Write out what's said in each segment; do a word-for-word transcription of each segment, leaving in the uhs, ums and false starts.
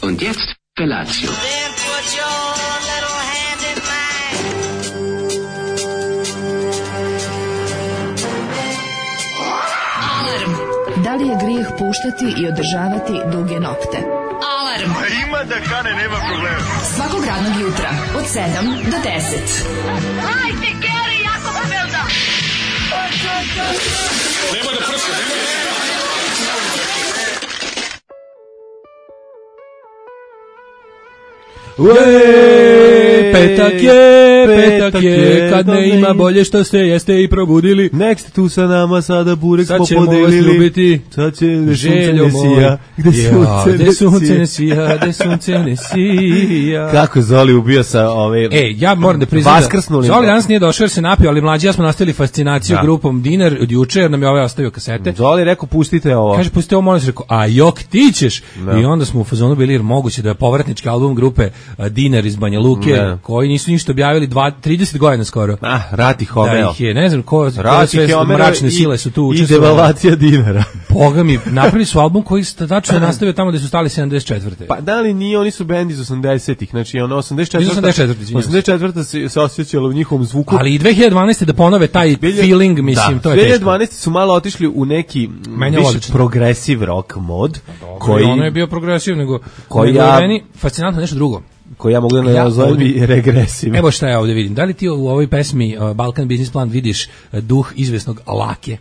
Und jetzt Felatio. Then put your little hand in mine. Alarm. Da li je grijeh puštati i održavati duge nokte? Alarm. A ima da kane, nema problema. Svakog radnog jutra od sedam do deset. Hajde, Geri, jako se velda. Nema da prska, nema da prska. Ueee, petak je, petak je, kad ne ima bolje što se jeste i probudili. Next tu sa nama sada burek smo Sad ćemo vas podelili. ljubiti. Sad će gde sunce Željo ne sija. Gde Ja, sunce gde ne sunce ne sija. sija, gde sunce ne sija. Kako Zoli ubio sa ove... E, ja moram da priznam da Vaskrsnuli. Zoli danas nije došao jer se napio, ali mlađi ja smo nastavili fascinaciju Da. grupom Dinar od juče, jer nam je ovaj ostavio kasete. Zoli rekao pustite ovo. Kaže, pustite ovo, molim se, rekao, a jok ti ćeš. Da. I onda smo u fazonu bili, jer moguće da je povratnički album grupe a, Dinar iz Banja Luke, Da. koji nisu ništa objavili dva, trideset godina skoro. Ah, Rati Da Homeo. ih je, ne znam ko, koje Rati sve Homeo mračne i- sile su tu i učestvovale. devalvacija dinara. Boga mi, napravili su album koji sta- tačno je nastavio tamo gde su stali sedamdeset četvrte. Pa da li nije, oni su bend iz osamdesetih, znači ono osamdeset četvrta. Iz osamdeset četvrte, izvinjavam se. osamdeset četvrta se, se osjećalo u njihovom zvuku. Ali i dve hiljade dvanaeste da ponove taj feeling, mislim, da, to je dve hiljade teško. dvanaeste su malo otišli u neki Meni je više odlično. progresive rock mod, Koji koji, ono je bio progresiv, nego, koji nego je ja- meni fascinantno nešto drugo. koji ja mogu da Ja nazovem ovdje- i regresiv. Evo šta ja ovdje vidim. Da li ti u ovoj pesmi uh, Balkan Business Plan vidiš uh, duh izvesnog Lake?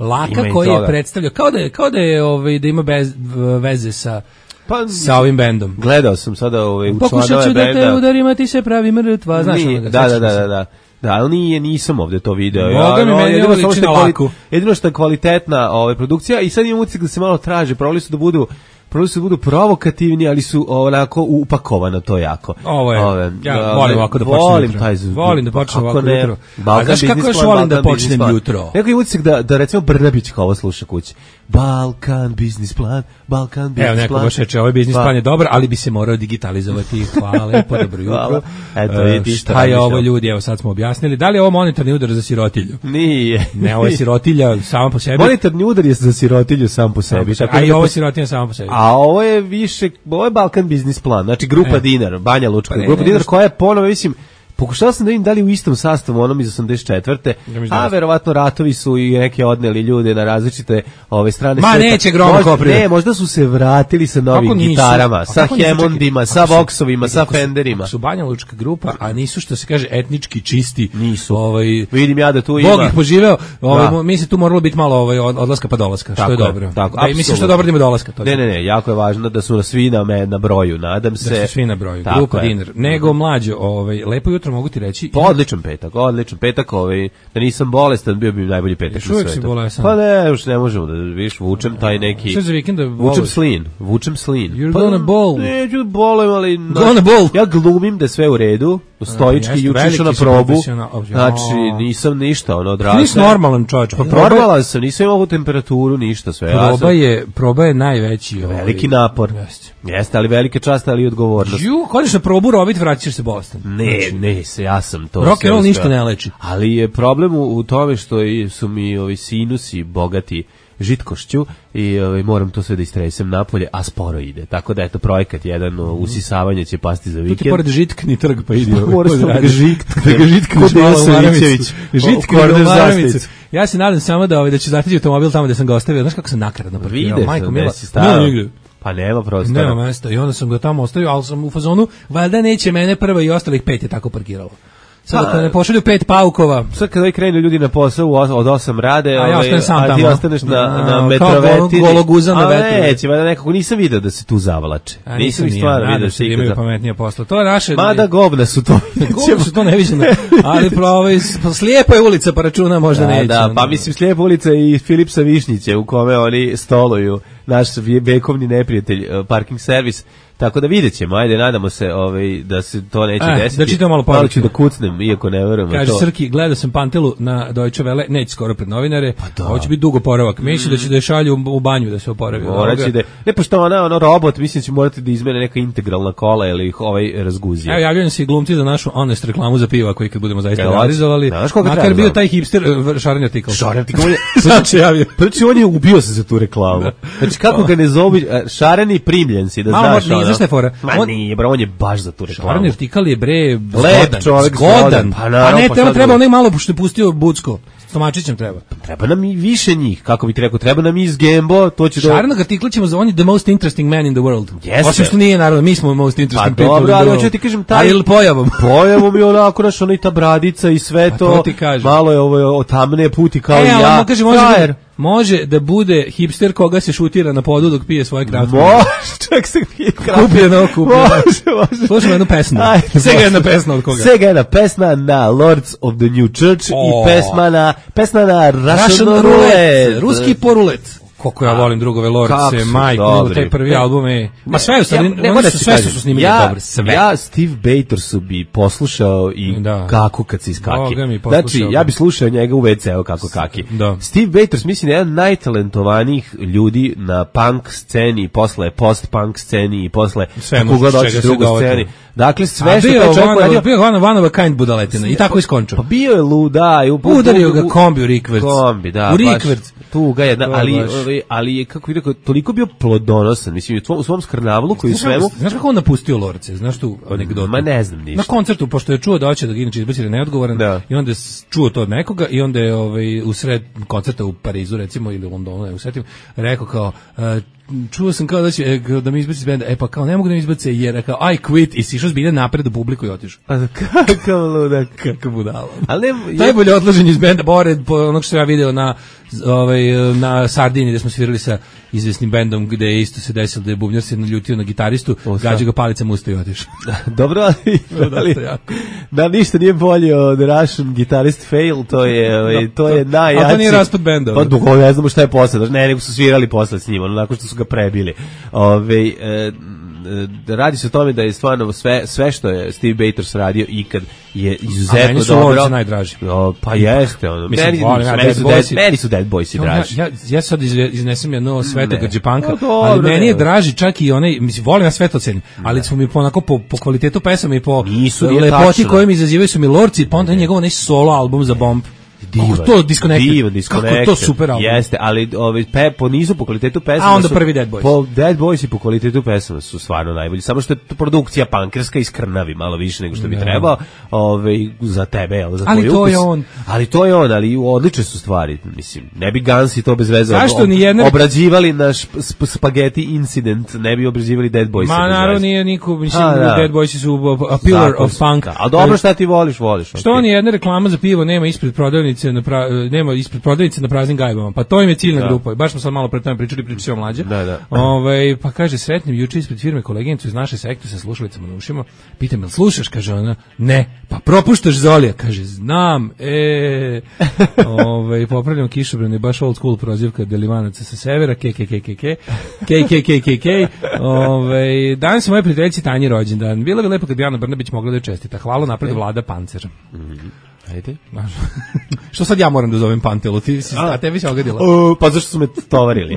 Laka Ima i koji je toga. predstavljao, kao da je, kao da je ovaj, da ima bez, v- veze sa, Pa, sa ovim bendom. gledao sam sada ovaj, u Pokušat članove ću da te benda. udarim, a ti se pravi mrtva. Znaš Nije, onoga, da, da, sećaš da, se? da, da. Da, ali nije, nisam ovde to video. Boga mi, no, meni jedino ovo samo liči što je na kvali- Laku. Jedino što je kvalitetna ova produkcija i sad imam utisak da se malo traže, probali su da budu probali su da budu provokativni, ali su onako upakovano to jako. Ovo je, Ove, ja ove, volim ovako da počnem volim jutro. taj zvuk. Volim da počnem Kako ovako ne, jutro. Balkan A znaš kako Business još Plan, volim da Balkan počnem Business Plan. jutro? Neko je utisak da, da recimo Brnabić kao ovo sluša kući. Balkan Business Plan, Balkan Business Evo Plan. neko baš reče, ovaj biznis Pa- plan je dobar, ali bi se morao digitalizovati. Hvala lepo, dobro jutro. Hvala. Eto, E, vidiš, šta je radiš ovo ovo. ljudi, evo sad smo objasnili. Da li je ovo monetarni udar za sirotilju? Nije. Ne, ovo je sirotilja sama po sebi. Monetarni udar je za sirotilju sam po Samo po sebi. sebi. tako A da i ne ovo je pos- sirotilja sama po sebi. A ovo je više, ovo je Balkan Business Plan, znači grupa E. Dinar, Banja Lučka, Pa ne, grupa ne, Dinar ne, koja je ponovo, mislim, pokušao sam da vidim da li u istom sastavu onom iz osamdeset četvrte. Ja mislim da A jeste. verovatno ratovi su i neke odneli ljude na različite ove strane Ma, sveta. neće Groma Možda- Kopriva. Ne, možda su se vratili sa novim Kako nisu? gitarama, A sa kako nisu? Hammondima, Čekaj, sa ako su- Voxovima, sa ako su- Fenderima. ako su Banja Lučka grupa, a nisu što se kaže etnički čisti. Nisu. Ovaj, Vidim ja da tu Bog ima. ih poživeo, ovaj, Da. mo- mi se tu moralo biti malo ovaj, od- odlaska pa dolaska, što Tako je je, dobro. tako, da, i mislim što je apsolutno. dobro da ima dolaska. To je Ne, ne, ne, jako je važno da su svi na, me, na broju, nadam se. Da su svi na broju. Tako Grupa je. Dinar. Nego mlađo, ovaj, lepo jutro mogu ti reći. Pa odličan petak, odličan petak, ovaj, da nisam bolestan, bio bi najbolji petak Još na uvijek svetu. si bolestan. Pa ne, još ne možemo da, viš, vučem taj neki... Sve za vikenda Vučem voliš? slin, vučem slin. You're Pa, gonna bowl. Neću da bolujem, ali... na- Gonna bowl. Ja glumim da je sve u redu, stoički, jeste, juče veliki išao na si probu, profesional. Oh, znači ja. nisam ništa, ono, Ti odrasao. nisi normalan čovječ. Pa normalan sam, nisam imao ovu temperaturu, ništa, sve. ja Proba sam- je, proba je najveći. Ovaj, Veliki napor. Jeste. Jeste, ali velike čast, ali i odgovornost. Ju, kodiš na probu robit, vraćaš se bolestan. Ne, ne, se, ja sam to. Rock sve and roll uspeo. ništa ne leči. Ali je problem u, u tome što i- su mi ovi sinusi bogati žitkošću i ovaj, moram to sve da istresem napolje, a sporo ide. Tako da eto projekat jedan o, usisavanje će pasti za Tu ti vikend. pored žitkni trg, pa idi. Pa moraš da ga žitkne. Da ga žitkneš Kod malo u Dejan maramicu. Savićević. Žitkni Korner u maramicu. zastavicu. Ja se nadam samo da, ovaj, da će zateći automobil tamo gde sam ga ostavio. Znaš kako sam nakaradno parkirao? Vide Majko sam, mila. gde si stavio. Nema nigde. Pa nema prostora. Nema mesta. I onda sam ga tamo ostavio, ali sam u fazonu, valjda neće mene prvo i ostalih pet je tako parkiralo. Sad Pa- ako ne pošalju pet paukova, Sad kada krenu ljudi na posao u os- od osam rade, A ja ovaj, ostanem sam a ti tamo. ostaneš na, A, na kao metrovetini. golo- gologuzan na A vetru. neće, valjda nekako nisam video da se tu zavlače. a Nisam ih ni ja, stvarno nadam video se da ikada. imaju pametnije posla. To je naše... Mada govna su to. Govno su to neviđeno, ali pravi, slijepa je ulica pa računa možda Da, neće. da, pa mislim Slijepa ulica i Filipsa Višnjiće u kome oni stoluju, naš vje- vekovni neprijatelj, uh, parking servis. Tako da vidjet ćemo, ajde, nadamo se ovaj, da se to neće E, desiti. da čitam malo Malo poruke. ću da kucnem, iako ne verujem. u Kaže to. Srki, gledao sam Pantelu na Deutsche Welle, neće skoro pred novinare, Pa da. ovo će biti dugo oporavak. Mislim da će da je šalju u banju da se oporavi. Morat će da, ne, pošto ona, ono, robot, mislim će morati da izmene neka integralna kola ili ih ovaj razguzije. Evo, javljaju se i glumci za našu honest reklamu za pivo, koji kad budemo zaista Evo, realizovali. znaš koga Makar treba, bio znam? taj hipster, uh, šareni artikl. Šareni artikl je- Sad se javio. Znači, on je ubio se za tu reklamu. Znači, Lordić, kako ga ne zovu, šareni primljen si, da malo znaš. Malo, nije, znaš šta je fora? Ma on, nije, bro, on je baš za tu reklamu. Šareni artikal je, bre, lep čovjek, zgodan. Pa, pa naravno, ne, pa treba, sad treba drugo. onaj malo, pošto je pustio Bucko. Stomačićem treba. Treba nam i više njih, kako bi ti rekao, treba nam i iz Gembo, to će do... Šarenog artikla ćemo za on je the most interesting man in the world. Jeste. Osim što nije, naravno, mi smo most interesting Pa people dobro, in the ali world. hoću ti kažem taj... Ali pojavom. Pojavom je onako, naš, ono i ta bradica i sve Pa to, to ti kažem. malo je ovo otamne puti kao e, i ali ja. mo- kaže, može, Frajer. da, može da bude hipster koga se šutira na podu dok pije svoje kratko. Može, čak se pije kratko. Kupljeno, kupljeno. Može, može. Slušamo jednu pesmu. Ajde, Svega može. jedna pesma od koga. Svega jedna pesma na Lords of the New Church O. i pesma na, pesma na Russian, Russian Roulette. Roulette. Ruski porulet. Koliko ja volim drugove Kako Lordse, su majko, dobri. taj prvi Ne. album je... Ma sve u stvari, Ja- ne, oni moram su, ti sve kažem, su snimili ja, dobro, sve. Ja Steve Batorsu bi poslušao i Da. kako kad se iskaki. Boga mi, poslušao Znači, bi. ja bi slušao njega u ve ce-u kako kaki. Da. Steve Bators, mislim, je jedan od najtalentovanijih ljudi na punk sceni, posle post-punk sceni i posle, Sve kako može, god čega hoćeš, se drugu dovati. sceni. Dakle, sve A što bio taj je čovjek one, radio... bio je one, one of a kind budaletina i tako iskončao. Pa bio je luda. I u, Udario ga u- kombi u rikvrc. Kombi, da. U baš rikvrc. Tuga jedna, To ali, baš. ovaj, ali je, kako bih rekao, toliko bio plodonosan, mislim, u svom, u svom skrnavlu koji u Znaš kako- svemu... Znaš kako on napustio Lorce? Znaš tu anegdotu? Ma ne znam ništa. Na koncertu, pošto je čuo da hoće da ga inače izbaci da je neodgovoran, Da. i onda je s- čuo to od nekoga i onda je ovaj, u sred koncerta u Parizu, recimo, ili u Londonu, ne usetim, rekao kao, e, čuo sam kao da će e, da mi izbaci iz benda, e pa kao ne mogu da mi izbace jer kao I quit i sišao zbilja napred u publiku i otišao. Pa kakav ludak. Kakav budalo. Ali ne... Najbolje odlaženje iz benda, pored po onog što sam ja video na ovaj na Sardini gde smo svirali sa izvesnim bendom gde je isto se desilo da je bubnjar se naljutio na gitaristu, O, gađa ga palicama usta i otišao. Dobro, ali, ali to je jako. da ništa nije bolje od Russian Guitarist Fail, to je, ovaj, to je najjači. A to nije raspad benda. Pa dugo ne znamo šta je posle, znači, ne, nego su svirali posle s njim, ono, nakon što su ga prebili. Ove, e, e, radi se o tome da je stvarno sve, sve što je Steve Bators radio ikad je izuzetno A meni su dobro. Lords najdraži. O, pa jeste, ono. Mislim, meni, volim ja meni, Dead su Boys dead, i- meni su Dead Boys i draži. Ja, ja, ja sad izve- iznesem jedno sveta Grđepanka, Pa dobro, ali meni je ne. draži čak i onaj, mislim, volim ja sve to cenim, ali su mi po, onako, po, po kvalitetu pesama i po Nisu, nije lepoti tačno. koje mi izazivaju su mi Lorci, pa onda je njegov onaj solo album za Bomb. Kako to Disconnected? Divan, Kako Disconnected. to super album? Jeste, ali ovaj pe po nizu po kvalitetu pesama. A onda su- prvi Dead Boys. Po Dead Boys i po kvalitetu pesama su stvarno najbolji. Samo što je to produkcija pankerska i skrnavi malo više nego što bi Da. trebao, ovaj za tebe, jel, za Ali tvoj to ukus. je on. Ali to je on, ali odlične su stvari, mislim. Ne bi Guns i to bez veze Zašto ob- ni jedna- obrađivali naš sp spageti incident, ne bi obrađivali Dead Boys. Ma naravno nije niko, mislim, A, da. Dead Boys su a pillar Zakon of su, punk. da. Ali dobro, šta ti voliš, voliš. Što okej. oni jedna reklama za pivo nema ispred prodavnice na pra, nema ispred prodavnice na praznim gajbama. Pa to im je ciljna Da. grupa. I baš smo sad malo pre tome pričali, pričamo mlađe. Da, da. Ovaj pa kaže sretnim juče ispred firme koleginicu iz naše sekte sa slušalicama na ušima. Pitam jel slušaš, kaže ona. Ne. Pa propuštaš Zolija, kaže znam. E ovaj popravljam kišobran je baš old school prozivka Delivanaca sa severa ke ke ke ke ke ke ke ke ke ke. Ovaj danas je moje prijateljici Tanji rođendan. Bilo bi lepo kad bi Ana Brnabić mogla da joj čestita. Hvala napred Vlada Pancer. Ajde. Znaš, što sad ja moram da zovem Pantelu, ti si, a tebi se ogadila. O, pa zašto su me tovarili?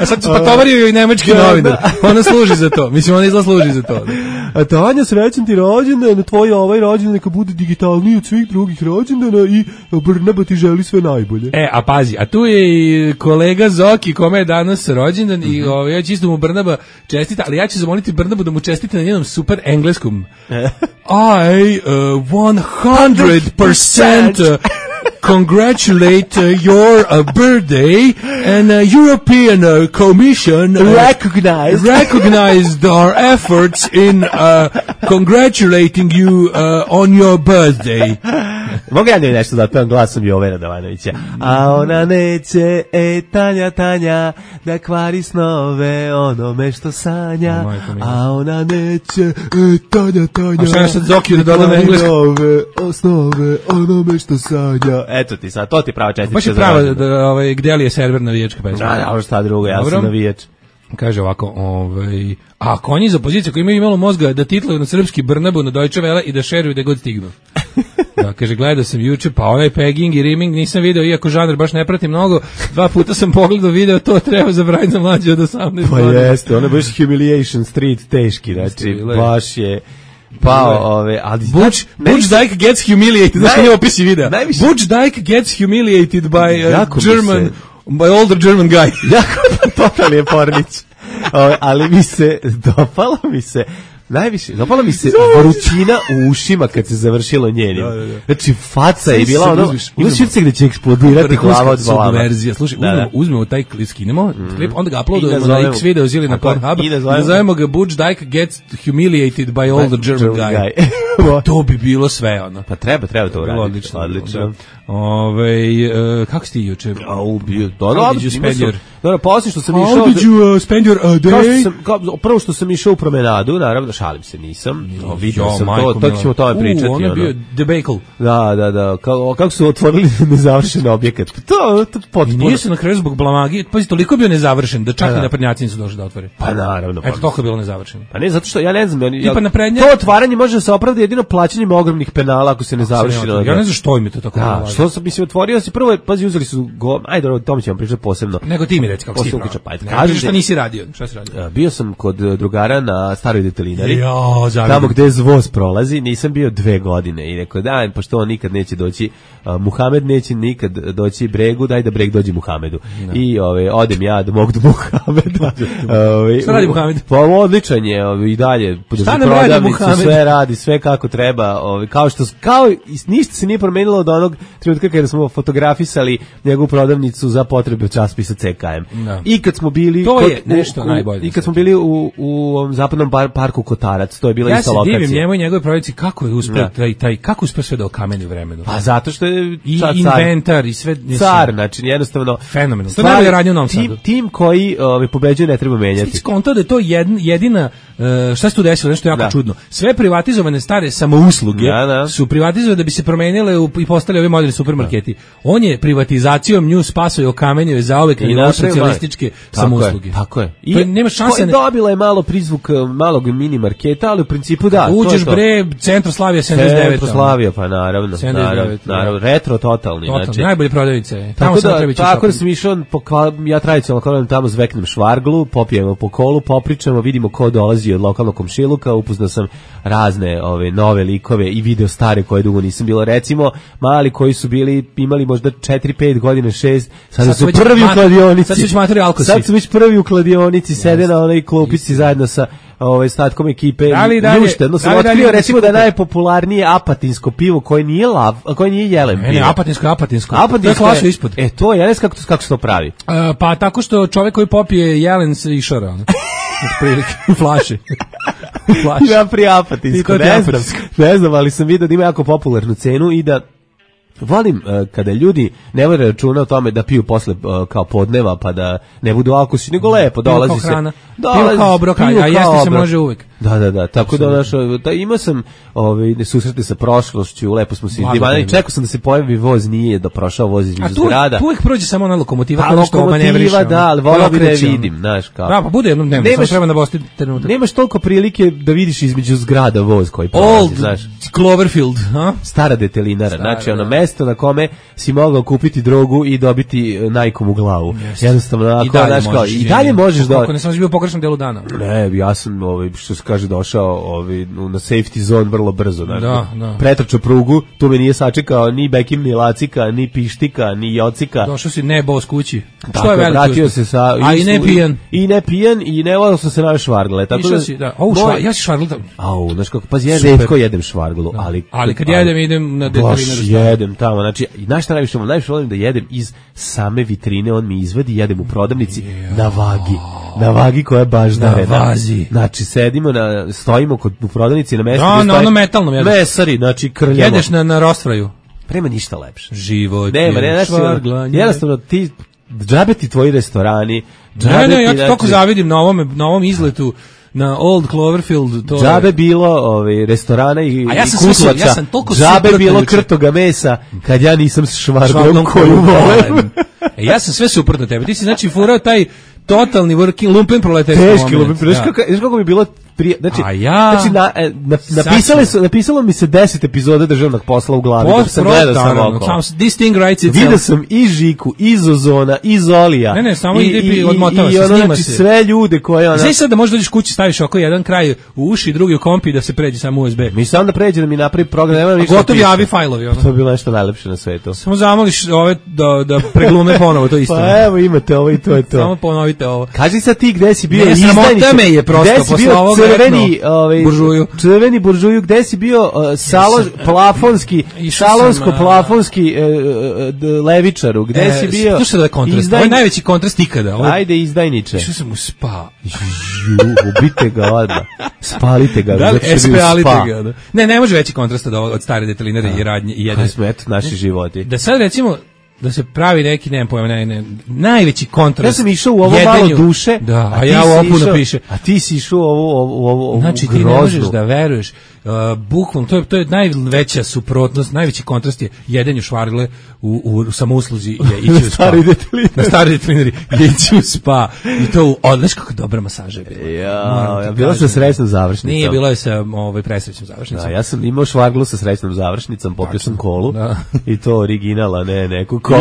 A sad se pa tovario joj nemački Da, novinar. Ona služi za to. Mislim, ona izla služi za to. A Tanja, srećan ti rođendan, tvoj ovaj rođendan neka bude digitalniji od svih drugih rođendana i Brnaba ti želi sve najbolje. E, a pazi, a tu je i kolega Zoki, kome je danas rođendan i ovaj, ja ću isto mu Brnaba čestita, ali ja ću zamoliti Brnabu da mu čestite na njenom super engleskom. I uh, one hundred percent uh, congratulate uh, your uh, birthday and uh, European uh, Commission uh, Recognized. recognized our efforts in uh, congratulating you uh, on your birthday. Mogu ja nešto da pevam glasom Jovena Davanovića? A ona neće, e, Tanja, Tanja, da kvari snove onome što sanja. O, majko mila. A ona neće, e, Tanja, Tanja, A šta ja sad Zokiju da dodam kvari englesko? nove osnove onome što sanja. Eto ti sad, to ti prava čestitka. Baš je za prava, rođendan. da, ovaj, gde li je server navijačka pesma? Da, da, šta drugo, ja Dobro. sam navijač. Kaže ovako, ovaj, a konji za opozicije koji imaju malo mozga da titlaju na srpski Brnabu na Deutsche Welle i da šeruju da god stignu. Da, kaže, gledao sam juče, pa onaj pegging i rimming nisam video, iako žanr baš ne pratim mnogo, dva puta sam pogledao video, to treba zabraniti za mlađe od osamnaest Pa godina. jeste, ono je baš Humiliation Street teški, znači, bilo je. baš je pao, ove, ali... Butch, Butch Dyke gets humiliated, znaš Naj- nije opisi videa. najviše- Butch Dyke gets humiliated by uh, Jako mi German se- by older German guy. Jako totalni je pornić. O, ali mi se, dopalo mi se, najviše, dopala mi se vrućina u ušima kad se završilo njenim. Da, da, da. Znači, faca je bila ono, ima širce gde će eksplodirati glava od glava. Slušaj, da, uzmemo, uzmemo taj klip, skinemo, mm. klip, onda ga uploadujemo na X-Videos ili na Pornhub i nazovemo ga Butch Dyke gets humiliated by older German guy. guy. To bi bilo sve, ono. Pa treba, treba to uraditi. Odlično. Odlično. Ove, uh, kako si ti juče? A, ubio. Da, How did you spend your... Dobro, poslije što sam išao... How did you uh, spend your uh, day? Kao što sam, kao, prvo što sam išao u promenadu, naravno, šalim se, nisam. No, vidio sam to, to ćemo o tome pričati. U, ono je bio debacle. Da, da, da. Kao, kako su otvorili nezavršen objekat? To, to potpuno. I nije se na kraju zbog blamagi, pazi, toliko je bio nezavršen, da čak da. i naprednjaci nisu došli da otvore. Pa naravno. Eto, toliko je bilo nezavršeno. Pa ne, zato što, ja ne znam, ja, Tipa naprednja... to otvaranje može da se opravda jedino plaćanjem ogromnih penala ako se ne završi. Ja ne znam što im je to tako. Da, što sam, mislim, otvorio si prvo, pazi, uzeli su go, ajde, o tome ćemo pričati posebno. Nego ti mi reci kako si ti kažeš šta nisi radio, šta si radio? Bio sam kod drugara na staroj detelinari, jo, tamo gde voz prolazi, nisam bio dve godine i rekao, da, pošto on nikad neće doći, uh, Muhamed neće nikad doći Bregu, daj da Breg dođe Muhamedu. No. I ove, odem ja do mog do Muhameda. ove, šta radi Muhamed? Pa odličan je, ove, i dalje, šta nam radi Muhamed? Sve radi, sve kako treba, ove, kao što, kao, ništa se nije promenilo od onog trenutka kada smo fotografisali njegovu prodavnicu za potrebe časopisa C K M. No. I kad smo bili to kod, je nešto u, najbolje. I kad smo bili u, u zapadnom par, parku Kotarac, to je bila ja ista lokacija. Ja se divim njemu i njegove prodavnici kako je uspeo taj, taj, kako uspeo sve da okameni u vremenu. Pa zato što je i inventar i sve. Car, znači jednostavno. Fenomenalno. To je najbolje radnje u Novom Sadu. Tim, tim koji ovaj, pobeđuje ne treba menjati. Ti skonto da je to jedna, jedina, uh, šta se tu desilo, nešto jako da. čudno. Sve privatizovane stare samousluge da, da. su privatizovane da bi se promenile u, i postali ovi moderni supermarketi. Da. On je privatizacijom nju spasao i okamenio je zauvek na socijalističke samousluge. Tako je. I to nema šanse. Ne... Dobila je malo prizvuk malog mini marketa, ali u principu da. Uđeš bre, Centroslavija sedamdeset devet. Centroslavija, pa naravno. Naravno, naravno, retro totalni. Totalni, znači. Najbolje prodavnice. Tako da, tako da sam išao, ja tradicionalno koram tamo zveknem švarglu, popijemo po kolu, popričamo, vidimo ko dolazi od lokalnog komšiluka, upoznao sam razne ove nove likove i video stare koje dugo nisam bilo. Recimo, mali koji su bili, imali možda četiri pet godine, šest, sada sad su prvi u kladionici. Sad su već materi alkosi. Sad su već prvi u kladionici, sede na onoj klupici zajedno sa ovaj statkom ekipe. Dali, dali, Ljušte, no sam otkrio recimo da je najpopularnije apatinsko pivo koje nije lav, koje nije jelen pivo. Ne, ne, apatinsko, apatinsko. Apatinsko je ispod. E, to je, ja ne znam kako, kako se to pravi. Uh, pa tako što čovjek koji popije jelen se išara. Od prilike, flaše. Flaše. Ja pri apatinsko, ne znam, ne znam, ali sam vidio da ima jako popularnu cenu i da volim uh, kada ljudi ne vode računa o tome da piju posle uh, kao podneva pa da ne budu alkosi, nego lepo dolazi se. Dolazi, pivo kao obrok, a jesti se može uvek. Da, da, da, tako da naš, da imao sam ovaj susrete sa prošlošću, lepo smo se divani, čekao sam da se pojavi voz, nije da prošao voz između zgrada. A tu uvek prođe samo ona lokomotiva, pa, kao što manevriše. Da, ali volao bih da je vidim, znaš kako. Da, pa bude jednom dnevno, samo treba da bosti trenutak. Nemaš toliko prilike da vidiš između zgrada voz koji prolazi, znaš. Cloverfield, ha? Stara detelinara, znači ono mesto na kome si mogao kupiti drogu i dobiti najkom u glavu. Jednostavno, ako znaš kao, i dalje možeš da. Kako ne sam bio u pogrešnom delu dana. Ne, ja sam ovaj što se kaže došao ovaj na safety zone vrlo brzo, znači. Da, da. Pretrčao prugu, tu me nije sačekao ni Bekim, ni Lacika, ni Pištika, ni Jocika. Došao si ne bos kući. Što je veliko? Vratio se sa a i ne pijan. I ne pijan i ne volao sam se na švargle, tako da si, da. Au, švar, ja se švarglu. Au, znači kako pa ja retko jedem švarglu, da. ali ali kad jedem idem na detalinaru. Jedem tamo, znači i znaš šta najviše volim, najviše volim da jedem iz same vitrine, on mi izvadi, jedem u prodavnici yeah. na vagi. Na vagi koja je baš na vazi. Znači sedimo na stojimo kod u prodavnici na mestu no, gdje stoji. No, ono metalno jedeš. Mesari, znači krljamo. Jedeš na na rostvraju. Prema ništa lepše. Život. Nema, ne, znači, jednostavno ti džabe ti tvoji restorani. Ne, ne, ja ti toliko zavidim na ovom na ovom izletu na Old Cloverfield, to džabe je bilo ovaj restorana i, ja i kutlača, ja sam toliko džabe bilo krtoga mesa kad ja nisam s švarglom koju volim. E, ja sam sve suprotno tebe, ti si znači furao taj totalni working lumpen proletariat. Teški lumpen, znaš kako, znaš kako bi bilo prije, znači, A ja- znači na, e, na, Sad napisali ću- su, napisalo mi se deset epizoda državnog posla u glavi, dok Post sam pro, gledao sam naravno, okolo. samo this thing writes itself. Vidio sam i Žiku, i Zozona, i Zolija. Ne, ne, samo i, ide i, i odmotava i, se, i ono, snima znači, se. sve ljude koje ona... Znaš sad da možeš dođeš kući, staviš oko jedan kraj u uši, drugi u kompi da se pređe samo U S B. Mi sam da pređe da mi napravi program, nema ništa. Gotovi piše. avi fajlovi, ono. To je bilo nešto najlepše na svetu. Samo zamoliš ove da, da preglume ponovo to isto. Pa evo imate ovo i to je to. Samo ponovite ovo. Kaži sad ti gde si bio Ne, sramota izdajniče? me je prosto Gde si posle bio ovoga crveni, rekno, ovaj, buržuju. Crveni buržuju, gde si bio uh, salon, plafonski, išao sam, salonsko-plafonski uh, uh, levičaru, gde si bio? Slušaj da je kontrast. Izdaj- Ovo je najveći kontrast ikada. Ovo je- Ajde, izdajniče. Išao sam u spa. Ju, ubite ga odmah. Spalite ga. Da li zato što je bio espalite spa. ga? Da. Ne, ne može veći kontrast od, ovog- od stare detelinare i radnje i Kaj jedan. smo, eto, naši životi. Da sad recimo da se pravi neki, nemam pojma, ne, ne, najveći kontrast. Ja sam išao u ovo jedenju- malo duše, da, a, ti ja si u opuno išao- piše. A ti si išao u ovo, ovo, ovo, ovo Znači ti ne groznu. možeš da veruješ, uh, bukvalno, to je, to je najveća suprotnost, najveći kontrast je jedenju švargle u, u samousluzi je ići u spa. staroj detelinari. Na staroj detelinari je ići u spa. I to u, odleš kako dobra masaža je bila. Ja, Moram ti ja, bila kažem. sa srećnom završnicom. Nije, bilo je sa ovaj, presrećnom završnicom. Da, ja sam imao švarglu sa srećnom završnicom, popio sam kolu Da. i to originala, ne neku kokot.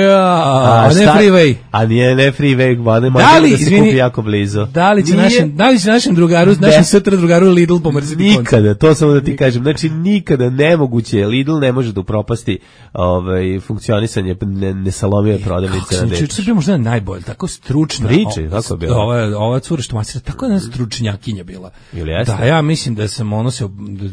Ja, a ne šta- freeway. A nije ne freeway, ba ne Da može li, da se izvini, kupi jako blizu. Da li će Nije- našem, da li će našem drugaru, Ne. našem sutra drugaru Lidl pomrziti koncert? Nikada, to samo da ti kažem. Znači, nikada nemoguće je. Lidl ne može da upropasti ovaj, funkcionisanje ne, nesalomije prodavnice Kako na sam dečku. juče bio možda najbolje, tako stručna. Priče, o- kako je bilo? Ova, ova cura što masira, tako jedna stručnjakinja bila. Ili jeste? Da, ja mislim da sam ono se,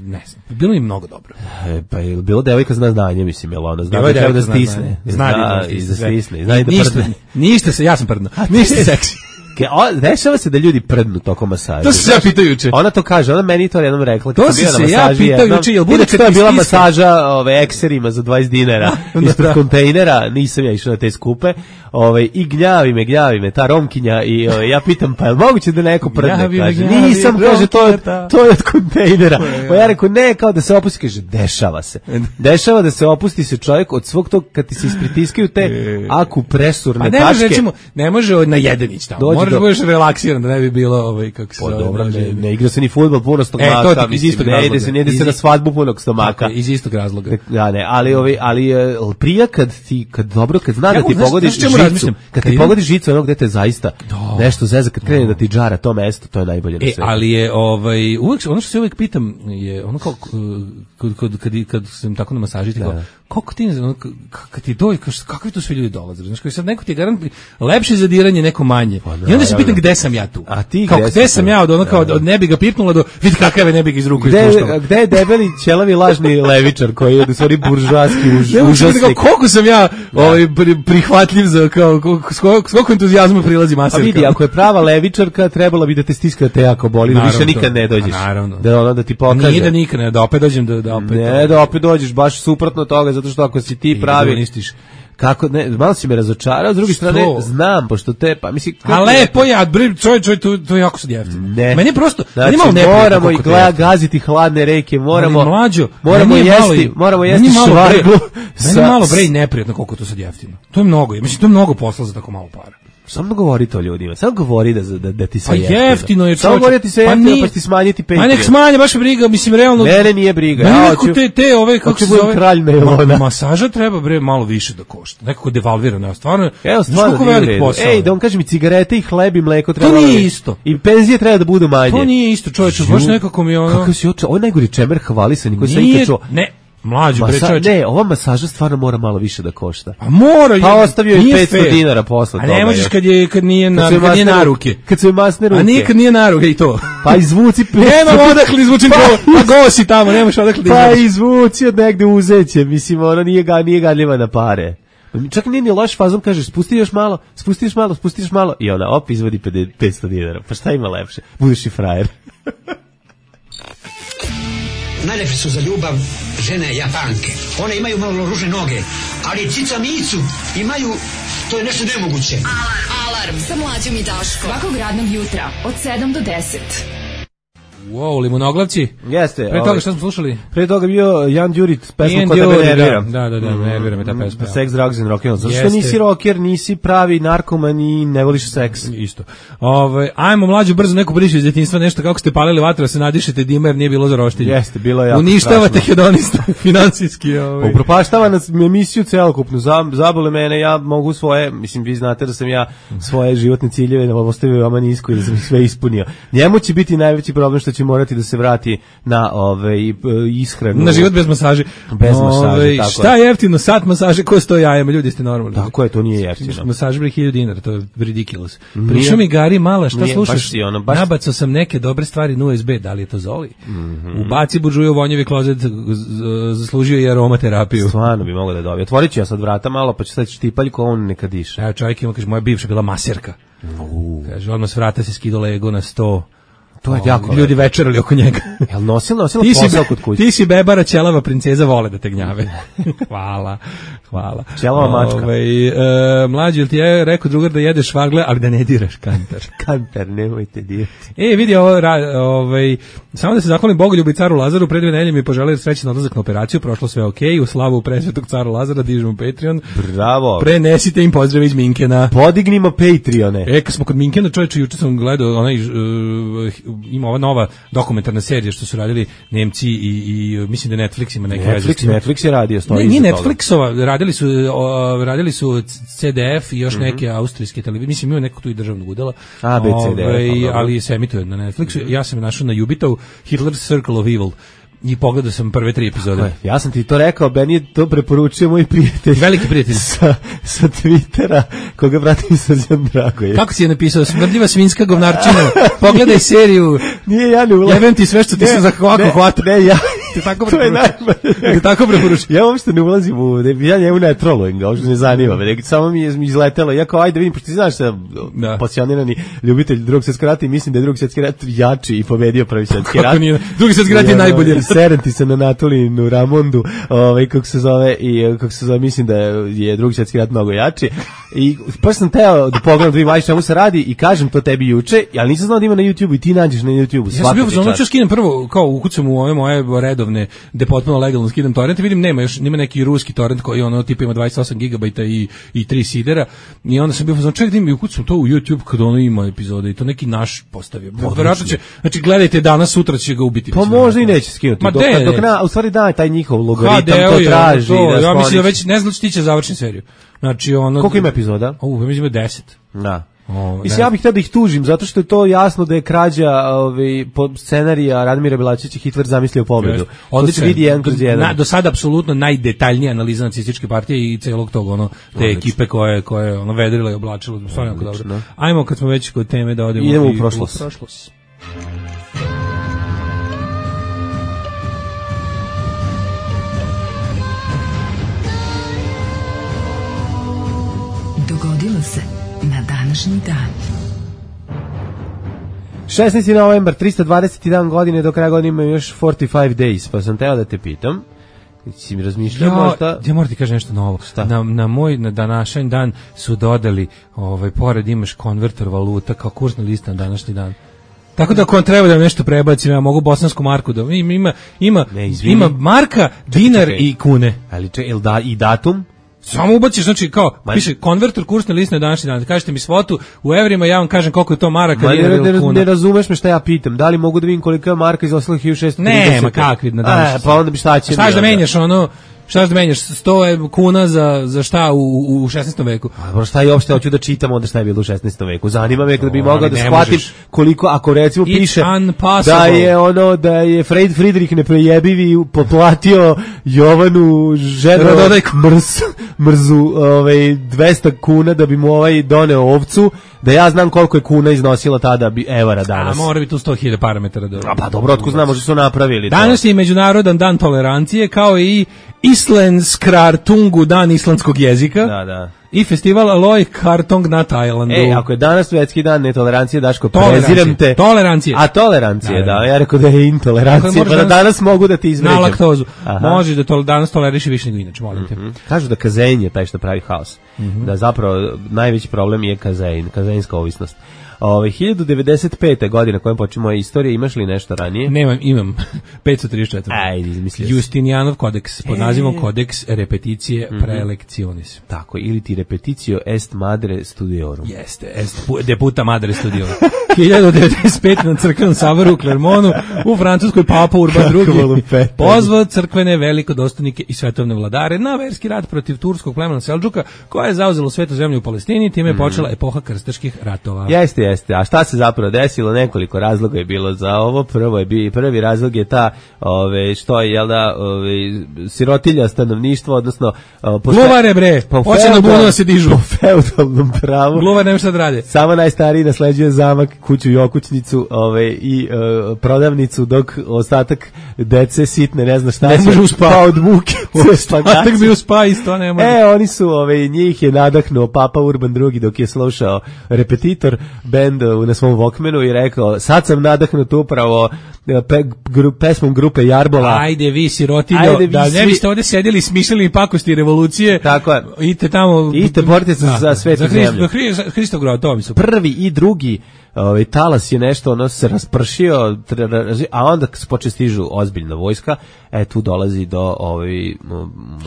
ne znam, bilo mi mnogo dobro. E, pa je bilo devojka zna znanje, mislim, jel ona zna Devojka da treba da zna stisne. znanje. Zna, da i da sve. stisne. Zna i da ništa, prdne. ništa se, ja sam prdno. Ništa seksi. Ke- o, dešava se da ljudi prdnu tokom masaža. To sam se ja pitao juče. Ona to kaže, ona meni to jednom rekla. To kad si sam bio na se ja masaži pitao jednom. juče, jel bude Inače, kad to je ti bila stisne? masaža ove, ekserima za dvadeset dinara ispred Da. kontejnera, nisam ja išao na te skupe, ove, i gnjavi me, gnjavi me, ta Romkinja, i ove, ja pitam, pa je li moguće da neko prdne? Gnjavi me, Kaže, gnjavi, nisam, kaže, to je, Romkinja, to je od kontejnera. je, Pa ja rekao, ne, kao da se opusti, kaže, dešava se. Dešava da se opusti se čovjek od svog tog, kad ti se ispritiskaju te akupresurne Pa ne tačke. može, recimo, ne može na jedenić tamo. Dođi Moraš do- da budeš relaksiran, da ne bi bilo, ovaj, kako se Pa zove, dobro, može- ne, ne igra se ni fudbal puno stomaka, E, to ti iz mislim, istog ne ide razloga. se, ne ide se Iz- na svadbu punog Tako stomaka. je, iz istog razloga. Ja ne, ali ovi, ali e, prija kad ti kad dobro kad zna Ja, da ti znaš- pogodiš znaš čemu žicu, razmišljam? kad Kad ti idem- pogodiš žicu onog gde te zaista Da. nešto zeza kad krene da ti džara to mesto, to je najbolje na E, svetu. ali je ovaj uvek ono što se uvek pitam je ono kao kad kad kad, kad sam tako na masaži ti kao kako ti ono, k- kad ti dođe kao, kakvi tu svi ljudi dolaze, znači koji sad neko ti je garant lepše zadiranje, neko manje. I onda se naravno. pitam gde sam ja tu. A ti kao gde gde si sam tu? ja od ono kao Da, da. od ne bi ga pipnula do vidi kakav je ne bi ga iz ruku Gde, ispuštao. gde je debeli ćelavi lažni levičar koji je u stvari buržoaski už, Ne možeš da kao, užasnik? koliko sam ja ovaj pri- prihvatljiv za kao koliko- s koliko s koliko entuzijazma prilazi Pa maserka. vidi, ako je prava levičarka, trebala bi da te stiska da te jako boli, da Naravno, više nikad to- ne dođeš. a naravno. Da ono da ti pokaže. Nije da nikad ne, da opet dođem da da opet. Ne, da opet dođeš baš suprotno od toga, zato što ako si ti I pravi... da uništiš. Kako, ne, malo si me razočarao, s druge Što? strane, znam, pošto te, pa mislim... A kako- lepo je, a bre, čoj, čoj, to, to je jako sad jeftino. Ne. Meni je prosto, Znači, meni je malo neprijatno moramo i koliko to je gleda jeftino. gaziti hladne reke, moramo, Ali mlađo, moramo meni je malo jesti, i- moramo meni jesti je malo bre- švarglu. Meni je malo bre i neprijatno koliko je to sad jeftino. To je mnogo, mislim, to je mnogo posla za tako malo para. Samo govori to ljudima, samo govori da, da, da ti Pa sve jeftino. jeftino je, Samo čovječe. govori da ti sve Pa jeftino, nije- pa će ti smanjiti Ma nek Patreon. smanje, baš me briga, mislim, realno... Mene nije briga, Meni ja nekako hoću... te, te ove, kako hoću se budem zove... kralj nailona. Ma- masaža treba, bre, malo više da košta. Nekako devalvirano, stvarno... Evo, znaš stvarno koliko nije u velik redu. posao Ej, je? da vam kažem, i cigarete i hleb i mleko treba... nije da- isto. I penzije treba da budu manje. To nije isto, čovječe, baš Ju, nekako mi je ono... Kakav si oče, ovo je najgori čemer hvalisani koji sam Nije, ikad čuo. ne, mlađo, bre, Masa, čovječe. ne, ova masaža stvarno mora malo više da košta. Pa mora, Pa je- ostavio je nije petsto fair. dinara posle A toga, ne možeš još. kad je kad nije na Kad su im kad nije masne na ruke. ruke. Kad su im masne ruke. A nije kad nije na ruke i to. Pa izvuci petsto. Nemam odakle izvučem Pa to. Pa go si tamo, nemaš odakle da Pa izvučeš. izvuci od negde uzeće, mislim, ona nije, ga, nije gadljiva na pare. Čak nije ni loš fazom, kažeš, spusti još malo, spusti još malo, spusti još malo, i ona, op, izvodi petsto dinara. Pa šta ima lepše? Budeš i frajer. Najlepše su za ljubav žene Japanke. One imaju malo ružne noge, ali cica micu imaju, to je nešto nemoguće. Alarm sa mlađom i Daškom. Svakog radnog jutra od sedam do deset. Wow, limunoglavci. Jeste. Pre ovaj, toga šta smo slušali? Pre toga bio Jan Đurić, pesma Ian Ko tebe Dury, nervira. Da, da, da, Mm, nervira me ta pesma. mm, Sex, drugs and rock'n'roll. Zato što Jeste. nisi rocker, nisi pravi narkoman i ne voliš seks. Isto. Ovaj ajmo mlađu brzo neku priču iz djetinjstva, nešto kako ste palili vatru, da se nadišete dima jer nije bilo za roštilje. Jeste, bilo je jako uništavate strašno. hedonista finansijski, ovaj. Upropaštava nas emisiju celokupnu, zabole mene, ja mogu svoje, mislim, vi znate da sam ja svoje životne ciljeve ostavio vama nisko i da sam ih sve ispunio. Njemu će biti najveći problem što će morati da se vrati na ove, ishranu. Na život bez masaže. Bez masaže, Ove, tako šta je jeftino, sat masaže, ko sto jajama, ljudi ste normalni. Tako je, to nije jeftino. Masaže bili hiljadu dinara, to je ridiculous. Prišao mi Gari Mala, šta nije, slušaš? baš si ono, baš- Nabacao sam neke dobre stvari na U S B, da li je to Zoli? Mhm. Ubaci buržuju u vonjevi klozet, z- z- zaslužio je aromaterapiju. Stvarno bi mogao da dobije. Otvorit ću ja sad vrata malo, pa ću sad štipaljko, on neka diše. Evo čovjek ima, kaže, moja bivša bila maserka. Kaže, odmah s vrata se skido Lego na sto. To je O, jako ljudi lepo. večerali oko njega. Jel nosila, nosila Ti si, posao kod kuće? ti si bebara, ćelava princeza, vole da te gnjave. hvala, hvala. Ćelava mačka. Ovaj, e, mlađi, jel ti je rekao drugar da jedeš švagle, ali da ne diraš kantar? Kantar, nemojte dirati. E, vidi ovo, ra- ovaj, samo da se zahvalim Bogoljubu i caru Lazaru, pre dve nedelje mi poželeli srećan odlazak na operaciju, prošlo sve okej, u slavu presvetog caru Lazara, dižemo Patreon. Bravo. Prenesite im pozdrav iz Minkena. Podignimo Patreone. E, kad smo kod Minkena, čovječe, juče sam gledao, onaj, uh, ima ova nova dokumentarna serija što su radili Nemci i, i mislim da Netflix ima neke veze s Netflix, tim. Netflix je radio, stoji Ne, nije iza toga. Netflixova, radili su, o, radili su C D F i još neke austrijske televizije, mislim ima neko tu i državnog udela. A, B C D F, Ovaj, pa dobro. ali se emituje na Netflixu. Ja sam je našao na Jubitovu, Hitler's Circle of Evil. I pogledao sam prve tri epizode. Tako je, ja sam ti to rekao, meni je to preporučio moj prijatelj. Veliki prijatelj. Sa, sa Twittera, koga pratim Srđan Dragoje. Kako si je napisao? Smrdljiva svinjska govnarčina. Pogledaj seriju. Nije, ja ne ulazim. Jebem ti sve što ti se za ovako ne, hvata. Ne, ja... Ti tako To je preporučujem. najbolje. Ti tako preporučujem. Ja uopšte ne ulazim u, ne, ja njemu ne trolujem ga, uopšte ne zanima me, nego samo mi je mi izletelo, ja kao ajde vidim, pošto ti znaš da Da. pasionirani ljubitelj drugog svjetskog rata i mislim da je drugi svjetski rat jači i pobedio prvi svjetski rat. Kako nije? Drugi svjetski rat je Ja, najbolji. Serem ti se na Natolinu Ramondu, ovaj, kako se zove, i kako se zove, mislim da je drugi svjetski rat mnogo jači. I pa sam teo da pogledam da vidim aj čemu se radi i kažem to tebi juče, ali nisam znao da ima na YouTubeu i ti nađeš na YouTubeu. Ja sam bio ono ću skinem prvo kao ukucam u ove moje redovne gde potpuno legalno skidam torrent, vidim nema još nema neki ruski torrent koji ono tipa ima dvadeset osam gigabajta i i tri sidera i onda sam bio znači ček da mi ukucam to u YouTube kad ono ima epizode i to neki naš postavio. Verovatno će znači gledajte danas sutra će ga ubiti. Pa možda i neće skinuti. Ma Dok, de, dok na, u stvari da, taj njihov logaritam Ha, to je, traži. to, da ja mislim da skloniš. već ne znam što tiče završen seriju. Znači ono Koliko ima epizoda? O, ja mislim da deset. Da. O, Mislim, ne. ja bih htio da ih tužim, zato što je to jasno da je krađa ovaj, po scenarija Radmira Belačića Hitler zamislio pobedu. To Odlično. se vidi jedan kroz jedan. Na, do sada apsolutno najdetaljnija analiza nacističke partije i celog tog ono te Odlično. ekipe koje koje ono vedrila i oblačila, stvarno jako dobro. Odlično. Ajmo kad smo već kod teme da odemo Idemo u i prošlost. U prošlost. Dogodilo se na današnji dan. šesnaesti novembar, trista dvadeset jedan godine, do kraja godine imaju još četrdeset pet days, pa sam teo da te pitam. Si mi razmišljao Ja, možda... ja moram ti kažem nešto novo. Šta? Na, na moj na današnji dan su dodali, ovaj, pored imaš konverter valuta kao kursna lista na današnji dan. Tako da ako vam treba da vam nešto prebacim, ja mogu bosansku marku da ima ima ima, Ne, izvini. ima marka, dinar čekaj. i kune. Ali če, jel da, i datum? Samo ubaciš, znači kao, Ma- piše konverter kursne liste na današnji dan. Kažete mi svotu u evrima, ja vam kažem koliko je to maraka, Ma, dinara ne, ili ne, kuna. ne razumeš me šta ja pitam. Da li mogu da vidim koliko je marka izostala hiljadu šessto trideset? Ne, ma kakvi na današnji E, pa onda bi šta će Šta mi ćeš da onda? menjaš ono, šta ćeš da menjaš sto kuna za, za šta u, u šesnaestom veku? A dobro, šta je uopšte hoću da čitam onda šta je bilo u šesnaestom veku. Zanima me kada bi To, mogao ali da ne shvatim možeš. koliko, ako recimo It's piše unpossible. da je ono, da je Fred Friedrich neprejebivi potplatio Jovanu ženu Radodajku. mrz, mrzu ovaj, dvesta kuna da bi mu ovaj doneo ovcu, da ja znam koliko je kuna iznosila tada bi evara A danas. mora biti tu sto hiljada parametara. Da, A pa dobro, otko znam, možda su napravili to. Danas je međunarodan dan tolerancije, kao i Islandskrar Tungu, dan islandskog jezika. Da, da. I festival Aloy Kartong na Tajlandu. Ej, ako je danas svetski dan netolerancije, Daško, Tolerancije. preziram te. Tolerancije. A tolerancije, Da, da, da. ja rekao da je intolerancija, Dakle, pa da možeš danas mogu da ti izvređam. Na laktozu. Aha. Može da to danas toleriš i više nego inače, molim te. Mhm. Kažu da kazein je taj što pravi haos. Da zapravo najveći problem je kazein, kazeinska ovisnost. Ovaj hiljadu devedeset pete godine kojem počinje moja istorija, imaš li nešto ranije? Nemam, imam. petsto trideset četiri. Ajde, izmislio. Justinijanov kodeks pod nazivom Codex Repeticije mm-hmm. Praelectionis. Tako, ili ti repeticio est madre studiorum. Jeste, est pu- deputa madre studiorum. hiljadu devedeset pete na crkvenom saboru u Clermontu u Francuskoj Papa Urban drugi pozvao crkvene velikodostojnike i svetovne vladare na verski rat protiv turskog plemena Seldžuka, koja je zauzela svetu zemlju u Palestini, time je mm. počela epoha krstaških ratova. Jeste, jeste. A šta se zapravo desilo? Nekoliko razloga je bilo za ovo. Prvo je bi prvi razlog je ta, ove što je jel da, ove sirotilja stanovništva, odnosno gluvare bre. Hoće na bunu da se dižu po feudalnom pravu. Gluvar nema šta da rade. Samo najstariji nasleđuje zamak, kuću i okućnicu, ove i e, prodavnicu, dok ostatak dece sitne ne zna šta ne može uspati od muke. Ostatak bi uspa isto ne može. E, oni su, ove, njih je nadahnuo Papa Urban drugi dok je slušao repetitor bend na svom Walkmanu i rekao, sad sam nadahnut upravo pe, gru, pesmom grupe Jarbola. Ajde vi sirotiljo, vi da ne svi... biste ovdje sedjeli i smišljali pakosti revolucije. Tako je. Idite tamo. Idite borite se za, za svetu za Hrist, zemlju. Hrist, Hristov grad, to mi su. Prvi i drugi ovaj talas je nešto, ono se raspršio, a onda počne stižu ozbiljna vojska, e tu dolazi do ovaj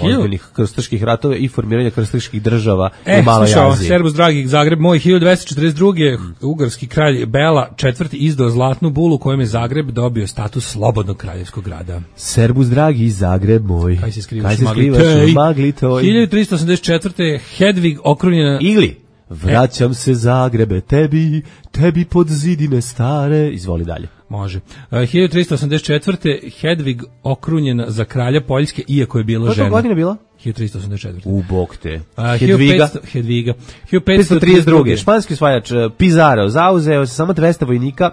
ozbiljnih krstaških ratova i formiranja krstaških država e, u Maloj Aziji. Servus dragi, Zagreb moj, hiljadu dvesta četrdeset druge. Mm. ugarski kralj Bela četvrti izdao zlatnu bulu kojom je Zagreb dobio status slobodnog kraljevskog grada. Servus dragi, Zagreb moj. Kaj se skrivaš, Kaj se skrivaš u magli toj? hiljadu trista osamdeset četvrte. Hedvig okrunjena ili vraćam se Zagrebe tebi, tebi pod zidine stare. Izvoli dalje. Može. Uh, hiljadu trista osamdeset četvrte. Hedvig okrunjena za kralja Poljske, iako je bila žena. Koja godina bila? hiljadu trista osamdeset četvrte. U bog te. Uh, Hedviga. Hedviga. hiljadu petsto trideset druge. Španski osvajač Pizarro zauzeo se samo dvesta vojnika,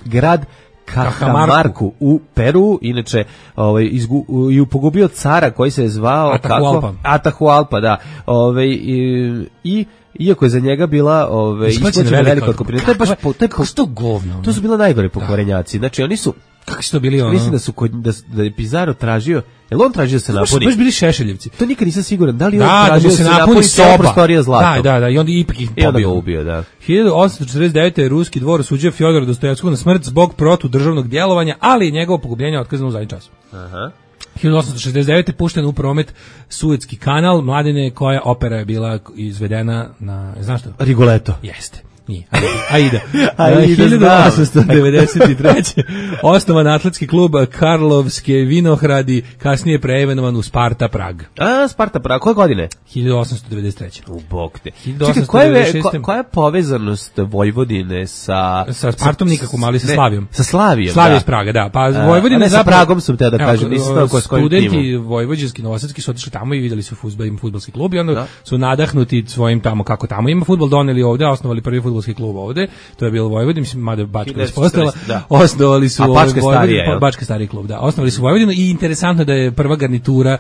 grad Cajamarku u Peru, inače ovaj izgu, i pogubio cara koji se je zvao Atahualpa. kako Atahualpa, da. Ovaj i, i iako je za njega bila ovaj isplaćena velika otkupnina. To je baš po, to je što govno. To su bila najgore pokvarenjaci. Znači oni su kako su to bili ono? Mislim da su kod, da, da je Pizarro tražio, jel on tražio da se napuni? Baš bili Šešeljevci. To nikad nisam siguran. Da li da, on tražio da se, se napuni, napuni soba prostorija zlatom? Da, da, da, i onda ipak ih pobio. I onda ga ubio, da. hiljadu osamsto četrdeset devete. je ruski dvor osuđio Fjodora Dostojevskog na smrt zbog protudržavnog djelovanja, ali njegovo pogubljenje otkazano u zadnji čas. Aha. hiljadu osamsto šezdeset devete. pušten u promet Suetski kanal, Mladine, koja opera je bila izvedena na, znaš što? Rigoletto. Jeste. Nije. Aida. Aida. hiljadu osamsto devedeset treće. osnovan atletski klub Karlovske Vinohradi, kasnije preimenovan u Sparta Prag. A, Sparta Prag, koje godine? hiljadu osamsto devedeset treće. U bog te. Čekaj, koja je, ko, koja je povezanost Vojvodine sa... Sa Spartom nikako, ali sa Slavijom. Sa Slavijom, Slavija da. iz Praga, da. Pa Vojvodina je zapravo... sa Pragom sam te da kažem, nisam znao ko s kojim timom. Studenti vojvođanski, novosadski su otišli tamo i vidjeli su fudbal, im fudbalski klub i onda da. su nadahnuti svojim tamo, kako tamo ima fudbal, doneli ovde, osnovali prvi fudbalski klub ovde. To je bilo Vojvodina, mislim, mada Bačka ispostala. Osnovali su... A Bačka starija, je? Bačka stariji klub, da. Osnovali su Vojvodinu i interesantno da je prva garnitura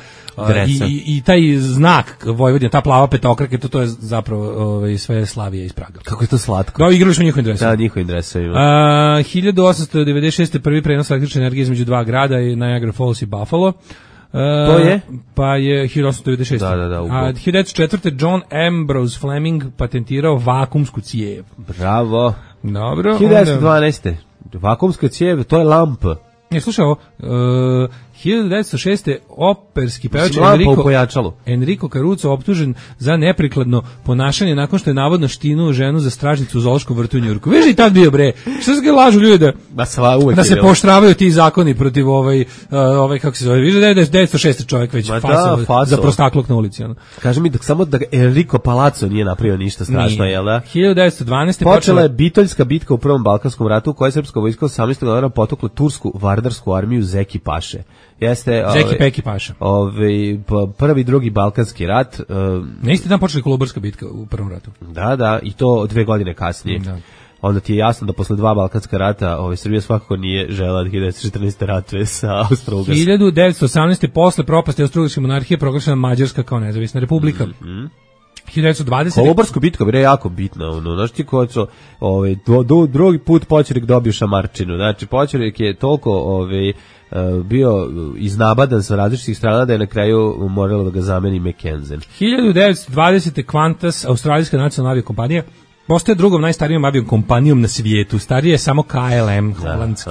i, i, i taj znak Vojvodina, ta plava petokraka, to, to je zapravo ovaj, sve Slavija iz Praga. Kako je to slatko. Da, igrali smo njihovim dresovima. Da, njihovim dresovima. A, hiljadu osamsto devedeset šeste. prvi prenos električne energije između dva grada je Niagara Falls i Buffalo. Uh, to je? Pa je hiljadu osamsto devedeset šeste. Da, da, da. A hiljadu devetsto četvrte. John Ambrose Fleming patentirao vakumsku cijev. Bravo. Dobro. hiljadu devetsto dvanaeste. Vakumska cijev, to je lampa. Ne, slušaj ovo, uh, hiljadu devetsto šeste. operski pevač Enrico, Enrico Caruso optužen za neprikladno ponašanje nakon što je navodno štinuo ženu za stražnicu u zoološkom vrtu u Njujorku. Viš i tad bio bre. Što se ga lažu ljudi da, da se poštravaju ti zakoni protiv ovaj, uh, ovaj kako se zove, viš da je devetsto šeste. čovjek već fasao za prostakluk na ulici. Ono. Kaže mi da samo da Enrico Palazzo nije napravio ništa strašno, jel da? hiljadu devetsto dvanaeste. Počela je Bitoljska bitka u Prvom Balkanskom ratu u kojoj je srpska vojska osamnaestog januara potukla tursku vardarsku armiju Zeki Paše. Jeste Zeki ove, Peki Paša. Ovaj prvi drugi balkanski rat. Um, Na isti dan počela Kolubarska bitka u prvom ratu. Da, da, i to dve godine kasnije. Da. Onda ti je jasno da posle dva balkanska rata, ovaj Srbija svakako nije želela da hiljadu devetsto četrnaeste. ratve sa Austro-Ugarskom. hiljadu devetsto osamnaeste. posle propasti Austro-Ugarske monarhije proglašena Mađarska kao nezavisna republika. Mm-hmm. hiljadu devetsto dvadesete. Kolubarska bitka je jako bitna, ono, znaš ti ko su, ovaj, do, do, drugi put Poćurik dobio šamarčinu, znači Poćurik je toliko, ovaj, bio iznabadan sa različitih strana da je na kraju moralo da ga zameni McKenzie. hiljadu devetsto dvadesete. Qantas, australijska nacionalna aviokompanija, postaje drugom najstarijom avio kompanijom na svijetu. Starije je samo K L M, holandski,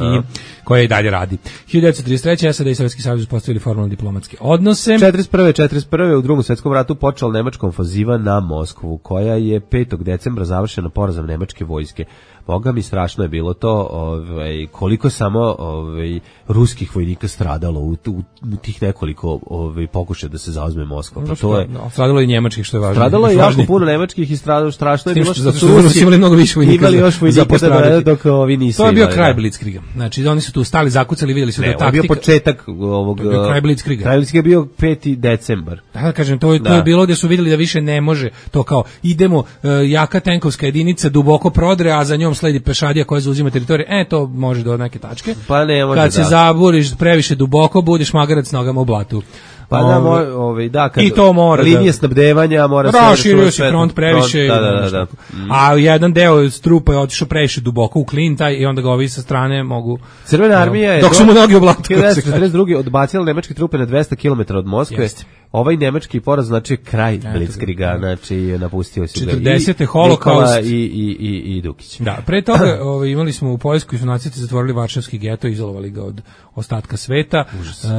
koja i dalje radi. hiljadu devetsto trideset treće. S A D i Sovjetski savez uspostavili formalno diplomatske odnose. četrdeset prve. četrdeset prve. u Drugom svjetskom ratu počela nemačka ofanziva na Moskvu, koja je petog decembra završena porazom nemačke vojske. Boga mi, strašno je bilo to, ovaj, koliko samo ovaj, ruskih vojnika stradalo u, u, u tih nekoliko ovaj, pokušaja da se zauzme Moskva. Pa to je, no, stradalo i njemačkih, što je važno. Stradalo je jako puno nemačkih i stradalo, strašno je bilo što su Rusi imali mnogo više vojnika imali još vojnika da, dok ovi nisu. To je bio imali, kraj da. Blitzkriega. Znači, oni su tu stali, zakucali, vidjeli su ne, da taktika... Ne, bio početak ovog... To je bio kraj Blitzkriega. Kraj Blitzkriega je bio peti decembar. Da, da kažem, to je, da. to je bilo gdje su vidjeli da više ne može, to kao, idemo, uh, jaka tenkovska jedinica duboko prodre, a za njom sledi pešadija koja zauzima teritoriju, e, to može do neke tačke. Pa ne može, kad se da. zaburiš previše duboko, budeš magarac nogama u blatu. Pa da, moj, ovaj, da, kad i to mora linije da, snabdevanja mora se raširio se front previše, front, da, da, da, da. Mm. A jedan deo strupa je otišao previše duboko u klin taj i onda ga ovi sa strane mogu. Crvena armija je dok su mu noge u blatu. hiljadu devetsto četrdeset druge. odbacila nemačke trupe na dvesta kilometara od Moskve. Jeste. Ovaj nemački poraz znači kraj Blitzkriega, znači napustio se četrdesete holokaust i i i i Dukić. Da, pre toga ovaj, imali smo u Poljskoj su nacisti zatvorili Varšavski geto, izolovali ga od ostatka sveta. Uh,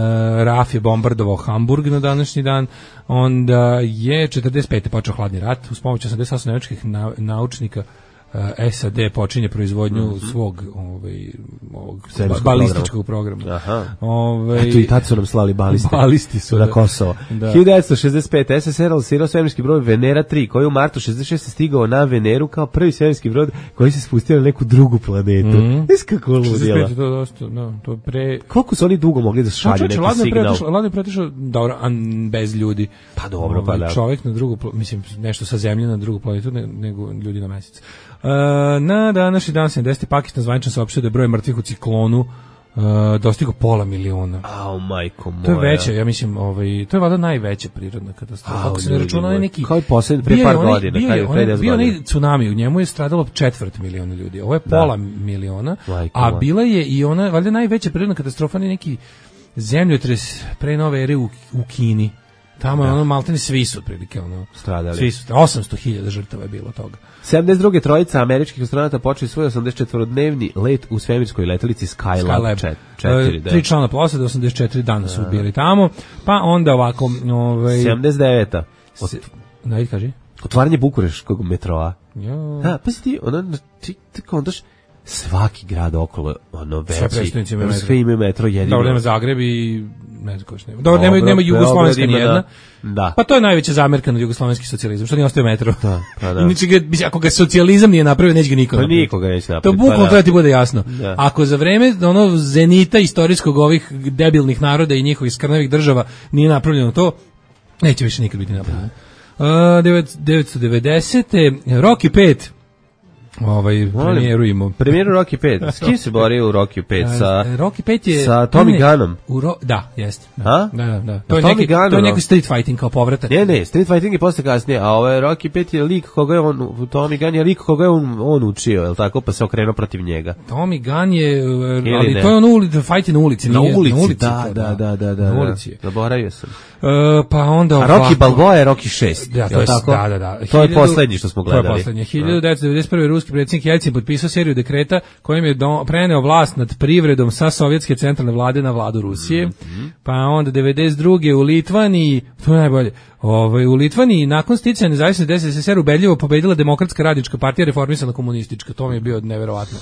Raf je bombardovao Hamburg na današnji dan. Onda je četrdeset pete počeo hladni rat uz pomoć osamdeset osam nemačkih na, naučnika. Uh, S A D počinje proizvodnju mm -hmm. svog ovaj, ovog balističkog programa. Aha. Ovaj, Eto i tad su nam slali baliste. Balisti su na Kosovo. Da. hiljadu devetsto šezdeset pete. S S R lansirao svemirski brod Venera tri, koji je u martu šezdeset šeste stigao na Veneru kao prvi svemirski brod koji se spustio na neku drugu planetu. Mm -hmm. Kako ludila. To dosta, no, to pre... Koliko su oni dugo mogli da šalju neki ladno signal? Pretišlo, ladno je pretišao, dobro, bez ljudi. Pa dobro, pa da. Čovjek na drugu, mislim, nešto sa zemlje na drugu planetu, ne, nego ljudi na mesec. Uh, na današnji dan sedamdesete. Pakistan zvanično saopštio da je broj mrtvih u ciklonu uh, dostigao pola miliona. Au, majko moja. To je veće, ja mislim, ovaj, to je valjda najveća prirodna katastrofa. Kako se ne računa onaj neki... Kao i posljednje, pre par godina. Bio je onaj, bio onaj tsunami, u njemu je stradalo četvrt miliona ljudi. Ovo je da. Pola miliona, majko a bila je i ona, valjda najveća prirodna katastrofa, neki zemljotres pre nove ere u, u Kini. Tamo je ono maltene svi su otprilike ono stradali. Svi su, osamsto hiljada žrtava je bilo toga. sedamdeset druge. trojica američkih astronauta počeli svoj osamdeset četvorodnevni let u svemirskoj letelici Skylab četiri. Tri člana posade, osamdeset četiri dana su bili tamo, pa onda ovako... Ovaj, sedamdeset deveta. Ot... Najde, kaži. Otvaranje bukureškog metroa. Jo. Da, pa si ti, ono, ti, ti kontaš, svaki grad okolo, ono, veći, sve imaju metro jedino. Dobro, nema Zagreb i... ne znam ko što nema. Dobro, nema, nema Jugoslovenska nijedna. Da. Pa to je najveća zamerka na jugoslovenski socijalizam, što nije ostaje metro. Da, pa da. Inače, ako ga socijalizam nije napravio, neće ga niko pa napraviti. Nikoga neće napraviti. To bukvalno pa treba ti bude jasno. Da. Ako za vreme ono zenita istorijskog ovih debilnih naroda i njihovih skrnavih država nije napravljeno to, neće više nikad biti napravljeno. Uh, devetsto devedesete. Rocky pet. Ovaj premijeru imao. Premijeru Rocky pet. S kim se borio u Rocky pet? Sa Rocky pet je sa Tommy Gunnom. U ro, da, jeste. Da, da, da. To je neki to je neki street fighting kao povratak. Ne, ne, street fighting je posle kasnije, a ovaj Rocky pet je lik koga je on Tommy Gunn je lik koga je on, on učio, je l' tako, pa se okrenuo protiv njega. Tommy Gunn je, ali ne? To je on ulici, fight na ulici, na nije, ulici, na ulici. Da, da, da, da, da. Na ulici. Zaboravio sam. Uh, pa onda a Rocky Balboa je Rocky šest. Da, to je tako. Da, da, da. To je poslednji što smo gledali. To je poslednji. hiljadu devetsto devedeset prve. ruski predsjednik Jelcin potpisao seriju dekreta kojim je do, preneo vlast nad privredom sa sovjetske centralne vlade na vladu Rusije. Mm-hmm. Pa onda devedeset druge. u Litvaniji, to je najbolje. Ovaj u Litvaniji nakon sticanja nezavisnosti S S S R ubedljivo pobedila Demokratska radnička partija, reformisana komunistička. To mi je bio neverovatno.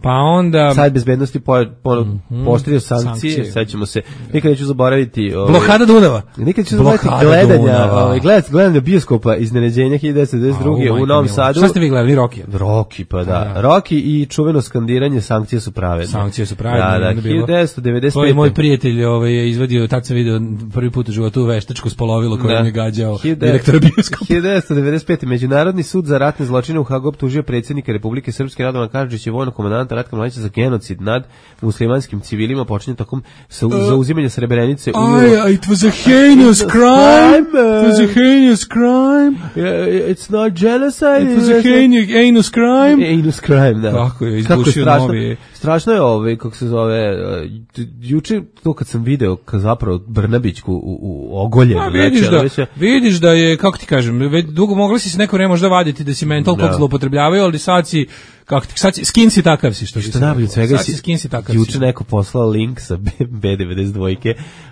Pa onda Savet bezbednosti po, po, mm-hmm. postavio sankcije, sankcije. Sad ćemo se nikad neću zaboraviti ovaj, blokada Dunava. Nikad neću zaboraviti gledanja, ovaj gledanje gledanje bioskopa Iznenađenja hiljadu devetsto devedeset druge. u Novom Sadu. Šta ste vi gledali, Rocky? Rocky, pa da. da. Rocky i čuveno skandiranje sankcije su pravedne. Sankcije su pravedne. Da, da, hiljadu devetsto devedeset pete. To je moj prijatelj, ovaj je izvadio, tad sam video prvi put u životu veštačko spolovilo koje mi gađao direktor bioskopa. hiljadu devetsto devedeset pete. Međunarodni sud za ratne zločine u Hagu optužio predsjednika Republike Srpske Radovana Karadžića i vojnog komandanta komandanta Ratka Mladića za genocid nad muslimanskim civilima počinje tokom sa, uh, zauzimanja Srebrenice. I, it was a heinous crime. It was a heinous crime. Yeah, it's not genocide. It was a heinous, heinous crime. Heinous crime, da. Kako je izbušio novi. Strašno je ovaj, kako se zove, uh, juče to kad sam video kad zapravo Brnabićku u, u ogoljenu. A vidiš da, već, vidiš da je, kako ti kažem, već dugo mogli si se neko vreme možda vaditi da si mental kog zloupotrebljavaju, ali sad si, kako ti, sad si, skin si takav si, što, što najbolje svega si, skin si takav juče si. Neko poslao link sa B devedeset dva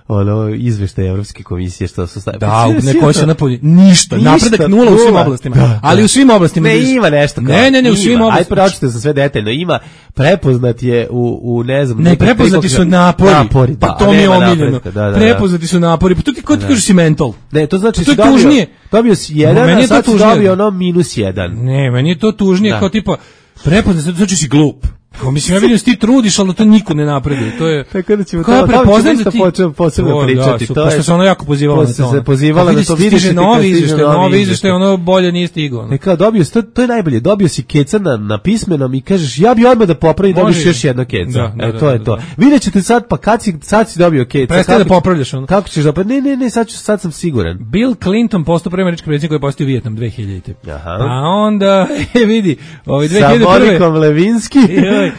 ono, izveštaj Evropske komisije što su stavili. Da, neko će napolje, ništa, ništa, napredak nula u svim oblastima, da, ali da. U svim oblastima. Ne, ima nešto. Kao, ne, ne, ne, u svim oblastima. Ajde, pročite za sve detaljno, ima, prepoznat je u, u ne znam. Ne, prepoznati su napori, napori da, pa to mi je omiljeno. Da, da, prepoznati su napori, pa to ti, ko ti kažeš si mental? Ne, to znači to je tužnije. Dobio si jedan, a sad si dobio ono minus jedan. Ne, meni je to tužnije, kao tipa, prepoznati, znači si glup. Kao mislim ja vidim da ti trudiš, ali to niko ne napreduje. To je tako da ćemo to prepoznati da ti počnemo posebno pričati. Da, to je što se ono jako pozivala na to. Se pozivala da to vidiš da novi izveštaj, novi izveštaj, ono bolje nije stigao. Ne kao dobio to, to je najbolje. Dobio si keca na, na pismenom i kažeš ja bih odmah da popravim, dobiš još jedno keca. E to je to. Videćete sad pa kad si sad si dobio keca. Prestaje da popravljaš ono. Kako ćeš da pa ne ne ne sad ću sad sam siguran. Bill Clinton postao prvi američki predsjednik koji je postao Vijetnam dve hiljadite. A onda e vidi, ovaj dve hiljade prve. Sa Monikom Levinski.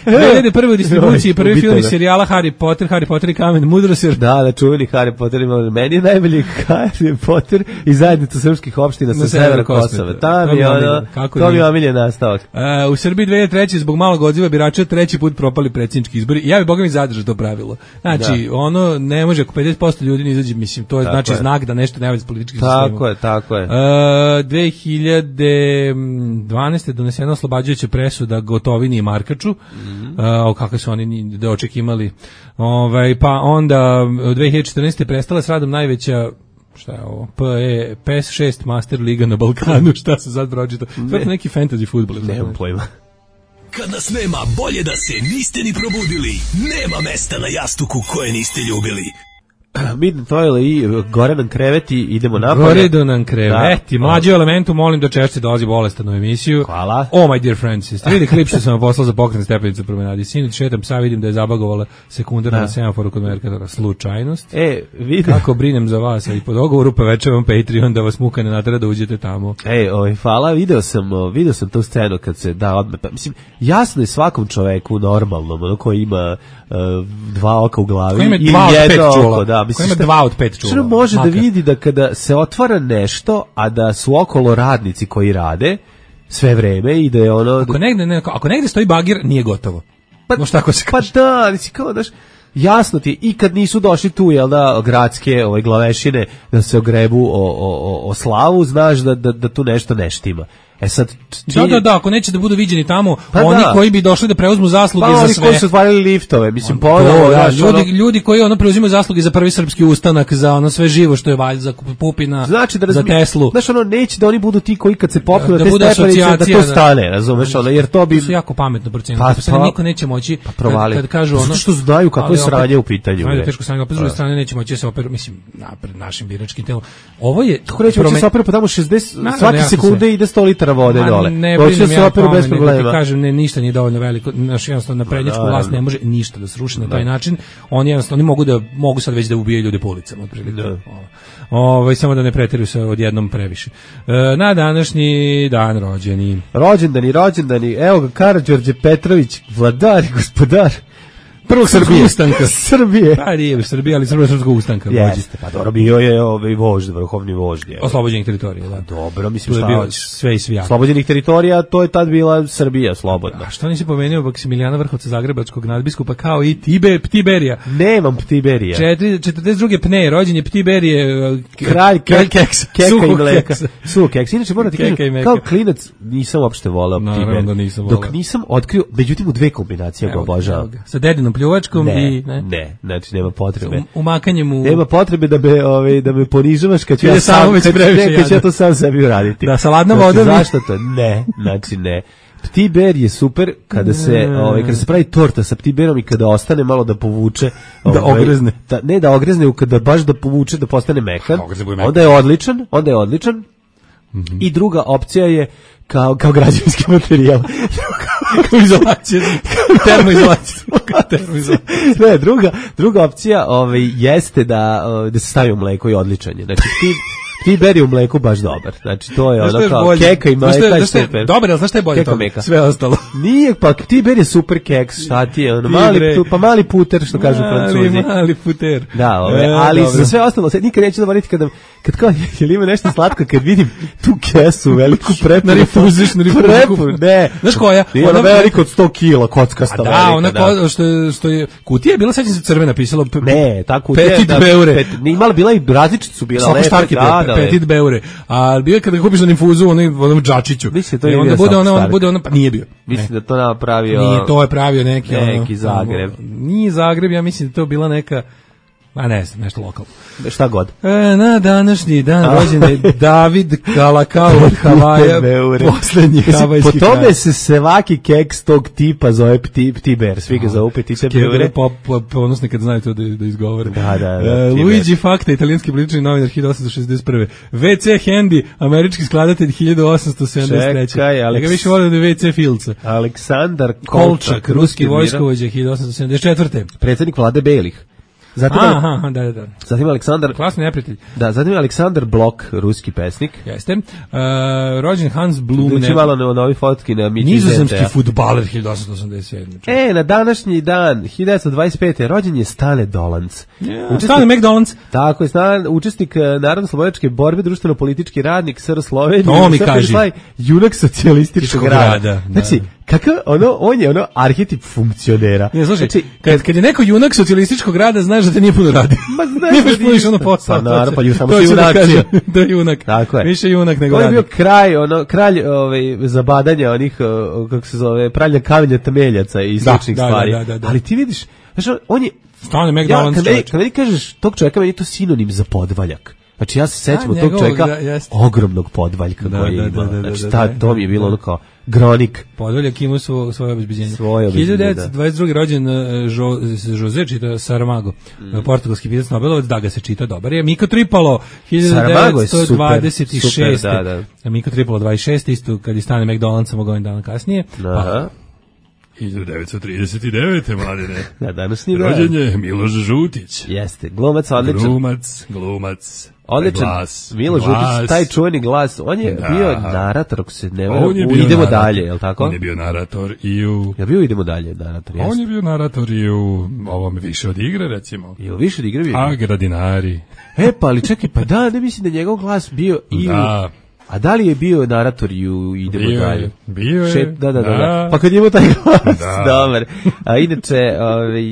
dve hiljade prve u distribuciji prvi film iz serijala Harry Potter, Harry Potter i kamen mudrosti. Da, da, čuveni Harry Potter ima meni je najbolji Harry Potter i zajednica srpskih opština sa severa Kosova. Tam je ono, to mi je omiljen nastavak. Uh, u Srbiji dve hiljade treće zbog malog odziva birača treći put propali predsjednički izbori. Ja bih boga mi zadržao to pravilo. Znači, da. Ono ne može ako pedeset posto ljudi ne izađe, mislim, to je tako znači je. Znak da nešto ne valja s političkim sistemom. Tako je, tako je. Uh, dve hiljade dvanaeste donesena oslobađajuća presuda Gotovini i Markaču. Mm -hmm. uh, kako su oni da očekivali. Ovaj pa onda u dve hiljade četrnaeste prestala s radom najveća šta je ovo? P E P S šest Master Liga na Balkanu, šta se sad pročita? To je neki fantasy fudbal. Nemam pojma. Kad nas nema, bolje da se niste ni probudili. Nema mesta na jastuku koje niste ljubili. Midnight Oil i gore nam kreveti, idemo napolje. Gore do nam kreveti, da. Mlađi elementu, molim da češće dolazi bolestan u emisiju. Hvala. Oh my dear friends, jeste vidi klip što sam vam poslao za pokret stepenicu promenadi. Sinoć šetam psa, vidim da je zabagovala sekundar na semaforu kod Merkatora. Slučajnost. E, vidim. Kako brinem za vas, a i po dogovoru povećavam Patreon da vas muka ne natera da uđete tamo. Ej, oj, hvala, video sam, video sam tu scenu kad se da odme, pa, mislim, jasno je svakom čoveku normalnom, ono koji ima uh, dva oka u glavi i jedno oko, da. Mislim, ima dva od pet čula. Što može makar da vidi da kada se otvara nešto, a da su okolo radnici koji rade sve vreme i da je ono... Ako negde, ne, ako negde stoji bagir, nije gotovo. Pa, no šta ko se kaže? Pa da, nisi kao daš... Jasno ti, i kad nisu došli tu, jel da, gradske ovaj, glavešine da se ogrebu o, o, o slavu, znaš da, da, da tu nešto ne štima. E sad, da, da, da, ako neće da budu viđeni tamo, pa oni da. Koji bi došli da preuzmu zasluge pa za oni sve. Koji su otvarali liftove, mislim, on, ponovo, to, da, ljudi, ono, ljudi koji ono preuzimaju zasluge za prvi srpski ustanak, za ono sve živo što je valj, za Pupina, znači da za Teslu. Znaš, ono, neće da oni budu ti koji kad se popnu da, na te stepenice, da to da, stane, razumeš, ono, jer to bi... To su jako pametno procenili, pa, pa, pa niko neće moći, pa provali. Kad, kad kažu ono... Zato što znaju kako je sranje u pitanju. Ajde, teško sranje, opet s druge strane neće moći da se operu, mislim, napred našim biračkim telom. Ovo je... Kako neće moći da se operu, pa tamo šezdeset, svake sekunde ide sto litara vode dole. Se operu bez problema. Kažem, ne, ništa nije dovoljno veliko. Naš jednostavno na prednjačku vlast ne može ništa da sruši na taj način. Oni jednostavno oni mogu da mogu sad već da ubijaju ljude po ulicama otprilike. Ovaj samo da ne preteruju se odjednom previše. E, na današnji dan rođeni. Rođendani, rođendani. Evo ga Karađorđe Petrović, vladar i gospodar prvog srpskog ustanka. Srbije. Pa nije u Srbiji, ali srpskog ustanka. Jeste, pa dobro, bio je ovaj vožd, vrhovni vožd. Oslobođenih teritorija, da. Dobro, mislim šta bio sve i svijak. Oslobođenih teritorija, to je tad bila Srbija slobodna. A što nisi pomenuo Maksimilijana Vrhovca Zagrebačkog nadbiskupa kao i Tibe, Ptiberija? Nemam Ptiberija. četrdeset druge Pne, rođen je Ptiberije, kralj keks, keka i mleka. Suh keks. Inače, moram ti kažem, kao klinac nisam uopšte volao Ptiberija. Dok nisam otkrio, međutim u dve kombinacije ga obožavam. Sa dedinom pljuvačkom ne, i ne, ne, znači nema potrebe. Umakanjem u nema potrebe da me ovaj da me ponižavaš kad ću ja sam već previše kad ću ja to sam sebi uraditi. Da saladna voda. Znači, zašto to? Ne, znači ne. Ptiber je super kada se ovaj kada se pravi torta sa ptiberom i kada ostane malo da povuče, da ovaj, ogrezne. Da, ne da ogrezne, kada baš da povuče da postane mekan. Onda je odličan, onda je odličan. Mm-hmm. I druga opcija je kao, kao građevinski materijal. Kao izolacija, termoizolacija. termoizolacija. Ne, druga, druga opcija ovaj, jeste da, da se stavi u mleko i odličanje. Znači, ti... Ti beri u mleku baš dobar. Znači, to je ono kao bolje? Keka i mleka je super. Dobar, ali znaš šta je bolje toga? Sve ostalo. Nije, pa ti beri je super keks, šta ti je, ono, mali, tu, pa mali puter, što kažu Francuzi. Mali, mali puter. Da, ove, e, ali dobro. Za sve ostalo, sad nikad neću zaboraviti kada, kad kao, jel ima nešto slatko, kad vidim tu kesu, veliku prepu. Na rifuziš, na rifuziš. Prepu, ne. Znaš koja? Nije ona velika od sto kila, kockasta velika. Da, ona ko, što, je, što je, kutija je bila, sećam se crvena, pisalo. Ne, ta kutija. Petit beure. Imala, bila i različite su bila. Petit beure. A bio je kada kupiš na infuzu onaj onom džačiću. Mislim, to je onda bude ono, on bude ono, pa nije bio. Mislim da to napravio. Nije, to je pravio neki neki ono, Zagreb. Nije Zagreb, ja mislim da to bila neka, a ne znam, nešto lokalno. Šta god. E, na današnji dan rođen je David Kalakao od Havaja, poslednji havajski kralj. Po tome se svaki keks tog tipa zove pti, pti bear, svi ga zove Petite beure. Ponosni kad znaju to da, da izgovore. Da, da, da, e, Luigi Fakta, italijanski politički novinar hiljadu osamsto šezdeset prve. ve ce Handy, američki skladatelj hiljadu osamsto sedamdeset treće. Čekaj, Aleks... Ja ga više volim da ve ce Filca. Aleksandar Kolčak, Kolčak ruski vojskovođa hiljadu osamsto sedamdeset četvrte. Predsjednik vlade Belih. Zatim, aha, da, da. Zatim Aleksandar... Klasni neprijatelj. Da, zatim Aleksandar Blok, ruski pesnik. Jeste. Uh, rođen Hans Blum. Znači malo na novi fotki na Mići nizozemski fudbaler hiljadu osamsto osamdeset sedme. E, na današnji dan, hiljadu devetsto dvadeset pete. rođen je Stane Dolanc. Yeah, Stane McDonald's. Tako je, Stane, učesnik narodno-slobodačke borbe, društveno-politički radnik S R Slovenije. To mi kaži. Junak socijalističkog rada. Znači, kakav, ono, on je ono arhetip funkcionera. Ne, slušaj, znači, kad, kad je neko junak socijalističkog rada, znaš da te nije puno radi. Ma znaš nije baš puniš ono posao. Pa naravno, pa ju samo si junak. Da je junak. Tako je. Više junak nego radi. radi. On je bio kraj, ono, kralj ovaj, zabadanja onih, kako se zove, pralja kamenja temeljaca i sličnih da, stvari. Da, da, da, da. Ali ti vidiš, znaš, on je... Stane McDonald's ja, čovječ. Kad meni kažeš tog čovjeka, meni je to sinonim za podvaljak. Znači ja se sećam od tog čovjeka da, ogromnog podvaljka da, koji da, ima. Da, da, znači da, da, da, to mi je bilo ono kao gronik. Podvaljak ima svo, svoje obezbeđenje. Svoje obezbeđenje, hiljadu devetsto dvadeset druge. rođen uh, jo, Jose čita Saramago, mm. portugalski pisac Nobelovac, da ga se čita dobar je. Miko Tripalo, hiljadu devetsto dvadeset šeste. Super, super, da, da. Miko Tripalo dvadeset šeste. isto kad je Stane McDonald's samo godin dana kasnije. Aha. Pa, hiljadu devetsto trideset devete. mladine. Da, današnji dan. Rođen je Miloš Žutić. Jeste, glumac odličan. Glumac, glumac. Odličan, glas, Miloš Žutić, taj čuveni glas, on je da. bio narator, ako se ne varam, Idemo narator. dalje, je li tako? On je bio narator i u... Ja bio Idemo dalje, narator, jesno. On je bio narator i u ovome više od igre, recimo. Je li više od igre bio? A, Gradinari. E, pa, ali čekaj, pa da, ne mislim da njegov glas bio i da. u... A da li je bio narator i u Idemo bio dalje? Je, bio je. Šet, da, da, da, da. da. Pa kad imamo taj glas, da. Dobar. A inače, ovaj,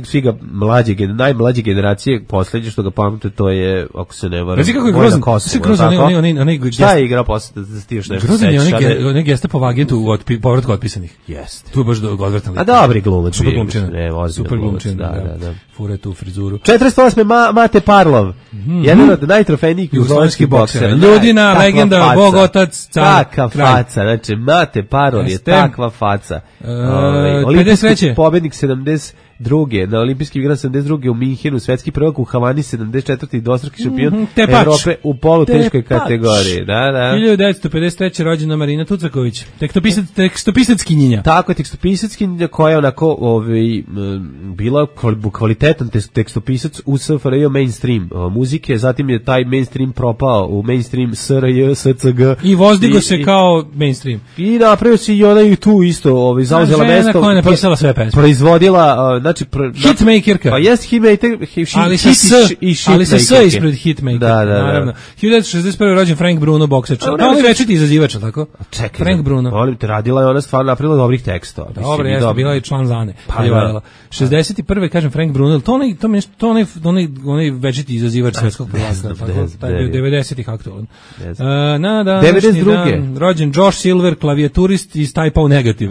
svi ga mlađe, najmlađe generacije, poslednje što ga pamte, to je, ako se ne varam, Reci kako je grozan, Kosovo, grozan, onaj, onaj, onaj, šta je igrao posle, da ti još nešto grozan je onaj, onaj gestapo agentu u otpi, povratku otpisanih. Jeste. Tu je baš odvratan lik. A dobri glumac. Super glumčina. Ne, super glumčina, da, da, da. Fure tu frizuru. četrdeset osme. Ma, Mate Parlov. Mm-hmm. Jedan od najtrofejnijih jugoslovenskih boksera. Ljudina, legenda, bog, otac, car. Takva faca, znači Mate Parlov je takva faca. Olimpijski pobednik sedamdeset druge na olimpijskim igrama sedamdeset druge u Minhenu, svetski prvak u Havani sedamdeset četvrte i dvostruki šampion mm -hmm, Evrope u poluteškoj kategoriji. Da, da. hiljadu devetsto pedeset treće. rođena Marina Tucaković, tekstopisac, tekstopisackinjenja. Tako je, tekstopisackinjenja koja je onako ovaj, bila kvalitetan tekstopisac u S F R J mainstream muzike, zatim je taj mainstream propao u mainstream S R J, S C G. I vozdigo se i, kao mainstream. I napravio se i ona i tu isto ovaj, zauzela mesto. Žena koja je napisala sve pesme. Proizvodila znači pr, hitmakerka. Pa jest hitmaker, ali sa s, ali sa s ispred hitmaker. Da, da, naravno. hiljadu devetsto šezdeset prve. rođen Frank Bruno, boksač. Da, on je večiti izazivač, tako? Čekaj, Frank Bruno. Volim te, radila je ona stvarno napravila dobrih tekstova. Dobro, jeste, bila je član Zane. Pa, da. šezdeset prve. kažem Frank Bruno, to onaj to nešto to onaj onaj onaj večiti izazivač svetskog prvaka, tako? Taj bio devedesetih aktualan. Na da devedeset druge. rođen Josh Silver, klavijaturist iz Type negativ.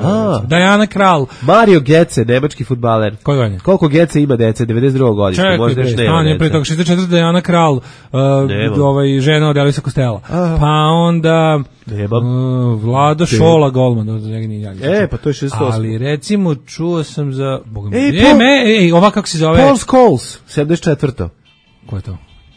Diana Krall, Mario Götze, nemački fudbaler. Koji on je? Koliko Götze ima dece? devedeset druge. godište, možda još nema. Čekaj, pre toga šezdeset četvrte. Diana Krall, uh, ovaj, žena od Elvisa Costello. Pa onda uh, Vlado Šola Golman. E, pa to je šezdeset osme. Ali recimo čuo sam za... Ej, e, me, ej, ova kako se zove? Paul Scholes, sedamdeset četvrte. Ko je to?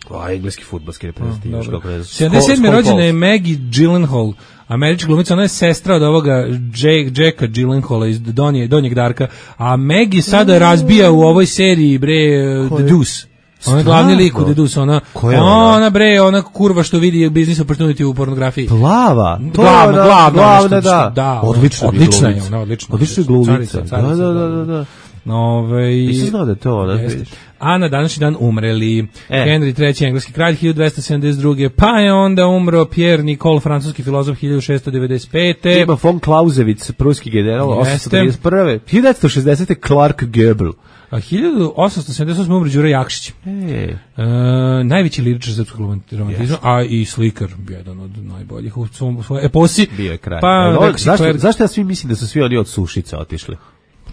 A, engleski fudbalski reprezentativaš, kako ne znam. sedamdeset sedme rođena je Maggie Gyllenhaal, američka glumica, ona je sestra od ovoga Jake, Jacka Gyllenhaala iz Donje, Donjeg Darka, a Maggie sada razbija u ovoj seriji, bre, The Deuce. Ona je glavni lik u The Deuce, ona, ona? ona bre, ona kurva što vidi business opportunity u pornografiji. Plava, to glavna, je glavna, glavna, nešto, da. da, odlična, odlična je ona, odlična. Odlična glumica. Carica, carica, da, da, da, da. Ove, Nisam znao da je to ona. A na današnji dan umreli e. Henry treći, engleski kralj, hiljadu dvesta sedamdeset druge Pa je onda umro Pierre Nicole, francuski filozof, hiljadu šessto devedeset pete Ima von Clausewitz, pruski general, osamsto trideset prve hiljadu devetsto šezdesete Clark Gable. A hiljadu osamsto sedamdeset osme umre Đuro Jakšić. E. E, najveći liričar srpskog romantizma, a i slikar, jedan od najboljih u svojoj eposi. Bio je kraj. Pa, Evo, zašto, Kler... zašto ja svi mislim da su svi oni od Sušice otišli?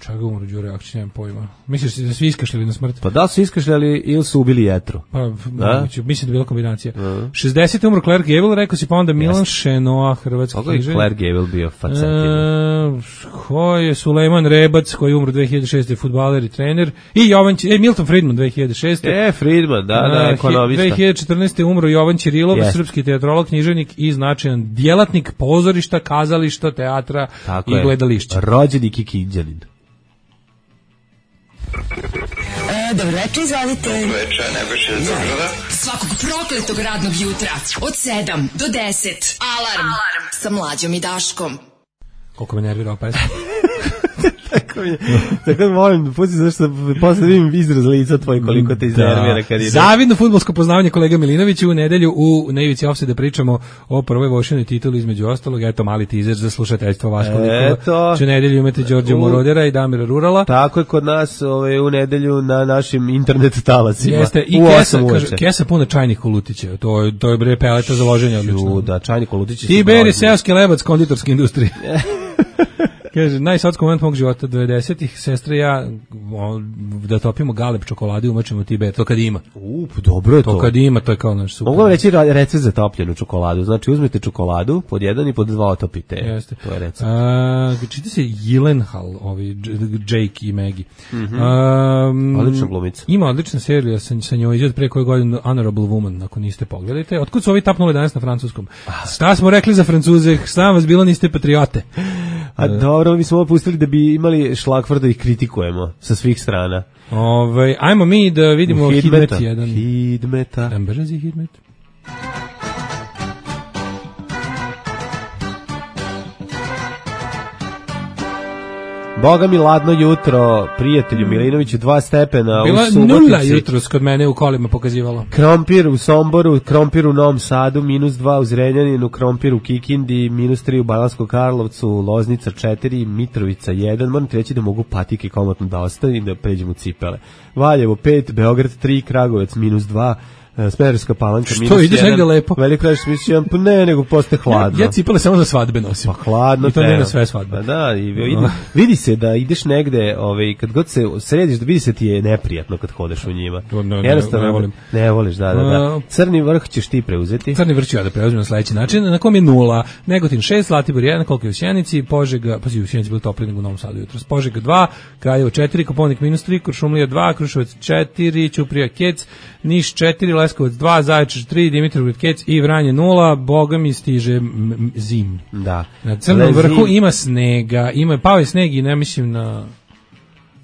Čega umro Đuro Jakšić, nemam pojma. Misliš da su iskašljali na smrt? Pa da su iskašljali ili su ubili jetru? Pa, moguće, mislim da je bila kombinacija. Uh-huh. šezdesete umro Claire Gable, rekao si, pa onda Milan Šenoa, hrvatski književnik. Kako je Claire Gable bio facetina? E, ko je Sulejman Rebac, koji je umro dve hiljade šeste, fudbaler i trener. I Jovan, e, Milton Friedman, dve hiljade šeste. E, Friedman, da, da, ekonomista. dve hiljade četrnaeste umro Jovan Ćirilov, yes. srpski teatrolog, književnik i značajan djelatnik pozorišta, kazališta, teatra tako i je. Gledališća. Rođeni Kikinđanin. E, dobro večer, izvolite. Dobro večer, Nebojša iz Beograda. Svakog prokletog radnog jutra od sedam do deset. Alarm, Alarm. Sa Mlađom i Daškom. Koliko me nervirao pesma. Tako mi je. Tako mi molim, pusti zašto posle vidim izraz lica tvoj koliko te iznervira kad ide. Zavidno fudbalsko poznavanje kolega Milinovića u nedelju u Na ivici ofsajda pričamo o prvoj Vošinoj tituli između ostalog. Eto mali teaser za slušateljstvo Vaško Likova. U nedelju imate Đorđe Morodera i Damira Rurala. Tako je kod nas ovaj, u nedelju na našim internet talacima. Jeste, i kesa, kaže, kesa puna čajnih kolutića. To je, to je bre peleta za loženje odlično. Da, čajni kolutići. Tiberi seoski lebac konditorske industrije. Kaže, najslatski moment mog života, devedesetih, sestra i ja, da topimo galeb čokolade, umačemo Tiber, to kad ima. Up, dobro je to. To kad ima, to je kao naš super. Mogu vam reći recept za topljenu čokoladu, znači uzmete čokoladu, pod jedan i pod dva otopite. Jeste. To je recept. Čita se Gyllenhaal, ovi, Jake i Maggie. Mm-hmm. Um, odlična glumica. Ima odlična serija sa, sa njoj, izgled pre koje godine Honorable Woman, ako niste pogledajte. Otkud su ovi tapnuli danas na francuskom? Šta smo rekli za Francuze, šta vas bilo, niste patriote? A dobro, mi smo ovo pustili da bi imali šlagvor da ih kritikujemo sa svih strana. Ove, ajmo mi da vidimo Hidmet jedan. Hidmeta. Ambrzi Hidmet. Boga mi ladno jutro, prijatelju Milinoviću, dva stepena bila u Subotici. Bila nula jutros kod mene u kolima pokazivalo. Krompir u Somboru, krompir u Novom Sadu, minus dva u Zrenjaninu, krompir u Kikindi, minus tri u Banatskog Karlovcu, Loznica četiri, Mitrovica jedan. Moram ti reći da mogu patike komotno da ostavim da pređem u cipele. Valjevo pet, Beograd tri, Kragovec minus dva, Smederevska Palanka minus jedan. Što, ideš negde lepo? Veliko Gradište minus jedan, pa ne, nego postaje hladno. Ja, ja cipale samo za svadbe nosim. Pa hladno. I to ne na sve svadbe. Pa da, i vidi, vidi se da ideš negde, ovaj, kad god se središ, da vidi se ti je neprijatno kad hodeš u njima. No, no, Jednostavno, ne, ne volim. Ne voliš, da, da, da. Crni vrh ćeš ti preuzeti. Crni vrh ću ja da preuzmem na sledeći način. Na kom je nula, Negotin šest, Zlatibor jedan, koliko je u Sjenici, Požega, pa si u Sjenici bilo toplije nego u Novom Sadu jutros. Požega dva, Kraljevo četiri, Koponik minus tri, Kuršumlija dva, Kruševac četiri, Ćuprija Kec, Niš četiri, Leskovac dva, Zaječar tri, Dimitrovgrad Kec i Vranje nula. Boga mi stiže zim. Da. Na Crnom vrhu ima snega, ima pao je sneg i ne mislim na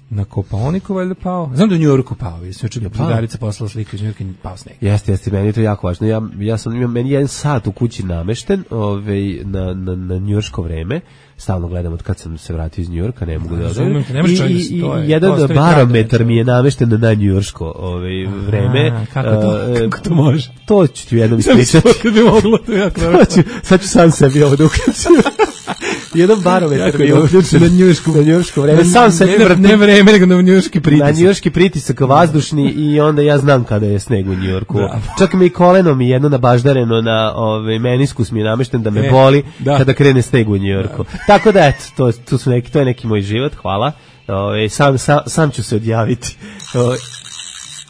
na Kopaoniku valjda pao. Znam da u Njujorku pao, jesam čuo da Drugarica poslala sliku iz Njujorka i pao sneg. Jeste, jeste, meni je to jako važno. Ja ja sam imam meni jedan sat u kući namešten, ovaj na na na njujorško vreme. Stalno gledam od kad sam se vratio iz Njujorka, ne mogu da odem. I, i, i jedan barometar mi je namešten na njujorško ovaj vreme. A, kako to, uh, kako to može? To ću ti jednom ispričati. Kad bi moglo, to jako dobro. Sad ću sam sebi ovo da uključim. Jedan barometar mi je uključen na njujorsko, na njujorsko vreme. Sam sebi ne, ne vreme, nego na njujorski pritisak. Na njujorski pritisak vazdušni i onda ja znam kada je sneg u Njujorku. Da. Čak mi i koleno mi jedno nabaždareno na ovaj meniskus mi je namešten da me e, boli da. Kada krene sneg u Njujorku. Da. Tako da eto, to, to su neki, to je neki moj život, hvala. Ove, sam, sam, sam ću se odjaviti. Ove,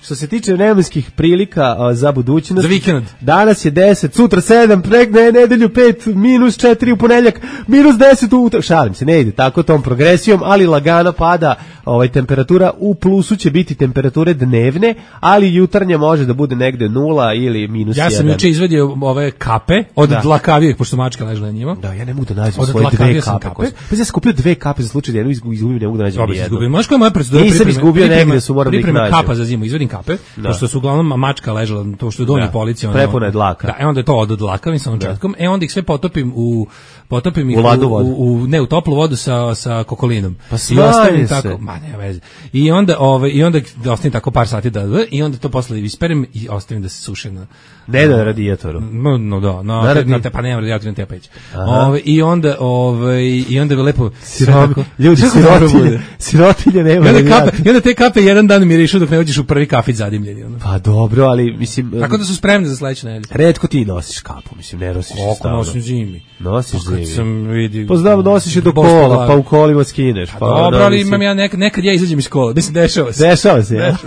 što se tiče vremenskih prilika a, za budućnost. Za vikend. Danas je deset, sutra sedam, prek ne, nedelju pet, minus četiri u ponedjeljak, minus deset u utorak. Šalim se, ne ide tako tom progresijom, ali lagano pada ovaj, temperatura. U plusu će biti temperature dnevne, ali jutarnja može da bude negde nula ili minus jedan. Ja sam juče izvadio ove kape od da. dlakavijeg, pošto mačka ležela na njima. Da, ja ne mogu da nađem svoje dve kape. kape. Pa ja sam kupio dve kape za slučaj da jednu izgubim, ne mogu da nađem ni jednu. Znaš koja je moja procedura? Nisam izgubio negde, su moram da ih nađem. Kapa za zimu, izvadim kape, da. Pošto su uglavnom mačka ležela, to što je donji policija. Ono, prepuna je dlaka. Da, e onda je to od dlakavim sa ončetkom, e onda ih sve potopim u potopim ih u, u, u, u ne u toplu vodu sa sa kokolinom. Pa i ostavim tako, ma ne veze. I onda ovaj i onda ostavim tako par sati da i onda to posle isperem i ostavim da se suši na ne na radijatoru. No, no da, na, na, na te pa nema radijator na tepeć. Ovaj i onda ovaj i onda je lepo sirovi ljudi sirotilje, sirotilje nema. I onda kape, i onda te kape jedan dan mirišu dok ne uđeš u prvi kafić zadimljeni ono. Pa dobro, ali mislim tako da su spremni za sledeću nedelju. Retko ti nosiš kapu, mislim ne nosiš stalno. Nosim zimi. Nosiš zimi. Sam vidi. Pa znam, nosiš je do kola, pa u kolima skineš. Pa dobro, ali imam ja nekad, nekad ja izađem iz kola. Mislim, dešava se. Dešava se, ja.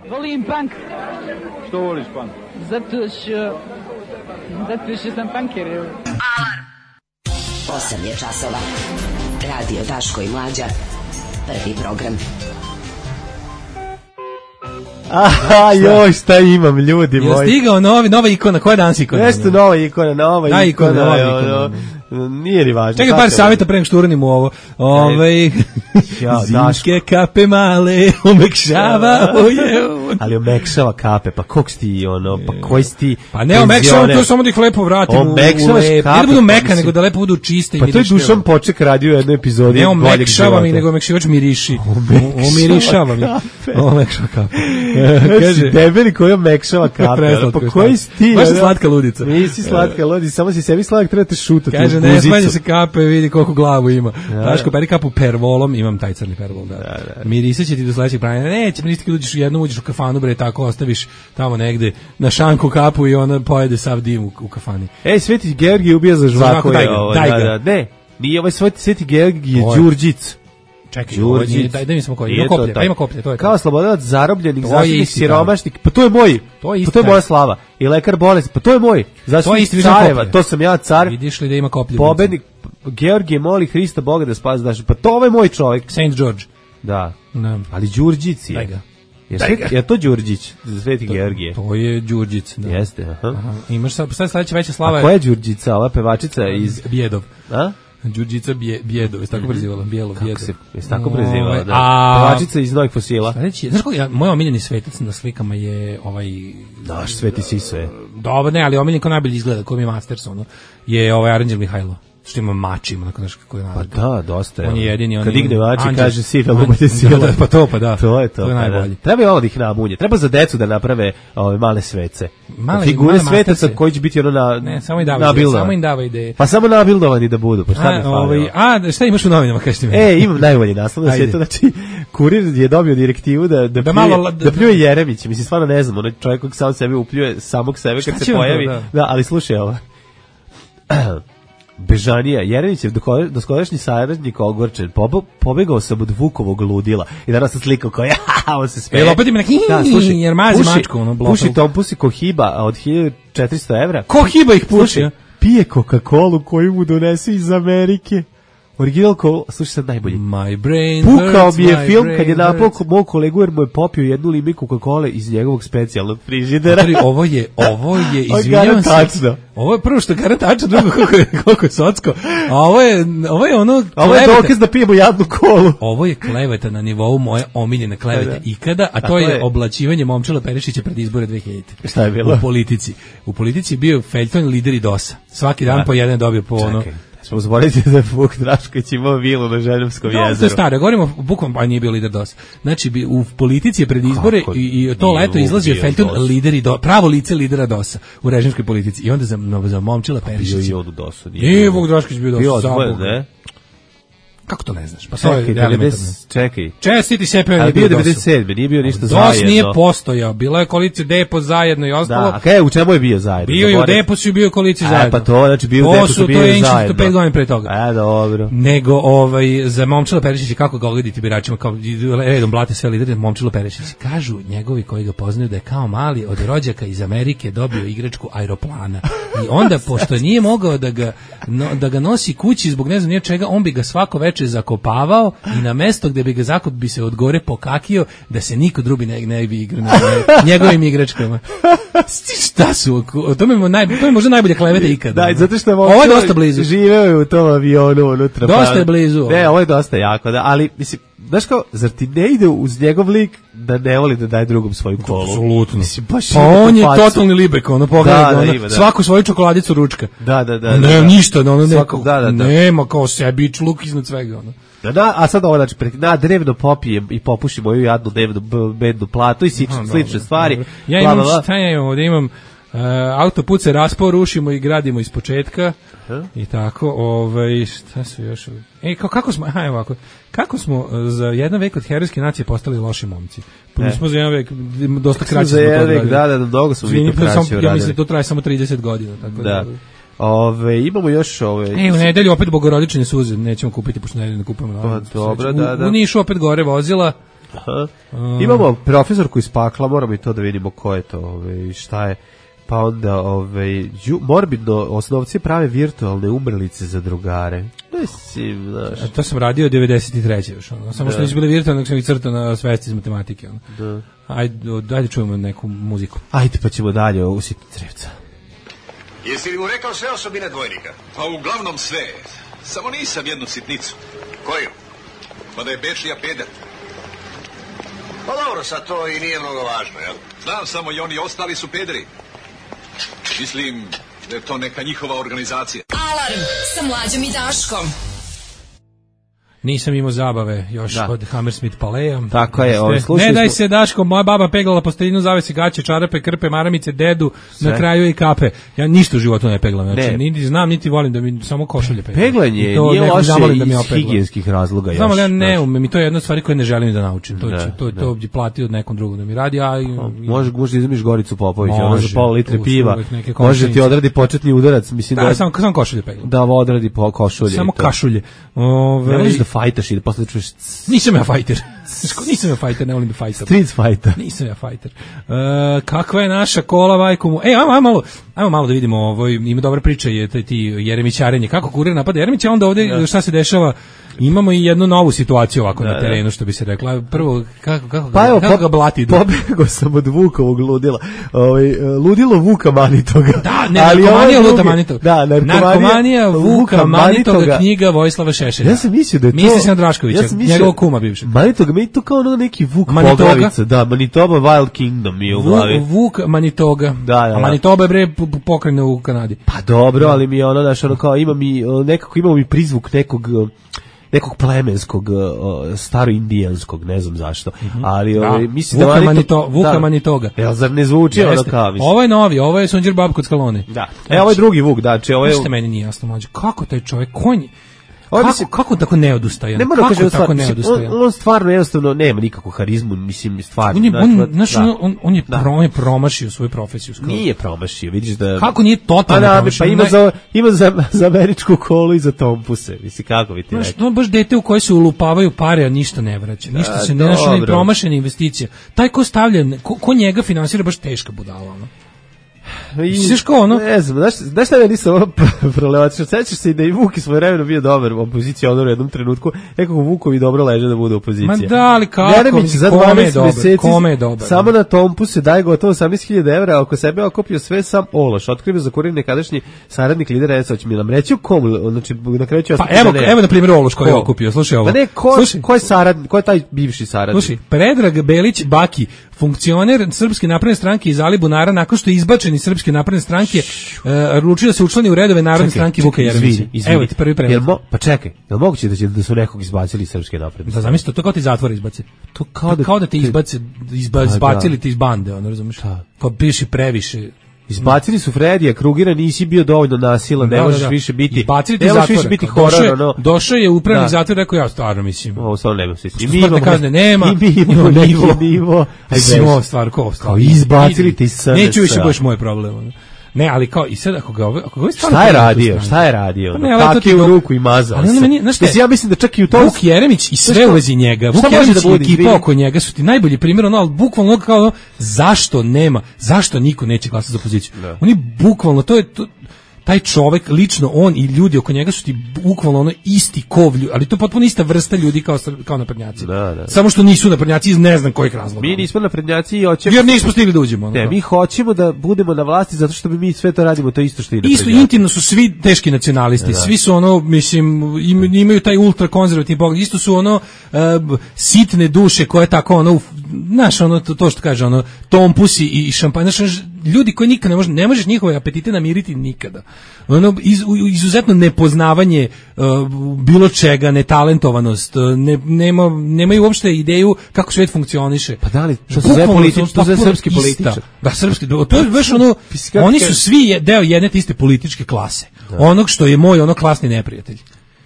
Volim punk. Što voliš punk? Zato što... Zato što sam punker. Alarm. Osam je časova. Radio Daško i Mlađa. Prvi program. Aha, joj, šta imam, ljudi moji. Je stigao novi, nova ikona, koja je danas ikona? Nešto nova ikona, nova da, ikona. ikona, nova ikona. Nije ni važno. Čekaj par savjeta pre nego što uranim u ovo. Ove, zimske kape male, omekšavaju. Ali omekšava kape, pa kog si ti, ono, pa koji si ti... Pa ne omekšavam, to samo da ih lepo vratim u lep. Ne da budu meka, nego da lepo budu čiste i mirište. Pa to je Dušan Poček radio u jednoj epizodi. Ne omekšavam ih, nego omekšivač miriši. Omirišavam ih. Omekšava kape. Kaže, debeli koji omekšava kape. Pa koji si ti? Baš si slatka ludica. Nisi slatka ludica, samo si sebi sladak, treba te šutati. Kaže, ne smanje se kape, vidi koliko glavu ima. Daško, peri kapu pervolom, imam taj crni pervol, da. da, da. Mirisat će ti do sledećeg pranja. Neće, mirisat ti uđeš u jednu, uđeš u kafanu, bre, tako ostaviš tamo negde na šanku kapu i ona pojede sav dim u, u kafani. Ej, Sveti Georgij ubija za žvaku. Daj ga, daj ga. Ne, nije ovaj Sveti Georgij je Đurđic. Čekaj, Đurđić, daj da mi smo koji. Ima koplje, pa ima koplje, to je. Kao slobodanac zarobljenih, zaštitnik siromašnih. Pa to je moj. To je, pa to je moja slava. I lekar bolest. Pa to je moj. Zaštitnik careva, to sam ja car. Vidiš li da ima koplje? Pobednik Georgije moli Hrista Boga da spasi daš. Pa to je moj čovjek. Saint George. Da. Da. Ali Đurđić je. Daj ga. Je, je to Đurđić, Sveti Georgije? To je Đurđic, da. Jeste, aha. aha. Imaš sad, sad sledeća veća slava je... A koja je Đurđica, ova pevačica iz... Bjedov. A? Đurđica bje, Bjedov, je tako prezivala, Bijelo, Kako Bjedov. se, je tako prezivala, da. A, pevačica iz Novih fosila. Sledeći, znaš kako, ja, moj omiljeni svetac na slikama je ovaj... Naš Sveti Siso je. Dobro, ne, ali omiljen ko najbolje izgleda, ko mi je Masters, ono, je ovaj Aranđel Mihajlo. Što ima mač, ima onako nešto kako je naravno. Pa da, dosta je. On je jedini. On kad digne mač i kaže sila, bude sila. Da, pa to, pa da. To je to. To je najbolje. Da. Treba je ovo da ih namunje. Treba za decu da naprave ove male svece. Male, figure male svetaca koji će biti ono na ne, samo i dava ideje. Samo im dava ideje. Pa samo nabildovani da budu. Pa šta a, mi fali? Ovaj, a, šta imaš u novinama, kažete mi? E, imam najbolji naslov na svijetu. Znači, Kurir je dobio direktivu da, da, da, pljuje, malo, da, da pljuje Jeremić. Mislim, stvarno ne znam. Onaj čovjek koji sam sebe upljuje samog sebe kad se pojavi. Da? da, ali slušaj ovo. Bežanija, Jeremić je doskodašnji saradnik ogorčen, pobegao sam od Vukovog ludila i danas sam slikao kao ja, on se smeje. E, opet ima neki, da, slušaj, jer mazi puši, mačku, ono, blokal. Puši Tompusi Kohiba od hiljadu četiristo evra. Kohiba ih puši, slušaj, pije Coca-Colu koju mu donese iz Amerike. Original Cola, slušaj sad najbolji. My brain Pukao mi je film kad je napao mog kolegu jer mu je popio jednu limenku Coca-Cole iz njegovog specijalnog frižidera. Znači, ovo je, ovo je, izvinjavam se. Ovo je prvo što garant tačno, drugo koliko je, koliko je socko. A ovo je, ovo je ono... Ovo je dokaz da pijemo jadnu kolu. Ovo je kleveta na nivou moje omiljene klevete da, da. ikada, a to je, je oblačivanje Momčila Perišića pred izbore dve hiljadite. Šta je bilo? U politici. U politici je bio feljton lideri dosa. Svaki dan da. po jedan dobio po ono... Smo zaboraviti da je Vuk Drašković imao vilu na Željevskom jezeru. No, to je staro, govorimo bukom, pa nije bio lider dosa. Znači, u politici je pred izbore i, i to leto izlazio feljton lideri do, pravo lice lidera dosa u režimskoj politici. I onda za, za Momčila Perišića. Bio i on u dosu. Nije Vuk Drašković bio dosa. Bio odvojen, ne? Kako to ne znaš? Pa to je Čekaj, elementarno. devedeset čekaj. Čestiti Sepe on Ali je bio bio devedeset sedme, nije bio ništa DOS zajedno. nije postojao, bila je koalicija Depo zajedno i ostalo. Da, a kaj, u čemu je bio zajedno? Bio je u Deposu i bio u koaliciji A, zajedno. pa to, znači bio u To Deposu, su- bio to je je Inčić zajedno. pet godina pre toga. A, dobro. Nego ovaj za Momčilo Perišića kako ga oglediti biračima kao redom blate sve lidere Momčilo Perišić. Kažu njegovi koji ga poznaju da je kao mali od rođaka iz Amerike dobio igračku aeroplana. I onda pošto nije mogao da ga no, da ga nosi kući zbog ne znam nije čega, on bi ga svako veče zakopavao i na mesto gde bi ga zakop bi se od gore pokakio da se niko drugi ne, ne bi igrao na njegovim igračkama. Šta su? To mi je, naj, to je možda najbolja kleveta ikada. Da, zato što je ovo je dosta blizu. Živeo je u tom avionu unutra. Dosta pa- je blizu. Ne, ovo je dosta jako, da, ali mislim, znaš kao, zar ti ne ide uz njegov lik da ne voli da daje drugom svoju kolu? Apsolutno. Mislim, baš Pa ima on tu je facu. totalni libek, ono pogledaj Da, ga, da, ono, ima, da. svaku svoju čokoladicu ručka. Da, da, da. Ne, da, da. ništa, ono, ne, Svakog, da, da, da. nema kao sebi luk iznad svega, ono. Da, da, a sad ovo, znači, pre- na drevno popijem i popušim moju jadnu devnu b- bednu platu i slične, Aha, slične dobro, stvari. dobro. Ja bla, imam, bla, bla. šta ja imam ovdje, imam uh, autoput se raspao, rušimo i gradimo iz početka. Aha. I tako, ovaj, šta su još? E, kao, kako smo, aha, evo ovako, kako smo uh, za jedan vek od herojske nacije postali loši momci? Pa mi E. smo za jedan vek dosta Smo kraće za smo to jedan vek, odradili. da, da, da, mnogo smo mi Izvini, to pa kraće samo- ja uradili. mislim da to traje samo trideset godina. Tako da. Da. Ove, imamo još ove... E, u nedelju opet bogorodične suze, nećemo kupiti, pošto nedelju ne kupujemo. Pa, dobro, da, da. U, u Nišu opet gore vozila. Aha. Imamo profesorku iz pakla, moramo i to da vidimo ko je to, ove, šta je. Pa onda, ove, ju, morbidno, osnovci prave virtualne umrlice za drugare. Mislim, znaš. A to sam radio devedeset treće još, ono. Samo što Da. nisu bili virtualni, nego sam ih crtao na svesti iz matematike, ono. Da. Ajde, o, ajde čujemo neku muziku. Ajde, pa ćemo dalje u Sitnicrevca. Jesi li mu rekao sve osobine dvojnika? Pa uglavnom sve. Samo nisam jednu sitnicu. Koju? Pa da je Bečija peder. Pa dobro, sad to i nije mnogo važno, jel? Znam samo i oni ostali su pederi. Mislim da je to neka njihova organizacija. Alarm sa Mlađom i Daškom. Nisam imao zabave još Da. od Hammersmith Paleja. Tako je, ovaj, Ne slušali daj smo- se, Daško, moja baba peglala posteljinu, zavesi gaće, čarape, krpe, maramice, dedu, Sve. na kraju i kape. Ja ništa u životu ne peglam, znači, Ne. niti znam, niti volim da mi samo košulje peglam. Peglanje I to nije nekog loše zamolim da mi iz opegla. higijenskih razloga. Znam, još, ali ja ne znaš. umem i to je jedna od stvari koje ne želim da naučim. To, Da, će, to, da. to bi platio od nekom drugom da mi radi, a... i- Može, može izmiš Goricu Popović, ono za Može, pola litre tu su piva. uvek neke Može ti komšinice. odradi početni udarac, mislim da, Da, samo, samo košulje peglam. da odradi po košulje. Samo i to. kašulje. Ove, Ne voliš da fajtaš i da posle čuješ c- Nisam ja fajter. Nisam ja fajter, ne volim da fajtam. street fighter. Nisam ja fajter. E, kakva je naša kola, majko mu? E, ajmo, ajmo malo, ajmo malo da vidimo, ovo, ima dobra priča, je taj ti Jeremićarenje. Kako kurir napada Jeremića, onda ovde šta se dešava? Imamo i jednu novu situaciju ovako Da, na terenu, što bi se rekla. Prvo, kako, kako, Pa evo, kako po- ga blati? pobegao sam od Vukovog ludila. Ovaj, ludilo Vuka Manitoga. Da, ne, Ali narkomanija ovo Luta drugi- Manitoga. Da, narkomanija, narkomanija Vuka Manitoga, knjiga Vojislava Šešelja. Ja sam mislio da je to... Misli se na Draškovića, ja sam mislio- njegovog kuma bivšeg. Manitoga, meni to kao ono neki Vuk Manitoga? poglavica. Da, Manitoba Wild Kingdom mi je u glavi. Vuk, Vuk Manitoga. Da, da, da. A Manitoba je bre p- p- pokrajina u Kanadi. Pa dobro, ali mi je ono, znaš, ono kao ima mi, o, nekako imamo mi prizvuk nekog... o, nekog plemenskog, o, staroindijanskog, ne znam zašto. Ali Da. ovaj, mislim Vuka da Manito- Manito- Vuka da. Manitoga. Jel, zar ne zvuči ono Jeste. kao, mislim? Ovo je novi, ovo je Sunđer Bab kod Skalone. Da. E, ovo je drugi Vuk, znači, ovo je... Ništa meni nije jasno, mlađe. Kako taj čovjek, konj, Ovo je, kako, mislim- kako tako neodustajan? Ne moram kako kažem tako stvar, mislim, neodustajan? on, on stvarno jednostavno nema nikakvu harizmu, mislim, stvarno. On je, on, Dakle, znaš, da. on, on, on je, Da. pro, on je promašio svoju profesiju. skoro. Nije promašio, vidiš da... Kako nije Pa totalno da, promašio? pa ima, Ne- za, ima za, za američku kolu i za tompuse, mislim, kako bi ti Znaš, rekao. to je baš dete u koje se ulupavaju pare, a ništa ne vraća. Ništa A, se ne našao ni dobro. promašena investicija. Taj ko stavlja, ko, ko njega finansira, baš teška budala. Ono. I, Sviš kao ono? Ne znam, znaš, znaš šta meni se ovo prolevatično? Sećaš se i da i Vuk i svoje vremeno bio dobar u opoziciji ono u jednom trenutku, nekako Vukovi dobro leže da bude opozicija. Ma da, ali kako? Jeremić Mislim, za kome je dvanaest dobar? meseci Kome je dobar? samo na tompu se daje gotovo osamnaest hiljada evra, a oko sebe okupio sve sam ološ. Otkrio za kurir nekadašnji saradnik lidera S A, će mi nam reći u kom, znači na kraju ću Pa ostati evo, da ne. evo na primjer Ološ koji je Ko? okupio, slušaj ovo. Pa ne, ko, Slušaj. ko je saradnik, ko je taj bivši saradnik? Slušaj, Predrag Belić Baki, funkcioner Srpske napredne stranke iz Alibunara, nakon što je izbačen iz Srpske napredne stranke, uh, odlučio da se učlani u redove Narodne stranke Vuka Jeremića. izvini, izvini. Evo ti prvi Jel pregled. mo, pa čekaj, je li moguće da, će, da su nekog izbacili iz Srpske napredne? Da zamislite, to kao ti zatvor izbaci. To Kao da, kao da te izbace, izba, Pa da. izbacili ti iz bande, ono, razumiješ? Da. Kao biši previše Izbacili su Fredija Krugera, nisi bio dovoljno nasilan, ne Da, možeš da, da. više biti. Izbacili ti ne možeš zatvora. više biti Došao horor, je- ono. Došao je upravnik Da. zatvor, rekao ja stvarno mislim. Ovo stvarno nema smisla. I Što mi smrtne imamo kazne nema, I mi imamo imamo neki nivo. nivo. Aj, Mislim, beži. ovo stvar, ko ovo stvar. Kao izbacili ti S N S-a. Neću više budeš moj problem. ono. Ne, ali kao, i sad ako ga ove, ako ga ove stvarno Šta je pogledate u radio? stranu- Šta je radio? Pa ne, ali to Kake ti u do- ruku i mazao Ali ono se. meni, znaš šta je? Mislim, ja mislim da čak i u to... Vuk Jeremić i sve Znaš u šta- vezi njega. Vuk šta može Jeremić da i bude, ekipa izvini? oko njega su ti najbolji primjer, ono, ali bukvalno ono kao ono, zašto nema, zašto niko neće glasati za opoziciju. Oni bukvalno, to je, to, taj čovek, lično on i ljudi oko njega su ti bukvalno ono isti kovlju, ali to je potpuno ista vrsta ljudi kao, Sr- kao naprednjaci. Da, da. Samo što nisu naprednjaci iz ne znam kojih razloga. Mi nismo naprednjaci i hoćemo... Jer nismo stigli da uđemo. ono Ne, kao. mi hoćemo da budemo na vlasti zato što bi mi sve to radimo, to je isto što i Isto naprednjaci. intimno su svi teški nacionalisti, svi su ono, mislim, im- imaju taj ultrakonzervativni pogled, isto su ono e, b- sitne duše koje tako ono, uf, znaš, ono, to, to što kaže, ono, tompusi i, i šampanj, znaš, ono, ljudi koji nikad ne može, ne možeš njihove apetite namiriti nikada. Ono, iz, u- izuzetno nepoznavanje e, bilo čega, netalentovanost, e, ne, nema, nemaju uopšte ideju kako svet funkcioniše. Pa da li, što se zove Bukvalno politič- su što se zove potpuno srpski ista. političar. Da, srpski, to je baš ono, Kako oni kaže- su svi je- deo jedne te iste političke klase. Onog što je moj ono klasni neprijatelj.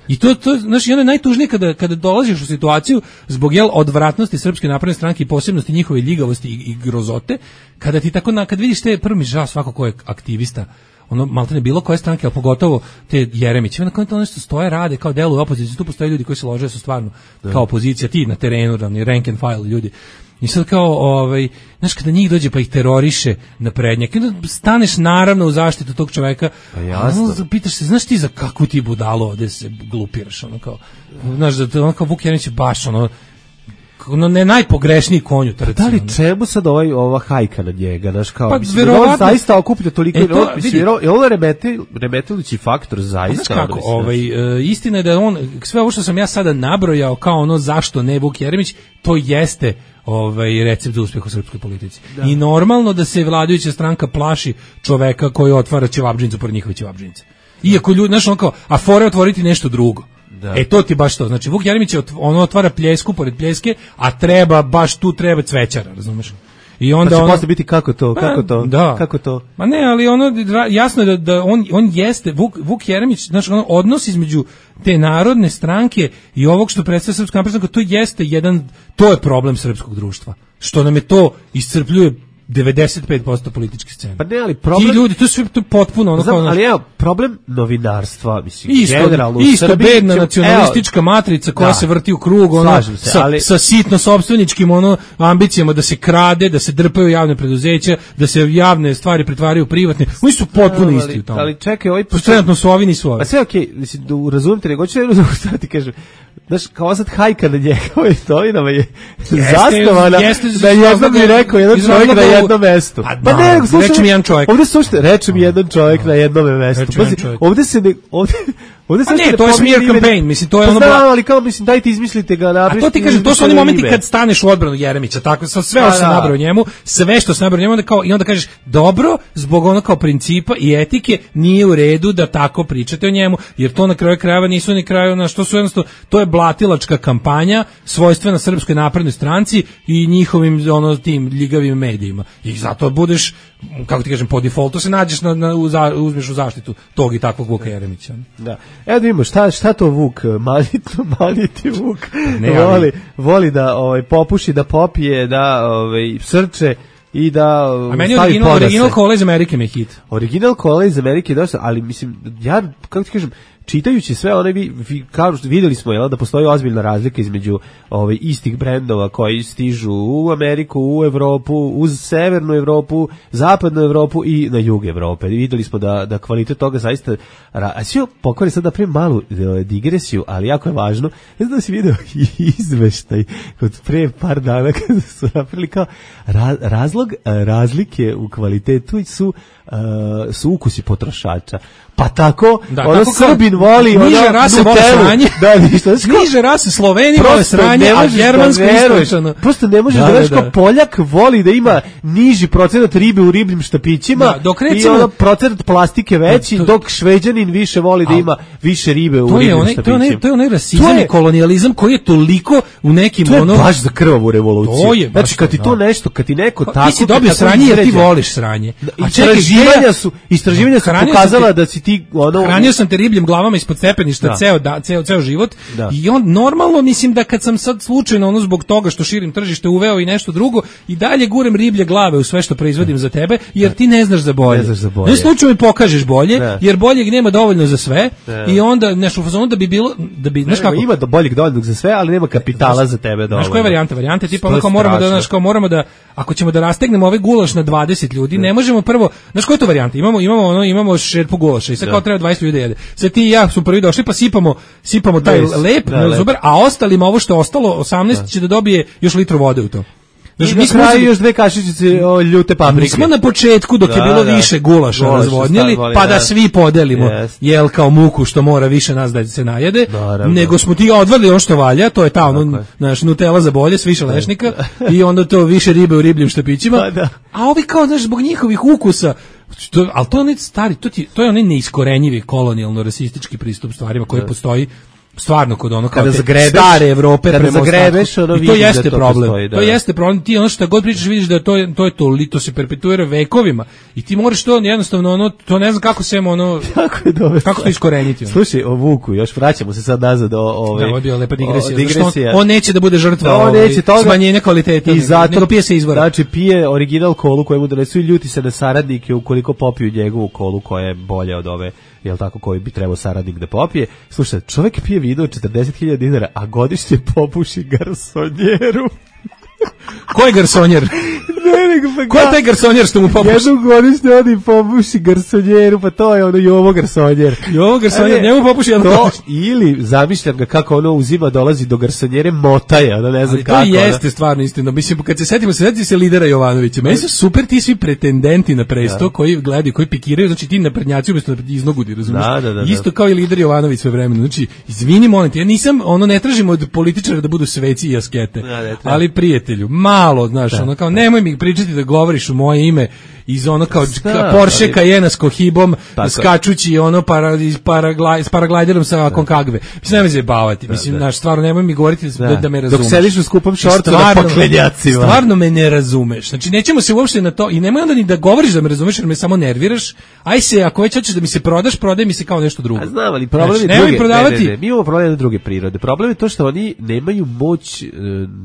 I to to znači ono je najtužnije kada kada dolaziš u situaciju zbog jel odvratnosti Srpske napredne stranke i posebnosti njihove ljigavosti i, i grozote, kada ti tako na kad vidiš te prvo mi žao svako ko je aktivista, ono maltene bilo koje stranke, a pogotovo te Jeremić, onda kao to nešto stoje, rade kao deluju opoziciju, tu postoje ljudi koji se lože su stvarno kao opozicija, ti na terenu, ravni rank and file ljudi. I sad kao, ovaj, znaš, kada njih dođe pa ih teroriše na prednjak, i onda staneš naravno u zaštitu tog čoveka, Pa jasno. a onda pitaš se, znaš ti za kakvu ti budalo ovde se glupiraš, ono kao, znaš, da to ono kao Vuk Jeremić je baš, ono, ono ne najpogrešniji konj u trci. Da li ono. čemu sad ovaj, ova hajka na njega, znaš, kao, Pa, mislim, da on verovatno- zaista okuplja toliko, E, to, on, mislim, vidi. jer on- je on remeti, remetelući faktor, Pa zaista. znaš kako, ono, mislim, ovaj, e, istina je da on, sve ovo što sam ja sada nabrojao kao ono zašto ne Vuk Jeremić, to jeste ovaj recept za uspeh u srpskoj politici. I normalno da se vladajuća stranka plaši čoveka koji otvara ćevabdžinicu pored njihove ćevabdžinice. Iako ljudi, znaš, on kao, a fore otvoriti nešto drugo. Da. E to ti baš to. Znači Vuk Jeremić je ot- ono otvara pljesku pored pljeske, a treba baš tu treba cvećara, razumeš? I onda Pa će ono- posle biti kako to, kako Pa, to, da. kako to. Ma ne, ali ono ra- jasno je da, da on on jeste Vuk, Vuk Jeremić, znači ono odnos između te narodne stranke i ovog što predstavlja Srpska napredna stranka, to jeste jedan, to je problem srpskog društva. Što nam je to iscrpljuje devedeset pet posto političke scene. Pa ne, ali problem... Ti ljudi, to je sve to je potpuno ono Znam, kao, ali evo, problem novinarstva, mislim, Isto, generalno u isto Srbiji bedna ćemo- nacionalistička matrica koja Da. se vrti u krug, ono, Slažem se, sa, ali- sa sitno sopstveničkim ono, ambicijama da se krade, da se drpaju javne preduzeća, da se javne stvari pretvaraju u privatne. Oni su potpuno Ali- isti u tome. Ali čekaj, ovaj... Pa trenutno su ovi, nisu ovi. Pa sve okej, mislim, da razumem te, nego ću jedno šta ti kažem. Znaš, kao sad hajka na njega, ovaj novinama je zasnovana jeste, da jednom mi rekao jedan iz čovjek na razloga- jednom mestu. Pa, Pa da, ne, nego slušaj, reče mi jedan čovjek. Ovde slušajte, reče mi jedan čovjek na jednom mestu. Reče mi jedan Pazi, čovjek. ovde se ne, ovde, ovde Pa se ne, uopšte to je pominje smear ime, campaign, mislim, to je pa ono znam, bla- ali kao, mislim, dajte izmislite ga, A napišite. to ti kažem, to su oni izmislite momenti ime. kad staneš u odbranu Jeremića, tako sa sve Pa što se da. nabrao njemu, sve što se nabrao njemu, onda kao i onda kažeš dobro, zbog ono kao principa i etike nije u redu da tako pričate o njemu, jer to na kraju krajeva nisu ni kraju na što su jednostavno, to je blatilačka kampanja svojstvena Srpskoj naprednoj stranci i njihovim ono tim ljigavim medijima. I zato budeš, kako ti kažem, po defaultu se nađeš na, na u za, uzmeš u zaštitu tog i takvog Vuka Jeremića. Da. Evo da vidimo šta, šta to Vuk, manito, maniti Vuk, Ne, ali- voli, voli da ovaj, popuši, da popije, da ovaj, srče i da A meni stavi original, podase. original Cola iz Amerike mi je hit. Original Cola iz Amerike je dosta, ali mislim, ja, kako ti kažem, čitajući sve one, vi, vi, kao što videli smo, jel, da postoji ozbiljna razlika između ovaj, istih brendova koji stižu u Ameriku, u Evropu, uz severnu Evropu, zapadnu Evropu i na jug Evrope. I videli smo da, da kvalitet toga zaista... ra- A sve pokvari sad da pravim malu e, digresiju, ali jako je važno. Ne znam da si video izveštaj od pre par dana kada su napravili kao ra, razlog e, razlike u kvalitetu su, e, su ukusi potrošača. Pa tako, Da, ono tako kao- Srbi Slovenin voli ono niže rase vole sranje. Da, ništa. Niže rase Sloveni vole sranje, a germansko istočano. Prosto ne možeš da, da, da, da. Poljak voli da ima niži procenat ribe u ribljim štapićima da, dok recimo, i ono procenat plastike veći, to, dok Šveđanin više voli da ima više ribe u ribljim onaj, štapićima. To je, to je onaj rasizam i kolonijalizam koji je toliko u nekim to je ono... baš za krvavu revoluciju. To je baš znači, kad ti to nešto, kad ti neko pa, tako... Ti si dobio sranje jer ti voliš sranje. A istraživanja su, istraživanja su pokazala te, da si ti... Ono, hranio sam te ribljim glavama ispod stepeništa da. ceo, da, ceo, ceo život da. I on normalno, mislim da kad sam sad slučajno ono zbog toga što širim tržište uveo i nešto drugo i dalje gurem riblje glave u sve što proizvodim za tebe, jer ti ne znaš za bolje. Ne znaš za bolje. Ne slučajno mi pokažeš bolje, da. Jer boljeg nema dovoljno za sve da. I onda nešto u fazonu da bi bilo... Da bi, znaš kako, ima do boljeg dovoljno za sve, ali nema kapitala za tebe dovoljno. Znaš koja je varijanta? Varijanta tipa ono kao moramo da, znaš, kao moramo da, ako ćemo da rastegnemo ovaj gulaš na dvadeset ljudi, ne možemo prvo, znaš koja je to varijanta? Imamo, imamo, ono, imamo šerpu gulaša i sad kao treba dvadeset ljudi jede. Sad ti i ja smo prvi došli pa sipamo, sipamo taj Bez, lep, da, lep. Zubar, a ostalima ovo što je ostalo, osamnaest da. Će da dobije još litru vode u to. Znači, mi smo uzeli još dve kašičice o, ljute paprike. Mi smo na početku dok da, je bilo da. Više gulaša Gulaš razvodnjeli, stavili, pa da, da svi podelimo yes. Jel kao muku što mora više nas da se najede, naravno. Nego smo ti odvrli ono što valja, to je ta ono, naš Nutella za bolje, s više lešnika i onda to više ribe u ribljim štapićima, da, da. A ovi kao, znaš, zbog njihovih ukusa, to, ali to je onaj stari, to, ti, to je onaj neiskorenjivi kolonijalno-rasistički pristup stvarima koji da. Postoji stvarno kod ono kao zagrebeš, stare Evrope kada zagrebeš, ono i to jeste da problem. Postoji, da. To jeste problem. Ti ono što god pričaš vidiš da to je to je to to se perpetuira vekovima i ti moraš to jednostavno ono to ne znam kako se ono kako je dobro. Kako to iskoreniti. Ono. Slušaj, o Vuku, još vraćamo se sad nazad o ove. Da, bio lepa digresija. digresija. On, on neće da bude žrtva da, on neće toga, smanjenja kvaliteta i zato nego pije se izvora. Znači pije original kolu koju mu donesu i ljuti se na saradnike ukoliko popiju njegovu kolu koja je bolja od ove, jel tako, koji bi trebao saradnik da popije. Slušaj, čovjek pije vino četrdeset hiljada dinara, a godišnje popuši garsonjeru. Ko je garsonjer? Ne, nego pa ko je taj garsonjer što mu popuši? Jednu godišnje odi popuši garsonjeru, pa to je ono Jovo garsonjer. Jovo garsonjer, njemu popuši jedno to, ili zamišljam ga kako ono uzima, dolazi do garsonjere, motaje, ono ne znam ali kako. Ali to jeste stvarno istina. Mislim, kad se setimo, setimo se lidera Jovanovića. Meni su super ti svi pretendenti na presto, da. Koji gledaju, koji pikiraju, znači ti naprednjaci umjesto da iznogudi, razumiješ? Da, da, da, isto kao i lider Jovanović sve vremena. Znači, izvini, molim te, ja nisam, ono, ne tražimo od političara da budu sveci i askete, da, ali prijatelju, malo, znaš, da, ono kao, nemoj mi pričati da govoriš u moje ime iz ono kao da, Porsche Cayenne s kohibom, skačući ono para, iz paraglaj, s paraglajderom sa Konkagve. Mislim, nemoj zajebavati. Mislim, naš, stvarno, nemoj mi govoriti da, da, da me razumeš. Dok sediš u skupom šortu na poklenjacima. Stvarno me ne razumeš. Znači, nećemo se uopšte na to i nemoj onda ni da govoriš da me razumeš, jer me samo nerviraš. Aj se, ako već hoćeš da mi se prodaš, prodaj mi se kao nešto drugo. A znam, ali problem znači, je druge. Prodavati. Ne, ne, ne, mi imamo problem druge prirode. Problem je to što oni nemaju moć,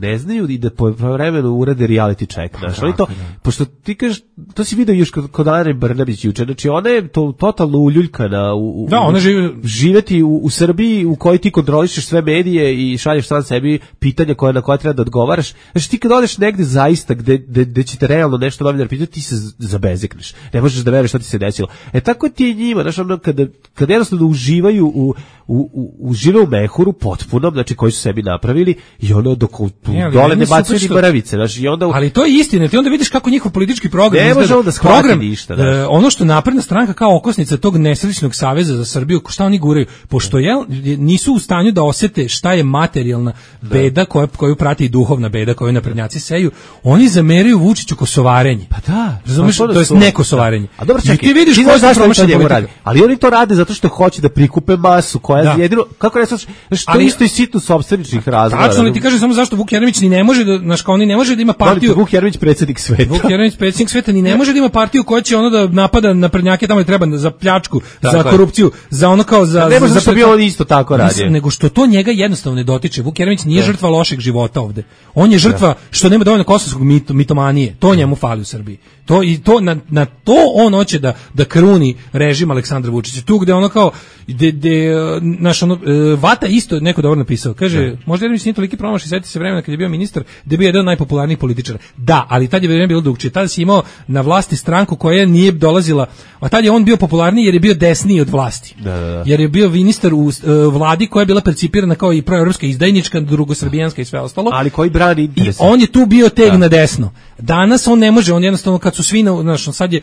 ne znaju i da po vremenu urade reality check. Znaš, oni to, pošto ti kažeš, to si vidio još kod, kod Ane Brnabić juče, znači ona je to totalno uljuljkana u, u, da, ona živi... živeti u, u Srbiji u kojoj ti kontrolišeš sve medije i šalješ sam sebi pitanja koje na koje treba da odgovaraš. Znači ti kad odeš negde zaista gde, gde, gde će te realno nešto novinar pitati, ti se zabezekneš. Ne možeš da veruješ šta ti se desilo. E tako ti je njima, znači ono kada, kada jednostavno uživaju u, u, u, užive u mehuru potpunom, znači koji su sebi napravili i ono dok u, ne, dole ne bacaju ni mrvice. Znači, i onda... Ali to je istina, ti onda vidiš kako njihov politički program ne izgleda. Da program, ništa, e, ono što napredna stranka kao okosnica tog nesrećnog saveza za Srbiju, šta oni guraju, pošto je, nisu u stanju da osete šta je materijalna beda koja, koju prati i duhovna beda koju naprednjaci seju, oni zameraju Vučiću kosovarenje. Pa da, razumeš, to, to je nekosovarenje. A dobro, čekaj, ti vidiš ko se promašio njemu radi. Ali oni to rade zato što hoće da prikupe masu koja da. jedino, kako reći, što ali, isto i sitno sopstveničnih razloga. Tačno, ali ti kažeš samo zašto Vuk Jeremić ni ne može da, znaš, kao oni ne može da ima partiju. Vuk Jeremić predsjednik sveta. Vuk Jeremić predsjednik sveta ni ne može da ima partiju koja će ono da napada naprednjake tamo gde treba za pljačku, tako za korupciju, je. Za ono kao za ne može za što bi on isto tako radio. Nego što to njega jednostavno ne dotiče. Vuk Jeremić nije da. žrtva lošeg života ovde. On je žrtva da. što nema dovoljno kosovskog mit, mitomanije. To njemu fali u Srbiji. To i to na, na to on hoće da da kruni režim Aleksandra Vučića. Tu gde ono kao de, de, naš ono, Vata isto neko dobro napisao. Kaže, da. možda Jeremić nije toliki promašaj, seti se vremena kad je bio ministar, da je bio jedan od najpopularnijih političara. Da, ali tad je vreme bilo drugčije. Tad si imao na vlasti stranku koja nije dolazila, a tad je on bio popularniji jer je bio desniji od vlasti. Da, da, da. Jer je bio ministar u uh, vladi koja je bila percipirana kao i proevropska, izdajnička, drugosrbijanska i sve ostalo. Ali koji brani interese. I on je tu bio teg da. na desno. Danas on ne može, on jednostavno kad su svi na, znaš, sad je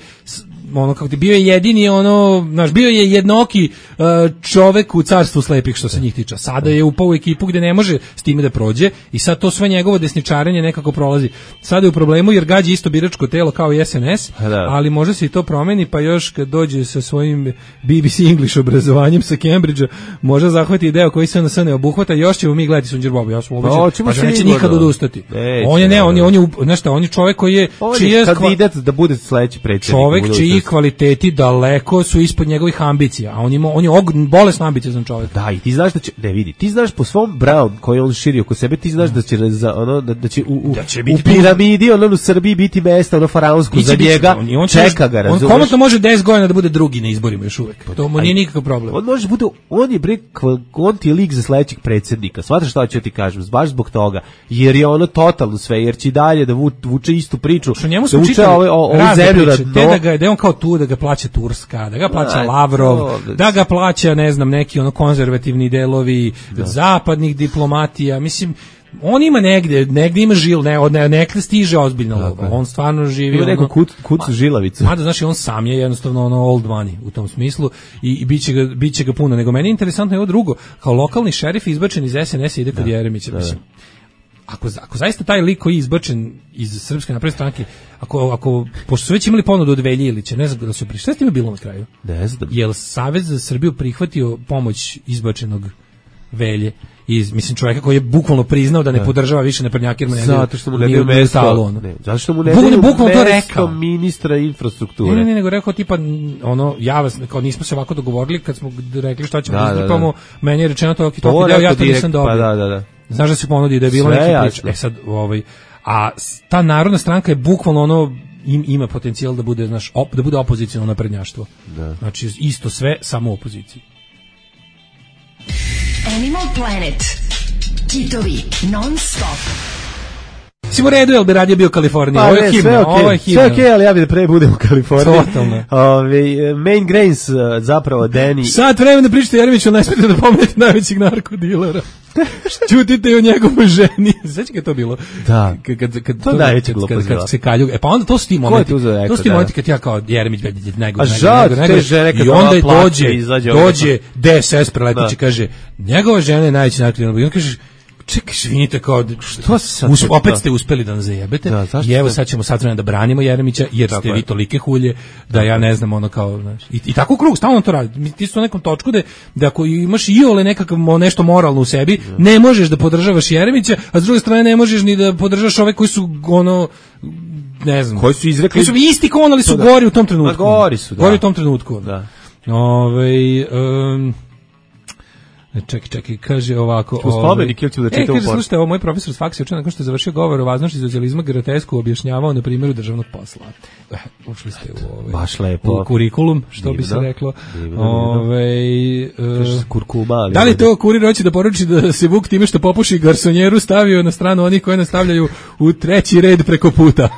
ono kako ti bio je jedini ono, znaš, bio je jednoki uh, čovek u carstvu slepih što se njih tiče. Sada je upao u ekipu gde ne može s time da prođe i sad to sve njegovo desničarenje nekako prolazi. Sada je u problemu jer gađa isto biračko telo kao i S N S, da. Ali može se i to promeni, pa još kad dođe sa svojim B B C English obrazovanjem sa Cambridgea, može zahvati deo koji se na sve ne obuhvata, još ćemo mi gledati Sunđer Boba, ja sam ubeđen, pa že neće nikad odustati. Neće, on je ne, on je, on je, nešto, on je čovjek koji je, on je kandidat da bude sledeći predsjednik. Čovjek čiji kvaliteti daleko su ispod njegovih ambicija, a on ima, on je bolesno ambiciozan čovjek. Da, i ti znaš da će, ne vidi, ti znaš po svom Brown koji on širi oko sebe, ti znaš da će za ono da, da će u, u, da će biti u piramidi, ono u Srbiji biti mesto ono faraonsko za njega. On, on čeka ga, razumeš? On komotno može deset godina da bude drugi na izborima još uvek. To mu nije nikakav problem. On može bude, on je bre, on ti je lik za sledećeg predsjednika. Shvataš šta ću ti kažem? Baš zbog toga. Jer je ono totalno sve, jer će dalje da vuče istu priču. Što njemu su čitali zemlju da da ga da on kao tu da ga plaća Turska, da ga plaća Lavrov, da ga plaća ne znam neki ono konzervativni delovi zapadnih diplomatija. Mislim on ima negde, negde ima žil, ne, od ne, nekde stiže ozbiljno lova. On stvarno živi ima neku kut, kuc žilavicu. Mada, znači, on sam je jednostavno ono old money u tom smislu i, i biće, ga, biće ga puno. Nego meni je interesantno je ovo drugo. Kao lokalni šerif izbačen iz S N S-a ide kod Jeremića. Da, mislim. Ako, ako zaista taj lik koji je izbačen iz Srpske napredne stranke, ako, ako, pošto su već imali ponudu od Velje Ilića, ne znam da su prišli, šta je s time bilo na kraju? Ne znam. Je li Savez za Srbiju prihvatio pomoć izbačenog Velje? Iz, mislim, čovjeka koji je bukvalno priznao da ne da. podržava više naprednjake jer mu ne zato što mu ne daju mesto, ne, zato što mu ne daju mesto ministra infrastrukture. Ne, ne, ne, nego rekao tipa, ono, ja vas, kao nismo se ovako dogovorili kad smo rekli šta ćemo da izgripamo, da, da. Meni je rečeno to, to, to deo, ja to nisam dobio. Pa da, da, da. Znaš da se ponudi da je bilo neki priča. E sad, ovaj, a ta narodna stranka je bukvalno ono, im, ima potencijal da bude, znaš, op, da bude opozicionalno naprednjaštvo. Da. Znači, isto sve, samo opoziciji. Animal Planet. Kitovi non stop. Si mu redu, jel bi radije bio u Kaliforniji? Pa, ovo je himna, okay. ovo je himna. Sve okej, okay, ali ja bi da pre budem u Kaliforniji. Totalno. Ove, Main Grains, zapravo, Danny. Sad vremena pričate Jeremiću, ne smijete da pomenete najvećeg narkodilera. Čutite o njegovoj ženi. Sveći kad je to bilo? Da. Kad, kad, kad, to je najveća glupost. Kad, kad se kalju. E pa onda to su ti momenti. To su ti momenti kad ja kao Jeremić vedi najgore. A žao, te žene kad i onda dođe, dođe D S S preletići kaže, njegova žena je najveći narkodiler. I on kaže, čekaj, švinite kao, što se us, opet ste uspeli da nas zajebete da, i evo sad ćemo sad vremena da branimo Jeremića jer tako ste je. Vi tolike hulje da ja ne znam ono kao, znaš, i, i tako u krug, stalno to radi. Ti su na nekom točku da, da ako imaš iole nekakav nešto moralno u sebi, ja. Ne možeš da podržavaš Jeremića, a s druge strane ne možeš ni da podržavaš ove koji su ono, ne znam, koji su izrekli, koji su isti kon, ali su da. Gori u tom trenutku. Ma gori su, da. Gori u tom trenutku. Da. Ove, um, Čekaj, čekaj, kaže ovako... Ćemo spomenik ili ću da čitam u poru? E, kaže, slušajte, ovo moj profesor s faksa učen nakon što je završio govor o važnosti socijalizma grotesku objašnjavao na primjeru državnog posla. Eh, ušli ste u, ove, baš lepo. U kurikulum, što divno, bi se reklo. Divno, ove, uh, kurkuma, ali da li to kurir hoće da poruči da se Vuk time što popuši garsonjeru stavio na stranu onih koje nastavljaju u treći red preko puta?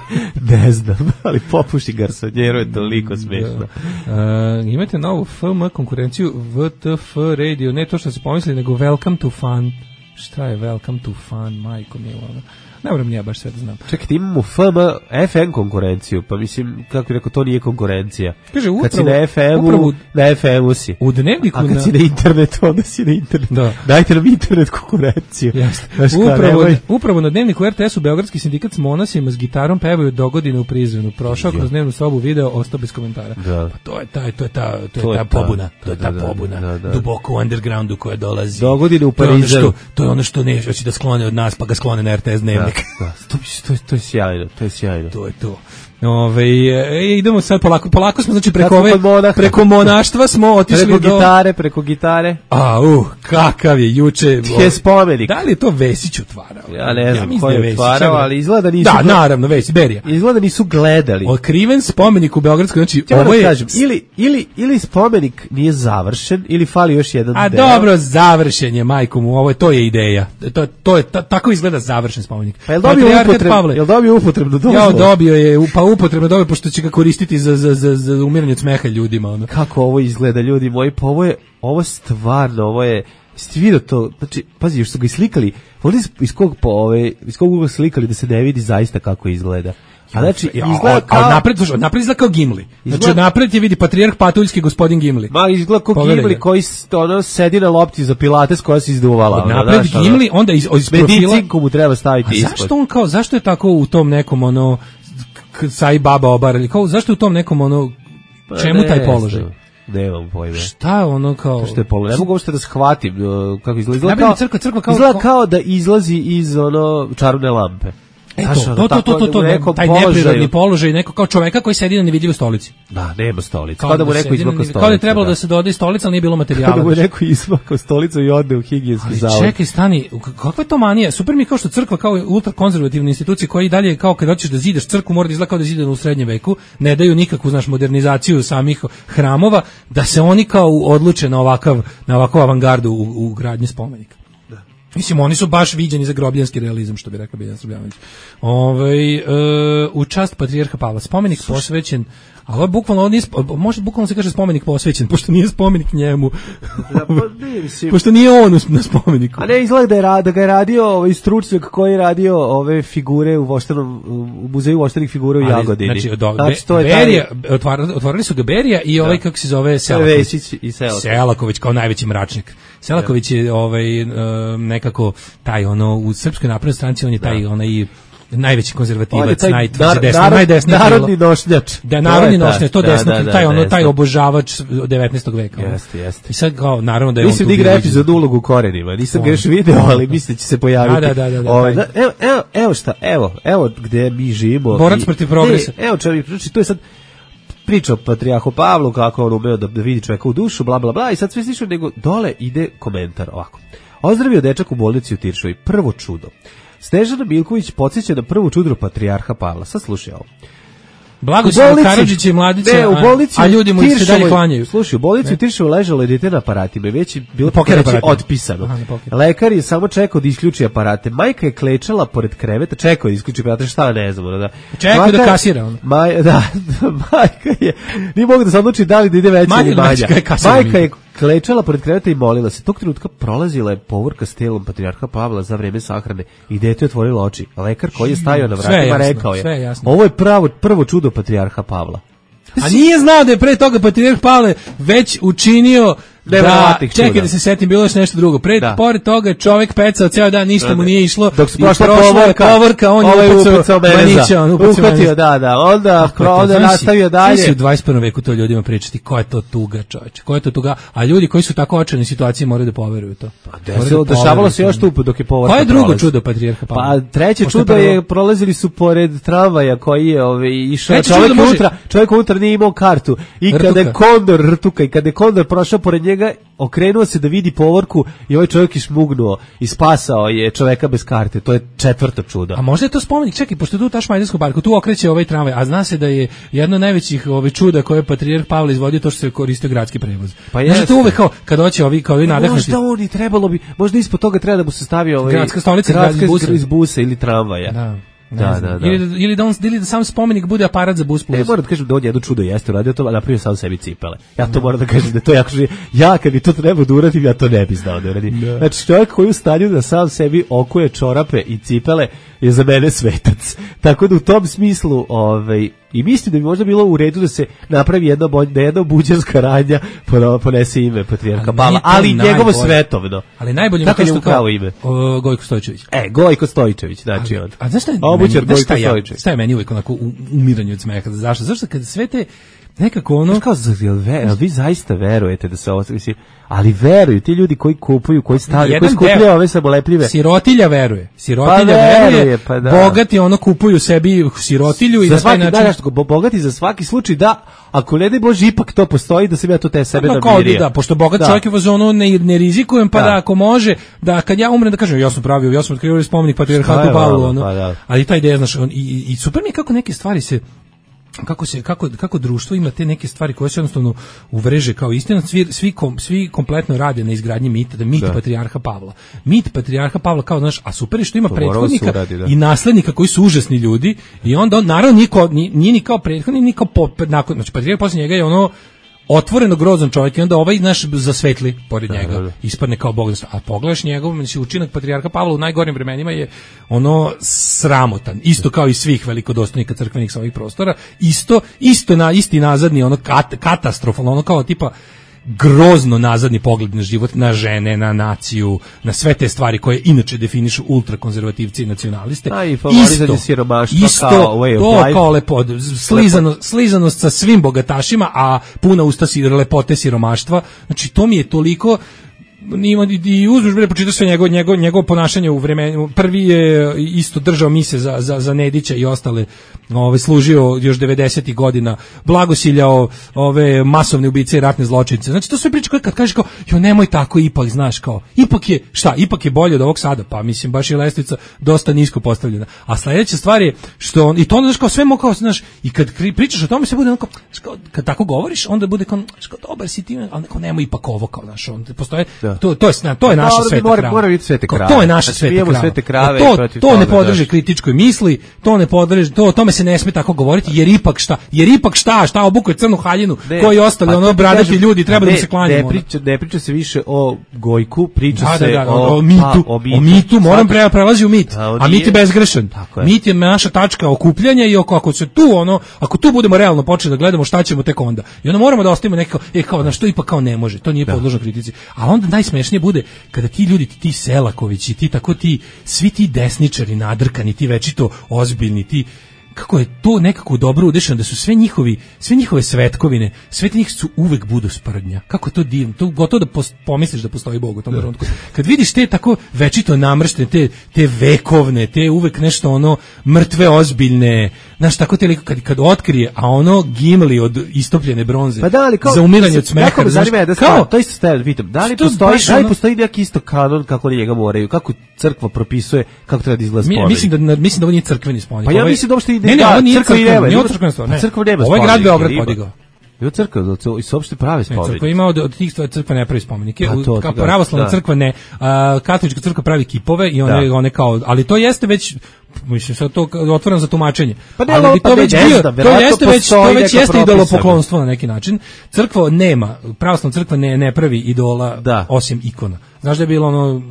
Ne znam, ali popuši garsonjeru je toliko smiješno. Da. Uh, imate novu F M konkurenciju V T F radio, ne to što se pomisli, nego Welcome to Fun. Šta je Welcome to Fun, majko milona? Ne moram ja baš sve da znam. Čekaj, imamo F M, F M konkurenciju, pa mislim, kako je rekao, to nije konkurencija. Kaže, upravo, kad si na F M-u, upravo, na F M-u si. U dnevniku... A kad na... si na internetu, onda si na internetu. Da. Dajte nam internet konkurenciju. Upravo, upravo na dnevniku R T S-u Beogradski sindikat s monasima s gitarom pevaju dogodine u prizvenu. Prošao kroz dnevnu sobu video, ostao bez komentara. Da. Pa to je ta, to je ta, to je to ta je pobuna. Ta, to je ta da, pobuna. Da, da. Duboko u undergroundu koja dolazi. Dogodine u Parizu. To je ono što ne hoće da sklone od nas, pa ga sklone na R T S dnevnik. Da, da. To, to, to je sjajno, to je sjajno. To je to. Ove, e, idemo sad polako, polako smo znači preko ove, preko monaštva smo otišli preko do... gitare, preko gitare. A, uh, kakav je juče... Je spomenik. Da li je to Vesić otvarao? Ja ne znam ja ko je otvarao, ali izgleda nisu... Da, naravno, Vesić, Berija. Izgleda nisu gledali. Otkriven spomenik u Beogradskoj, znači ja ovo je... Kažem, ili, ili, ili spomenik nije završen, ili fali još jedan A deo. dobro, završen je, majko mu, ovo je, to je ideja. To, to je, ta, tako izgleda završen spomenik. Pa je dobio upotrebnu, je dobio upotrebnu dozvolu? Ja, dobio je, pa upotrebno dobio, pošto će ga koristiti za, za, za, za umiranje od smeha ljudima. Ono. Kako ovo izgleda, ljudi moji, pa ovo je, ovo stvarno, ovo je, jeste vidio to, znači, pazi, još su ga islikali, ovdje iz kog, po ove, iz kog ugla slikali da se ne vidi zaista kako izgleda. A znači, Ja, izgleda kao... A napred, slušaj, napred izgleda kao Gimli. Znači, Izgleda- napred je vidi patrijarh Patuljski gospodin Gimli. Ma, izgleda kao Pogledaj Gimli ga. koji s- ono, sedi na lopti za pilates koja se izduvala. Od ono, napred znaš, ono. Gimli, onda iz, iz profila... Medicinku mu treba staviti A ispod. zašto on kao, zašto je tako u tom nekom ono, k- Sai Baba obar, ili kao, zašto je u tom nekom ono, Pa čemu ne taj položaj? znam, Nemam pojma. Šta je ono kao... Što je položaj? Ne mogu uopšte da shvatim uh, kako izgleda. Izgleda Najbolje kao, crkva, crkva kao- izgleda kao- kao da izlazi iz ono čarobne lampe. Eto, Znaš, ono, to, to, tako to, to, da to, u nekom taj položaju- neprirodni položaj, neko kao čoveka koji sedi na nevidljivoj stolici. Da, nema stolice. Kao da mu neko sedi na izmakao nevidljiv- stolicu. Kao da je trebalo da se doda i stolica, ali nije bilo materijala. Kao da mu je neko izmakao stolicu i ode u higijenski Ali zavod. čekaj, stani, k- kakva je to manija? Super mi je kao što crkva kao ultrakonzervativna institucija koja i dalje kao kad hoćeš da zidaš crkvu mora da izgleda kao da je zidana u srednjem veku, ne daju nikakvu znaš modernizaciju samih hramova, da se oni kao odluče na ovakav na ovakvu avangardu u, u gradnji spomenika. Mislim, oni su baš viđeni za grobljanski realizam, što bi rekao Biljan Srbljanović. Ovaj e, u čast patrijarha Pavla. Spomenik posvećen, a ovo je bukvalno, ovo nije, sp- može bukvalno se kaže spomenik posvećen, pošto nije spomenik njemu. Da, pa ne, mislim. Pošto nije on u- na spomeniku. A ne, izgleda da, je, ra- da ga je radio ovaj stručnjak koji je radio ove figure u voštanom, u muzeju voštanih figura u Ali, Jagodini. Znači, do, Znači, to je Berija, otvara- otvorili su ga Berija i ovaj, kako se zove, Selaković. Vesić i Selaković. Selaković kao najveći mračnik. Selaković je ovaj, e, nekako taj, ono, u Srpskoj naprednoj stranci, on je taj, onaj, najveći On je konzervativac, taj naj, nar- desno, narod- najdesnije narodni krilo. nošnjač. Da, To narodni je taj. nošnjač, to Da, desno, da, da, taj, ono, taj desno. obožavač devetnaestog veka. ono. Jeste, jeste. I sad kao, naravno da je Mislim on da tu igra bio epizod ulogu u korenima. Nisam ga još video, ali mislim da će se pojaviti. Da, da, da, da, da, Ovaj, taj. evo, evo, evo šta, evo, evo gde mi živimo. Borac I- protiv progresa. Ne, evo čovjek, znači to je sad priča o patrijarhu Pavlu, kako on umeo da, da vidi čovjeka u dušu, bla, bla, bla, i sad sve slično, nego dole ide komentar ovako. Ozdravio dečak u bolnici u Tiršovi, prvo čudo. Snežana Milković podsjeća na prvo čudo patrijarha Pavla. Sad slušaj ovo. Blagoslov Karadžića i Mladića, ne, u bolnici a, a ljudi mu se dalje Tiršovoj- klanjaju. Slušaj, u bolnici u Tiršovoj ležalo je dete na aparatima, već je bilo Poker reći aparatima. otpisano. Aha, na poker. Lekar je samo čekao da isključi aparate. Majka je klečala pored kreveta, čekao da isključi aparate, šta ne znam, ono da. Čekao da kasira, ono. Maj, da, majka je, nije mogu da se odluči da li da ide veća Manje ili ili manja. veća, kaj kasira Majka mi. je klečala pored kreveta i molila se. Tog trenutka prolazila je povorka s telom patrijarha Pavla za vreme sahrane i dete je otvorilo oči. Lekar koji je stajao na Sve je vratima jasno, rekao je: sve je jasno. "Ovo je pravo prvo čudo patrijarha Pavla." A nije znao da je pre toga patrijarh Pavle već učinio da, Neverovatnih čekaj čuda. da se setim, bilo je još nešto drugo. Pre, Da. pored toga je čovjek pecao ceo dan, ništa mu nije išlo. Dok se i prošla prošla je povorka, povorka, on ovaj je upecao upecao meneza. manića, on upecao Uhvatio, meneza. da, da, onda, Kako je to? onda Znaš si- nastavio znaš dalje. si u dvadeset prvom veku to ljudima pričati, ko je to tuga, čoveče, ko je to tuga, a ljudi koji su tako očajni situaciji moraju da poveruju u to. Moraju Desilo, da dešavalo poveruju se u još to. tu dok je povorka. Koje je drugo prolazi. čudo patrijarha Pavla? Pa treće Pošto je čudo je, prvo- prolazili su pored tramvaja koji je ovaj, išao, Treće čovjek čudo može- unutra, čovjek unutra nije imao kartu i kada je Rtuka. kondor, rtuka, i kada je kondor prošao pored njega, okrenuo se da vidi povorku i ovaj čovjek je šmugnuo i spasao je čoveka bez karte. To je četvrto čudo. A možda je to spomenik, čekaj, pošto je tu ta Šmajdarsko parku, tu okreće ovaj tramvaj, a zna se da je jedno od najvećih ovaj čuda koje je patrijarh Pavle izvodio to što se koristio gradski prevoz. Pa Možda jeste. to uvek kao, kad hoće ovi, kao ovi nadahnuti. Možda on i trebalo bi, možda ispod toga treba da mu se stavi ovaj Gradska stolica gradska iz busa. iz busa ili tramvaja. Da. Ne Da, znam. da, da. Ili, da- ili, da on, ili da sam spomenik bude aparat za bus plus. E, moram da kažem da on jedno čudo jeste uradio to, a napravio sam sebi cipele. Ja to moram da kažem da je to jako živi. Ja kad bi to trebao da uradim, ja to ne bi znao da uradim. Znači, čovjek koji je u stanju da sam sebi okuje čorape i cipele je za mene svetac. Tako da u tom smislu, ovaj, i mislim da bi možda bilo u redu da se napravi jedna, bolj, da jedna buđarska radnja pono- ponese ime patrijarha Ali Pavla, nije to ali njegovo najbolje. svetovno. Ali najbolje mi je Kako to je što mu kao pravo ime? o, Gojko Stojčević. E, Gojko Stojičević, znači on. A znaš šta je, Obućar meni, znaš Gojko šta, ja, Stojičević. šta je meni uvijek onako u- umiranje od smeha? Zašto? Zašto kad sve te nekako ono... Znaš kao, za- jel ve- jel vi zaista verujete da se ovo, mislim, ali veruju ti ljudi koji kupuju, koji stavljaju, koji Jedan skupljaju deo- ove samolepljive. Sirotilja veruje. Sirotilja Pa veruje, veruje, pa da. bogati ono kupuju sebi sirotilju i Za na taj svaki, način... da, znaš, bo- bogati za svaki slučaj da, ako ne daj Bože ipak to postoji, da sam ja to te sebe Pa kao namirio. da, pošto bogat Da. čovjek je u fazonu ne, ne rizikujem, pa Da. da. ako može, da kad ja umrem da kažem ja sam pravio, ja sam otkrio spomenik Šta patrijarhatu je Pavlu, vama, ono. pa da. Ali ta ideja, znaš, on, i, i super mi je kako neke stvari se kako se kako kako društvo ima te neke stvari koje se jednostavno uvreže kao istina, svi svi, kom, svi kompletno rade na izgradnji mita, da mit Da. patrijarha Pavla. Mit patrijarha Pavla kao znaš, a super je što ima To mora da se prethodnika uradi, da. i naslednika koji su užasni ljudi i onda on naravno niko nije, nije ni kao prethodni, ni kao po, nakon, znači patrijarh posle njega je ono otvoreno grozan čovjek i onda ovaj naš zasvetli pored njega, ispadne kao bog. A pogledaš njegov, znači učinak patrijarha Pavla u najgorim vremenima je ono sramotan, isto kao i svih velikodostojnika crkvenih sa ovih prostora, isto, isto na isti nazadni, ono kat, katastrofalno, ono kao tipa grozno nazadni pogled na život, na žene, na naciju, na sve te stvari koje inače definišu ultrakonzervativci i nacionaliste. A i favorizanje siromaštva isto, kao way of to life. kao lepo, slizano, slizanost sa svim bogatašima, a puna usta si lepote siromaštva. Znači, to mi je toliko... Ima i uzduž bre počitaš sve njegovo njegovo njegovo ponašanje u vremenu. Prvi je isto držao mise za za za Nedića i ostale, ovaj služio još devedesetih godina, blagosiljao ove masovne ubice i ratne zločince. Znači to sve priče koje kad kažeš kao jo nemoj tako, ipak znaš kao ipak je šta, ipak je bolje od ovog sada, pa mislim baš je lestvica dosta nisko postavljena. A sledeća stvar je što on, i to onda znaš kao sve mo kao znaš i kad pričaš o tome se bude onako kad tako govoriš onda bude kao kao dobar si ti, al neko nemoj ipak ovo kao znaš, on postoje da. To, to je to je naša no, sveta mora, krava. Mora biti svete krave. To je naša sveta svete krave. To, to ne podrži kritičkoj misli, to ne podrži, to o tome se ne sme tako govoriti, jer ipak šta, jer ipak šta, šta obukuje crnu haljinu, ne, koji ostali pa ono bradati ljudi treba ne, da se klanjamo. Ne priča, ne priča se više o Gojku, priča da, se da, da, o, o mitu, pa, o mitu, o mitu moram pre prelazi u mit. A, a mit je bezgrešan. Je. Mit je naša tačka okupljanja i oko ako se tu ono, ako tu budemo realno počeli da gledamo šta ćemo tek onda. I onda moramo da ostavimo neko, e kao na što ipak kao ne može, to nije podložno kritici. A onda najsmešnije bude kada ti ljudi, ti Selakovići, ti tako ti, svi ti desničari nadrkani, ti večito ozbiljni, ti, kako je to nekako dobro udešano, da su sve njihovi, sve njihove svetkovine, sve njih su uvek budu sprdnja. Kako to divno, to gotovo da pomisliš da postoji Bog u tom trenutku. Kad vidiš te tako večito namrštene, te, te vekovne, te uvek nešto ono mrtve ozbiljne, znaš, tako te liko, kad, kad otkrije, a ono Gimli od istopljene bronze, pa da, ali kao, za umiranje od smeha. Jako me zanima da kao, to isto stavljam, pitam, da li postoji, da li ono, postoji neki isto kanon kako njega moraju, kako crkva propisuje, kako treba da izgleda spomenik? Mislim da, mislim da ovo nije crkveni spomenik. Pa ja mislim da uopšte ne, ne, ovo nije crkveni, nema, nije crkvena stvar, ne. Crkva nema ovo je grad Beograd podigao. Jo crkva, i se uopšte pravi spomenik. Crkva ima od, od tih stvari crkva ne pravi spomenike. Kao pravoslavna crkva ne. A, katolička crkva pravi kipove i one, one kao, ali to jeste već mislim sad to otvoreno za tumačenje. Pa ne, ali pa to već bio, to jeste već to već jeste idolopoklonstvo na neki način. Crkva nema, pravoslavna crkva ne ne pravi idola da. Osim ikona. Znaš da je bilo ono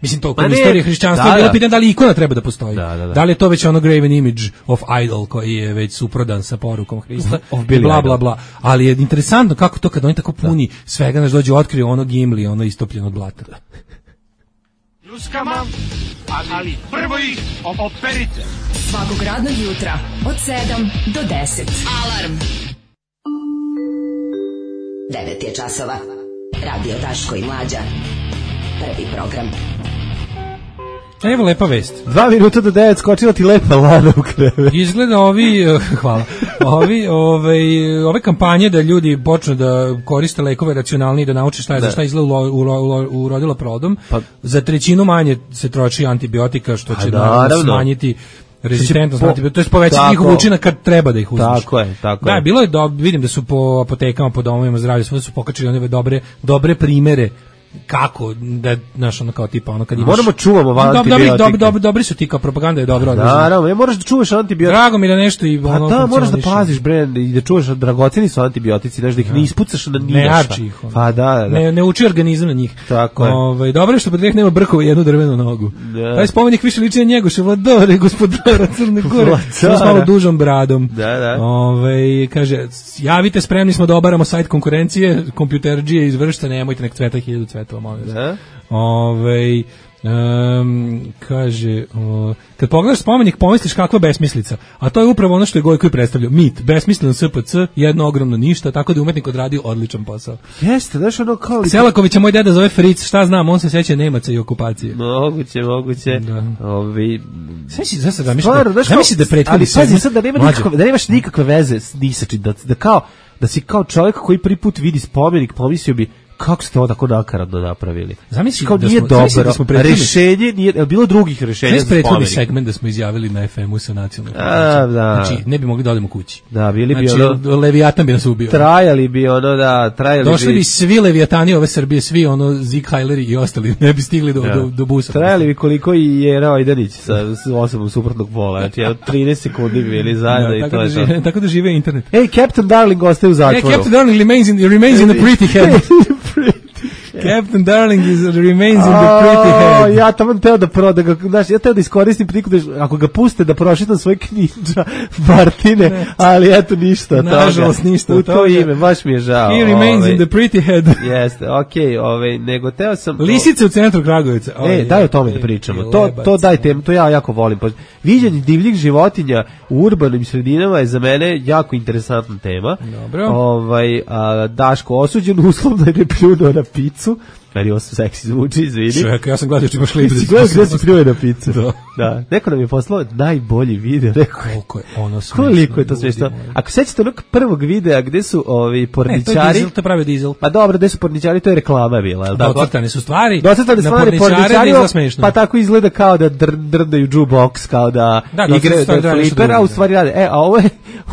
mislim to kod istorije hrišćanstva da, je bilo pitanje da li ikona treba da postoji. Da, da, da. da li je to već ono graven image of idol koji je već suprodan sa porukom Hrista, bla bla bla. Ali je interesantno kako to kad oni tako puni da. Svega naš dođe otkriju ono Gimli, ono istopljeno od blata. Ljuskama, ali prvo ih operite. Svakog radnog jutra od sedam do deset. Alarm. devet je časova. Radio Daško i Mlađa. Prvi program. Evo lepa vest. Dva minuta do devet, skočila ti lepa lana u krevet. Izgleda ovi, uh, hvala, ovi, ove, ove kampanje da ljudi počnu da koriste lekove racionalnije i da nauče šta je, da. Za šta izgleda urodila plodom, pa, za trećinu manje se troši antibiotika, što će da smanjiti rezistentnost po, antibiotika, to je povećati njihov učinak kad treba da ih uzmeš. Tako je, tako da, je. Bilo je, do, vidim da su po apotekama, po domovima zdravlja, sve su pokačili one dobre, dobre primere kako da znaš ono kao tipa ono kad imaš moramo čuvamo antibiotike. Dobri, dobri, dobri su ti kao propaganda je dobro. Naravno, moraš da čuvaš antibiotike. Drago mi da nešto i ono. Pa da, moraš da paziš bre i da čuvaš dragoceni su antibiotici, da ih ne ispucaš na ništa. Ne arči ih. Pa da, da. Ne ne uči organizam na njih. Tako je. Ovaj dobro je što pod nema brkova i jednu drvenu nogu. Taj spomenik više liči na Njegoša Vladore, gospodara Crne Gore, sa malo dužom bradom. Da, da. Ovaj kaže javite, spremni smo da obaramo sajt konkurencije, kompjuterđije iz Vršca, nemojte nek cveta hiljadu cvetova, molim vas. Ove, um, kaže o, kad pogledaš spomenik pomisliš kakva besmislica, a to je upravo ono što je Gojko i predstavljao, mit, besmislen S P C, jedno ogromno ništa, tako da je umetnik odradio odličan posao. Jeste, znaš ono kao li... Selakovića moj deda zove Fritz, šta znam, on se seća Nemaca i okupacije. Moguće, moguće. Da. Ovi... Sveći, za sad da misli, da misli da prethodni... Ali pazi sad da, nema nikakve, da nemaš nikakve veze s nisačim, da, da kao, da si kao čovjek koji prvi put vidi spomenik, pomislio bi Kako ste ovo tako nakaradno napravili? Zamisli kao da nije smo, dobro. da smo prethodni, rešenje nije, je bilo drugih rešenja za prethodni segment da smo izjavili na F M-u sa nacionalnom. A, da. Znači, ne bi mogli da odemo kući. Da, bili bi znači, ono... Leviatan bi nas ubio. Trajali bi ono, da, trajali Došli bi... bi svi Leviatani ove Srbije, svi ono Zik Hajleri i ostali, ne bi stigli do, ja. do, do busa. Trajali bi koliko i Jera Ojdanić sa osobom suprotnog pola. Znači, trinaest sekundi bi bili zajedno da, i to da je žive, to. Tako da žive internet. Ej, Captain Darling ostaje u zatvoru. Hey, Captain Darling remains in, remains in the pretty head. Captain Darling is, remains in the pretty head. Ja tamo teo da pro, da ga, znaš, ja teo da iskoristim priliku da, ako ga puste da prošitam svoj knjiđa Martine, ne. Ali eto ništa. Nažalost ništa. U to ime, baš mi je žao. He remains ove, in the pretty head. Jeste, okej, okay, ove, nego teo sam... Lisice u centru Kragujevca. E, daj o tome da pričamo. To, to daj temu, to ja jako volim. Viđenje divljih životinja u urbanim sredinama je za mene jako interesantna tema. Dobro. Ovaj, a, Daško osuđen uslovno je ne pljunuo na picu. Meni ovo seksi zvuči, izvini. Čovjek, ja sam gledao što imaš libre. Ti gledao gdje si pljuje na picu. Da. Da. Neko nam je poslao najbolji video. Rekao, koliko je ono smiješno. Koliko je to smiješno. Ako sećate onog prvog videa gdje su ovi porničari... Ne, to je dizel, to je pravi dizel. Pa dobro, gdje su porničari, to je reklama bila. Docrtane su stvari. Docrtane stvari, porničari, pa tako izgleda kao da dr, drndaju jukebox, kao da, da igre, da fliper, a u stvari rade. E, a ovo je,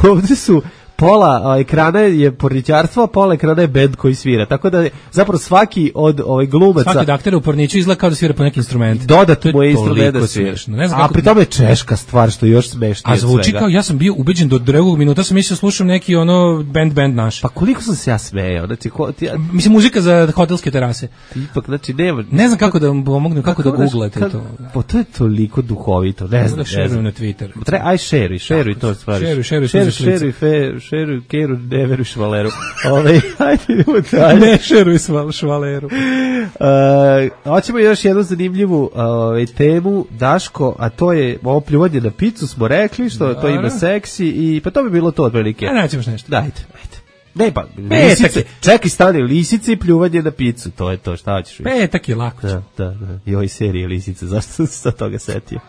ovdje su... pola a, ekrana je porničarstvo, a pola ekrana je bend koji svira. Tako da zapravo svaki od ovaj glumaca... Svaki dakter u porniču izgleda kao da svira po neki instrument. Dodatno mu je instrument da svira. A pri tome je češka stvar, što je još smešnije. A zvuči kao, ja sam bio ubeđen do drugog minuta, sam mislio slušam neki ono band band naš. Pa koliko sam se ja smejao. Znači, ko, ti, ja... Mislim, muzika za hotelske terase. Ipak, znači, nema... Ne znam kako da vam pomognem, kako, kako da googlate kad, to. Pa to je toliko duhovito, ne znam. Da šerujem na Twitter. Tre, aj šeruj, šeruj to stvari. Šeruj, šeruj, šeruj, šeruj, šeruj, šeruj, keru, ne veruj švaleru. Ove, hajde idemo dalje. Ne šeruj švaleru. Uh, hoćemo još jednu zanimljivu uh, temu, Daško, a to je ovo pljuvanje na picu, smo rekli, što to ima seksi, i pa to bi bilo to otprilike. A nećemo nešto. Dajte, dajte. Ne, pa, lisice, čekaj, stani, lisice i pljuvanje na picu, to je to, šta hoćeš? Petak je lako. Da, da, da. I ovoj serije lisice, zašto sam se sa toga setio?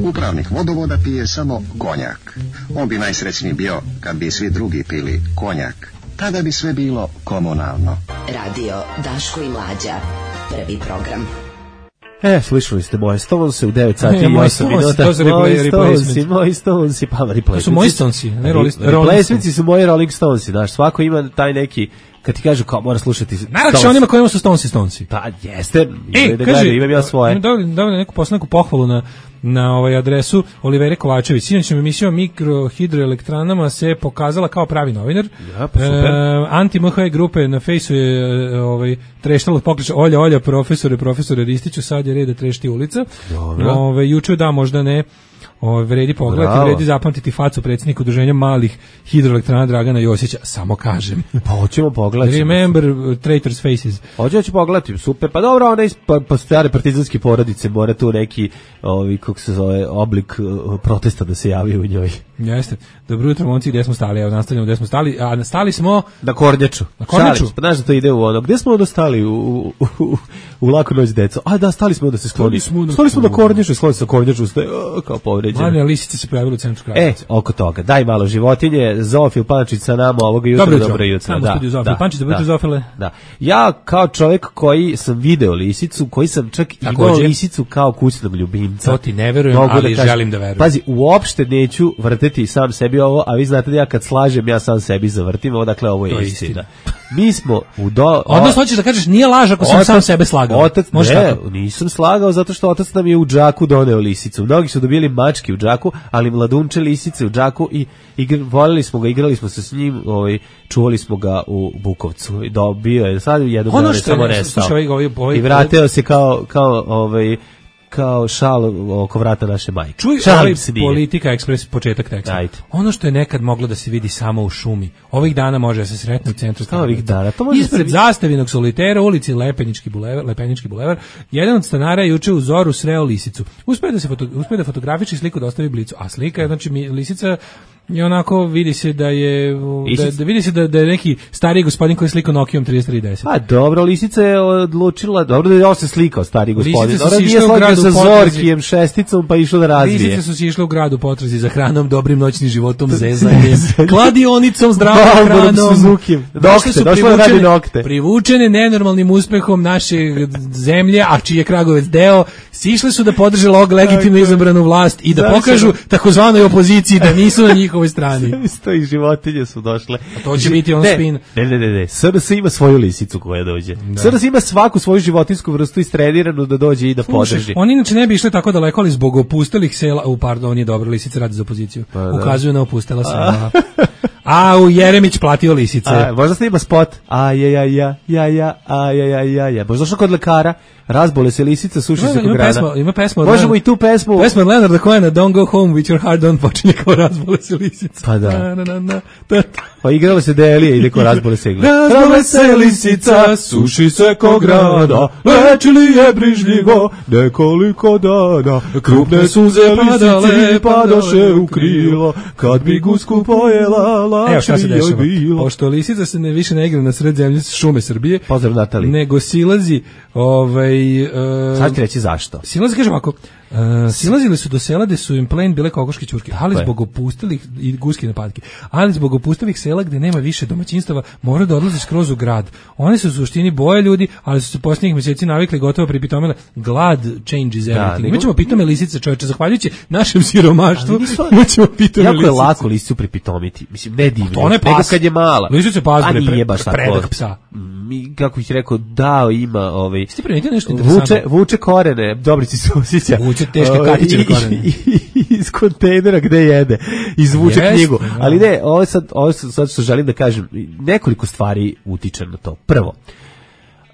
Upravnik vodovoda pije samo konjak. On bi najsrećniji bio kad bi svi drugi pili konjak. Tada bi sve bilo komunalno. Radio Daško i Mlađa. Prvi program. E, slušali ste moje Stonese u devet sati e, i osam minuta. To su Stonesi, moji Stonesi, pa replacements. To su moji Stonesi, ne replacements su moji Rolling Stonesi, znaš, svako ima taj neki, kad ti kažu kao mora slušati najlakše onima kojima su Stonesi Stonesi. Pa jeste, e, da kaže, gledaju, imam ja svoje. Imam da neku poslaniku pohvalu na na ovaj adresu Olivere Kovačević. Sinoćnom emisijom mikrohidroelektranama se pokazala kao pravi novinar. Ja, pa super. E, Anti-M H grupe na fejsu je ovaj, treštalo pokliča Olja, Olja, profesore, profesore Ristiću, sad je red da trešti ulica. Ove, juče da, možda ne. Ove, vredi pogledati, Bravo. vredi zapamtiti facu predsjednika udruženja malih hidroelektrana Dragana Josića, samo kažem. Pa hoćemo pogledati. Remember uh, Traitors Faces. Hoće ću pogledati, super. Pa dobro, one pa, pa stare partizanske porodice, mora tu neki ovi, kako se zove, oblik uh, protesta da se javi u njoj. Jeste. Dobro jutro, momci, gdje smo stali? Evo, nastavljamo gdje smo stali. A stali smo... Na Kornjaču. Na Kornjaču. Pa znaš da to ide u ono. Gdje smo onda stali? U, u, u, u Laku noć deco. A da, stali smo da se skloni. Stali smo, stali smo na Kornjaču, skloni se na Kornjaču, ste, o, kao povređeni. Mladine lisice se pojavili u centru Kragujevca. E, oko toga. Daj malo životinje. Zoofil Pančić sa nama ovoga jutra. Dobro jutro. Dobro jutro. Da, da, da, Pančić, dobro jutro, Zoofile. Da. Ja kao čovjek koji sam video lisicu, koji sam čak imao lisicu kao kućnog ljubimca. To ti ne verujem, ali da želim da verujem. Pazi, uopšte neću vrteti sam sebi ovo, a vi znate da ja kad slažem, ja sam sebi zavrtim, ovo, dakle, ovo je, je istina. istina. Mi smo u do... Odnosno, hoćeš da kažeš, nije laž ako sam otac, sam sebe slagao. Otac, Može ne, tako? Nisam slagao zato što otac nam je u džaku doneo lisicu. Mnogi su dobili mački u džaku, ali mladunče lisice u džaku i igr, voljeli smo ga, igrali smo se s njim, ovaj, čuvali smo ga u Bukovcu. Dobio je, sad jednog dana samo nestao. Ovaj, ovaj, ovaj, I vratio se kao, kao ovaj, kao šal oko vrata naše majke. Čuj, ovaj Politika Ekspres, početak teksta. Ajde. Ono što je nekad moglo da se vidi samo u šumi, ovih dana može da se sretne u centru. Ovih dana, to može ispred se zastavinog solitera, ulici Lepenički bulevar, Lepenički bulevar, jedan od stanara je juče u zoru sreo lisicu. Uspeo da se foto, uspeo da fotografički sliku dostavi Blicu, a slika je, znači, lisica I onako vidi se da je da, da vidi se da, da je neki stariji gospodin koji je slikao Nokijom trideset tri deset. A dobro, lisica je odlučila, dobro da je on se slikao stari gospodin. Dobro, nije slagao sa Zorkijem šesticom pa išao da razvije. Lisice su si išle u grad u potrazi za hranom, dobrim noćnim životom, zezanjem, kladionicom, zdravom hranom. Suzukijem. Došle su privučene, privučene nenormalnim uspehom naše zemlje, a čiji je Kragovec deo, sišle su da podrže log legitimno izabranu vlast i da pokažu takozvanoj opoziciji da nisu na njihovoj strani. Isto i životinje su došle. A to će biti on ne, spin. Ne, ne, ne, ne. S R S ima svoju lisicu koja dođe. Da. S R S ima svaku svoju životinsku vrstu istreniranu da dođe i da Slušaj, podrži. Oni inače ne bi išli tako daleko, ali zbog opustelih sela, u pardon, je dobro, lisica radi za opoziciju. Pa, da. Ukazuju na opustela sela. A u Jeremić platio lisice. A, možda snima spot. A ja ja ja ja ja a ja ja ja ja. Možda što kod lekara razbole se lisica, suši se kod grana. Pesma, ima pesma. Možemo i tu pesmu. Pesma Leonarda Cohena, Don't Go Home with your heart on, počinje kao razbole se lisica. Pa da. Na, na, na, na. Pa igrala se Delija, ide ko razbole se igle. Razbole se lisica, suši se ko grana, lečili je brižljivo nekoliko dana. Krupne suze padale, padoše u krilo, kad bi gusku pojela, lače joj bilo. Pošto lisica se ne više ne igra na sred zemlje šume Srbije, pozdrav Natali, nego silazi, ovaj... Uh, sad ti reći zašto. Silazi, kažem ako, uh, silazili su do sela gde su im plen bile kokoške ćurke, ali zbog opustelih i guske napadke, ali zbog opustelih sela gde nema više domaćinstava, mora da odlaze skroz u grad. One su u suštini boje ljudi, ali su se posljednjih mjeseci navikli gotovo pripitomile. Glad changes everything. Imaćemo pitome lisice, čoveče, zahvaljujući našem siromaštvu, imaćemo pitome jako lisice. Jako je lako lisicu pripitomiti. Mislim, ne divno. To ne pas. Nego kad je mala. Lisice pas, a nije baš tako. Predak psa. Mi, kako bih rekao, da, ima ovaj... Ste primetili nešto interesantno? Vuče, vuče korene, Dobrici se osjeća. Vuče teške katićene korene. Iz kontejnera gde jede. Izvuče yes, knjigu. No. Ali ne, ovo sad, ovo sad što želim da kažem, nekoliko stvari utiče na to. Prvo,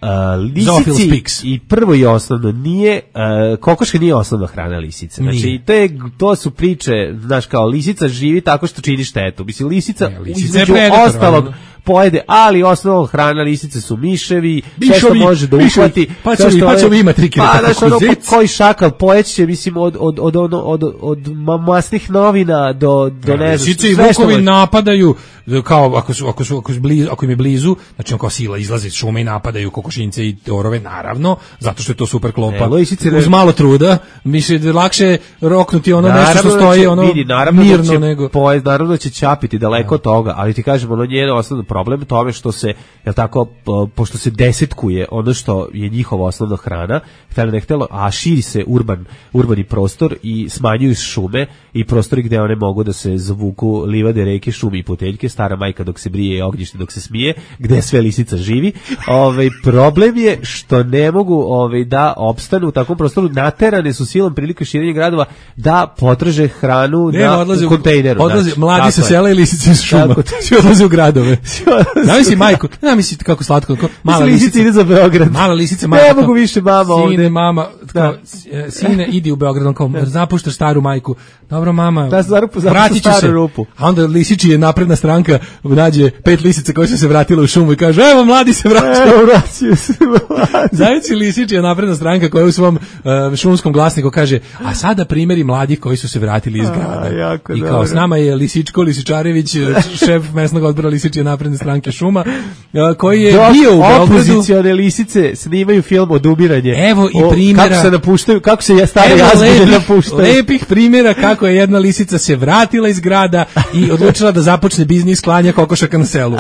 Uh, lisici i prvo i osnovno nije uh, kokoška nije osnovna hrana lisice. Znači te to su priče, znaš, kao lisica živi tako što čini štetu. Mislim lisica ne, lisica između ostalog pojede, ali osnovna hrana lisice su miševi, sve što može da uhvati. Pa će mi, pa će mi ima trike. Pa znaš, ono, koji šakal pojeće, mislim, od, od, od, od, od, od masnih novina do, do ja, ne znam. Lisice i vukovi napadaju, kao ako su, ako su, ako su blizu, ako im je blizu, znači on kao sila izlazi iz šume i napadaju kokošinjce i orove, naravno, zato što je to super klopa. E, lisice, uz malo truda, miše da lakše roknuti ono naravno nešto što stoji, ono vidi, naravno mirno će nego. Pojez, naravno da će čapiti daleko od toga, ali ti kažem, ono njeno osnovno problem tome što se, jel tako, po, pošto se desetkuje ono što je njihova osnovna hrana, htjelo ne htjelo, a širi se urban, urbani prostor i smanjuju šume i prostori gde one mogu da se zavuku livade, reke, šume i poteljke, stara majka dok se brije, ognjište dok se smije, gde sve lisica živi. Ovaj problem je što ne mogu ovaj da opstanu u takvom prostoru, naterane su silom prilike širenja gradova da potraže hranu ne, na odlaze u kontejneru. Odlaze znači, mladi sa sela i lisice iz šuma. Svi odlaze u gradove. Zamisli majku, ne misli kako slatko, kako mala lisica ide za Beograd. Mala lisica, mama. Ne mogu više mama sine, ovde. Sine, mama, kao, sine idi u Beograd, kao zapuštaš staru majku. Dobro mama. Da zarupu vratit ću se. Rupu. A onda lisiči je napredna stranka, nađe pet lisica koje su se vratile u šumu i kaže: "Evo mladi se vraćaju." Evo vraćaju se. Zamisli lisiči je napredna stranka koja u svom uh, šumskom glasniku kaže: "A sada primjeri mladih koji su se vratili iz grada." A, I kao dobro. S nama je Lisičko Lisičarević, šef mesnog odbora Lisičije napredne stranke šuma, uh, koji je Dok bio u Beogradu. Opozicione lisice snimaju film Odumiranje. Evo i primjera. Kako se napuštaju, kako se stare jazbine napuštaju. Lepih primjera kako je jedna lisica se vratila iz grada i odlučila da započne biznis klanja kokošaka na selu.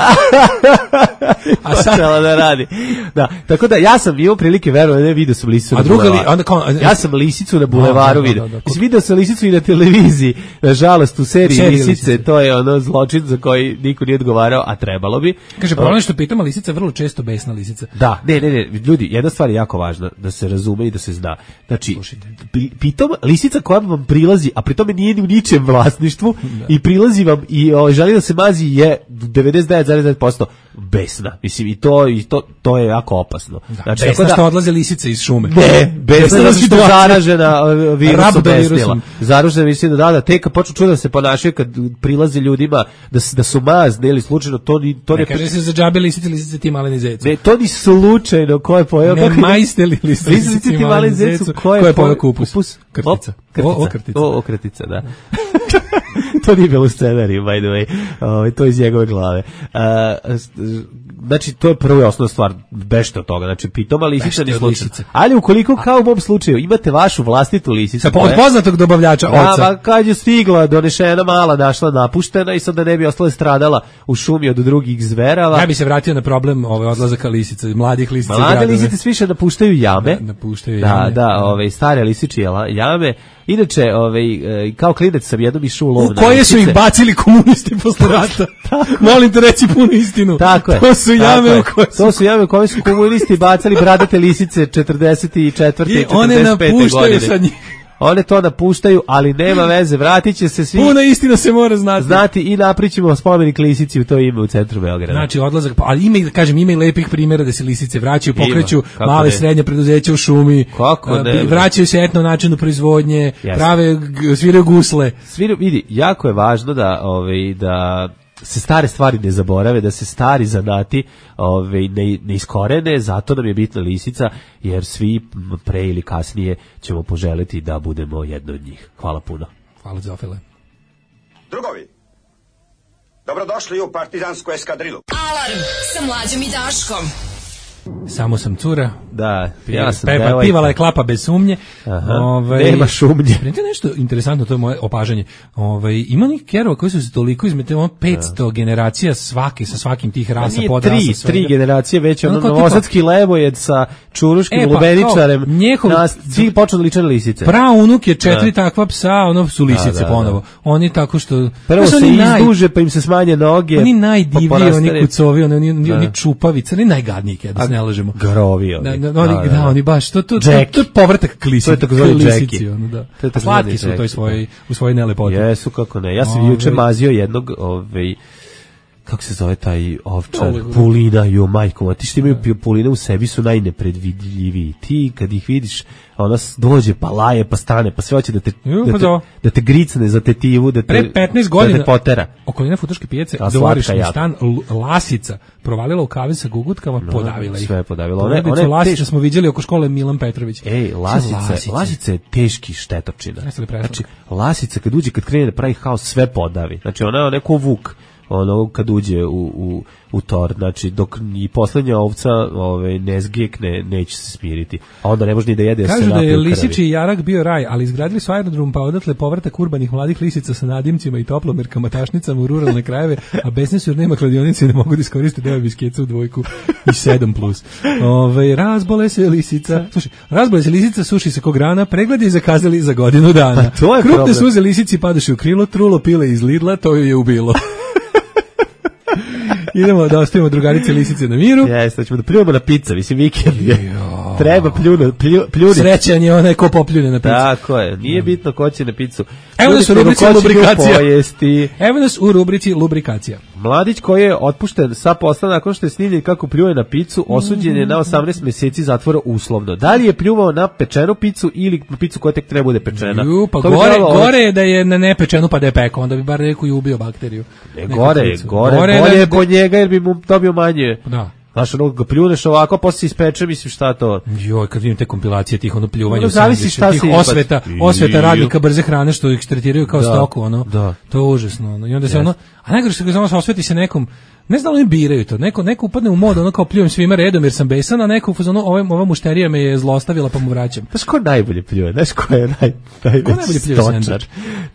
A sad da radi. Da, tako da ja sam bio prilike verujem da vidio sam lisicu. A druga li, onda kao, ja sam lisicu na bulevaru vidio. Mislim video sam lisicu i na televiziji. Nažalost u seriji, seriji lisice, lisice, to je ono zločin za koji niko nije odgovarao, a trebalo bi. Kaže problem što pitamo lisica vrlo često besna lisica. Da, ne, ne, ne, ljudi, jedna stvar je jako važna da se razume i da se zna. Znači, pitom lisica koja vam prilazi, a pri tome nije ni u ničem vlasništvu da. I prilazi vam i o, želi da se mazi je devedeset devet zarez devet posto besna. Mislim i to i to to je jako opasno. Da, znači besna tako da što odlaze lisice iz šume. Ne, besna da su zaražena virusom besnila. Zaražena mislim da da tek kad počnu čuti da se ponašaju kad prilaze ljudima da da su mazni ili slučajno to ni to ne, ne kaže se za džabe lisice lisice ti maleni zecu. Ne, to ni slučajno ko je pojeo ne majste li lisice ti maleni zecu ko je pojeo kupus. Krtica. O, o krtica. O, o krtica, da. to nije bilo u scenariju, by the way. Ovaj to iz njegove glave. Uh, znači to je prva i osnovna stvar, bežte od toga. Znači pitoma lisica ni slučaj. Ali ukoliko kao u mom slučaju imate vašu vlastitu lisicu, sa od poznatog dobavljača oca. Da, kad je stigla, donešena mala, našla napuštena i sad da ne bi ostala stradala u šumi od drugih zverava. Ja bi se vratio na problem ove odlazaka lisica, mladih lisica. Mlade lisice sve više napuštaju jame. Da, napuštaju da, jame. Da, ove stare lisičije jame. Inače, ovaj kao klinac sam jednom išao u lov na lisice. U koje su ih bacili komunisti posle rata? Molim te reći punu istinu. Tako je. To su jame u koje su... To su jame u koje su komunisti bacali bradate lisice četrdeset četvrte i četrdeset pete godine. I one godine. napuštaju sad njih. One to napuštaju, ali nema veze, vratit će se svi. Puna istina se mora znati. Znati i napričimo spomenik lisici u to ime u centru Beograda. Znači odlazak, ali ima, kažem, ima i lepih primjera da se lisice vraćaju, pokreću male srednje preduzeća u šumi, kako ne, vraćaju se etno načinu proizvodnje, yes. prave, sviraju gusle. Sviraju, vidi, jako je važno da, ovaj, da se stare stvari ne zaborave, da se stari zanati ovaj, ne, ne iskorene, zato nam je bitna lisica, jer svi pre ili kasnije ćemo poželiti da budemo jedno od njih. Hvala puno. Hvala Zofile. Drugovi, dobrodošli u partizansku eskadrilu. Alarm sa Mlađom i Daškom. Samo sam cura. Da, ja sam Pepa, devojka. Pivala je klapa bez sumnje. Ovaj, nema šumnje. Spremite nešto interesantno, to je moje opažanje. Ovaj, ima njih kerova koji su se toliko izmetili, ono petsto da. generacija svake, sa svakim tih rasa, podrasa. Tri, tri generacije već, ono novosadski levojed sa čuruškim e, pa, lubeničarem, njehov, nas, svi počeli liče na lisice. Praunuk je četiri da. takva psa, ono su lisice da, da, ponovo. Da. Oni tako što... Prvo se izduže, naj, pa im se smanje noge. Oni najdiviji, pa oni kucovi, oni, oni, oni čupavice, oni najgadniji, kada se ne lažemo. Grovi oni. Da, da, oni, da, da, da, oni baš, to, to, to, to je povratak k lisici. To je tako zvani lisici. Ono, da. To je tako slatki su u toj svojoj, u svojoj nelepoti. Jesu, kako ne. Ja sam Ove... juče mazio jednog, ovaj, kako se zove taj ovčar, no, pulina, jo majko, ti što imaju puline u sebi su najnepredvidljiviji. Ti kad ih vidiš, ona dođe pa laje pa stane, pa sve hoće da te, jo, da, te da te gricne za tetivu, da te, pre petnaest godina, da te potera. Okolina Futoške pijace, dvorišni stan, lasica provalila u kaven sa gugutkama, no, podavila ih. Sve je podavila. One, one lasice teš... smo viđali oko škole Milan Petrović. Ej, lasice, lasice, lasice je teški štetočina. Znači, lasica kad uđe, kad krene da pravi haos, sve podavi. Znači, ona je neko vuk. Ono kad uđe u, u, u tor, znači dok i poslednja ovca ove, ne zgijekne, neće se smiriti. A onda ne može ni da jede. Kažu da je lisiči jarak bio raj, ali izgradili su aerodrom pa odatle povratak urbanih mladih lisica sa nadimcima i toplomerkama, tašnicama u ruralne krajeve, a besni su jer nema kladionice i ne mogu da iskoriste deo biskeca u dvojku i sedam plus. Ove, razbole se lisica, slušaj, razbole se lisica, suši se kog rana, pregledi i zakazali za godinu dana. Pa to je krupne problem. Suze lisici padoše u krilo, trulo pile iz Lidla, to ju je ubilo. Idemo da ostavimo drugarice lisice na miru. Jeste, ćemo da pljujemo na pizza, mislim vikend. Treba pljunu, plju, pljuniti. Srećan je onaj ko popljune na pizzu. Tako je, nije bitno ko će na pizzu. Evo nas u rubrici lubrikacija. Evo nas u rubrici lubrikacija. Mladić koji je otpušten sa posla nakon što je snimljen kako pljuje na pizzu, osuđen je na osamnaest meseci zatvora uslovno. Da li je pljuvao na pečenu pizzu ili na pizzu koja tek treba bude pečena? Ju, pa gore, gore je da je na nepečenu pa da je pekao, onda bi bar neko i ubio bakteriju. Ne, gore, gore, gore, bolje je po njega jer bi mu dobio manje. Da. Znaš, ono, ga pljuneš ovako, posle se ispeče, mislim, šta to? Joj, kad vidim te kompilacije tih, ono, pljuvanja no, u sandviču, tih osveta, osveta radnika brze hrane, što ih tretiraju kao da, stoku, ono, da. To je užasno, ono, i onda se yes. ono, a najgore što ga znamo se osveti se nekom, ne znam, oni biraju to, neko, neko upadne u mod, ono, kao pljujem svima redom jer sam besan, a neko, ono, ova, ova mušterija me je zlostavila pa mu vraćam. Znaš ko najbolje pljuje, znaš ko je naj, najveći stočar?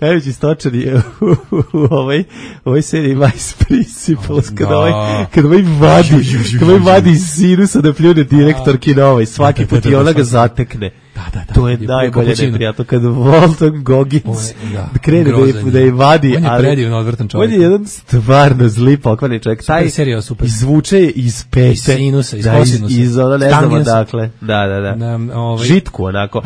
Najveći stočar je u, u, u ovoj, ovoj seriji Vice Principals, oh, kada ovaj, kada ovaj vadi, kada ovaj vadi iz sinusa da pljune direktorki na ovaj, svaki put i ona ga zatekne. Da, da, da. To je najbolje neprijatno kad Walton Goggins da, krene da, da je vadi. On je predivno odvrtan čovjek. On je jedan stvarno zli pokvarni čovjek. Taj serija, super. Izvuče je iz pete. Iz sinusa, iz da, kosinusa. Iz ono, ne znamo dakle. Da, da, da. da ovaj. Žitku onako. Uh,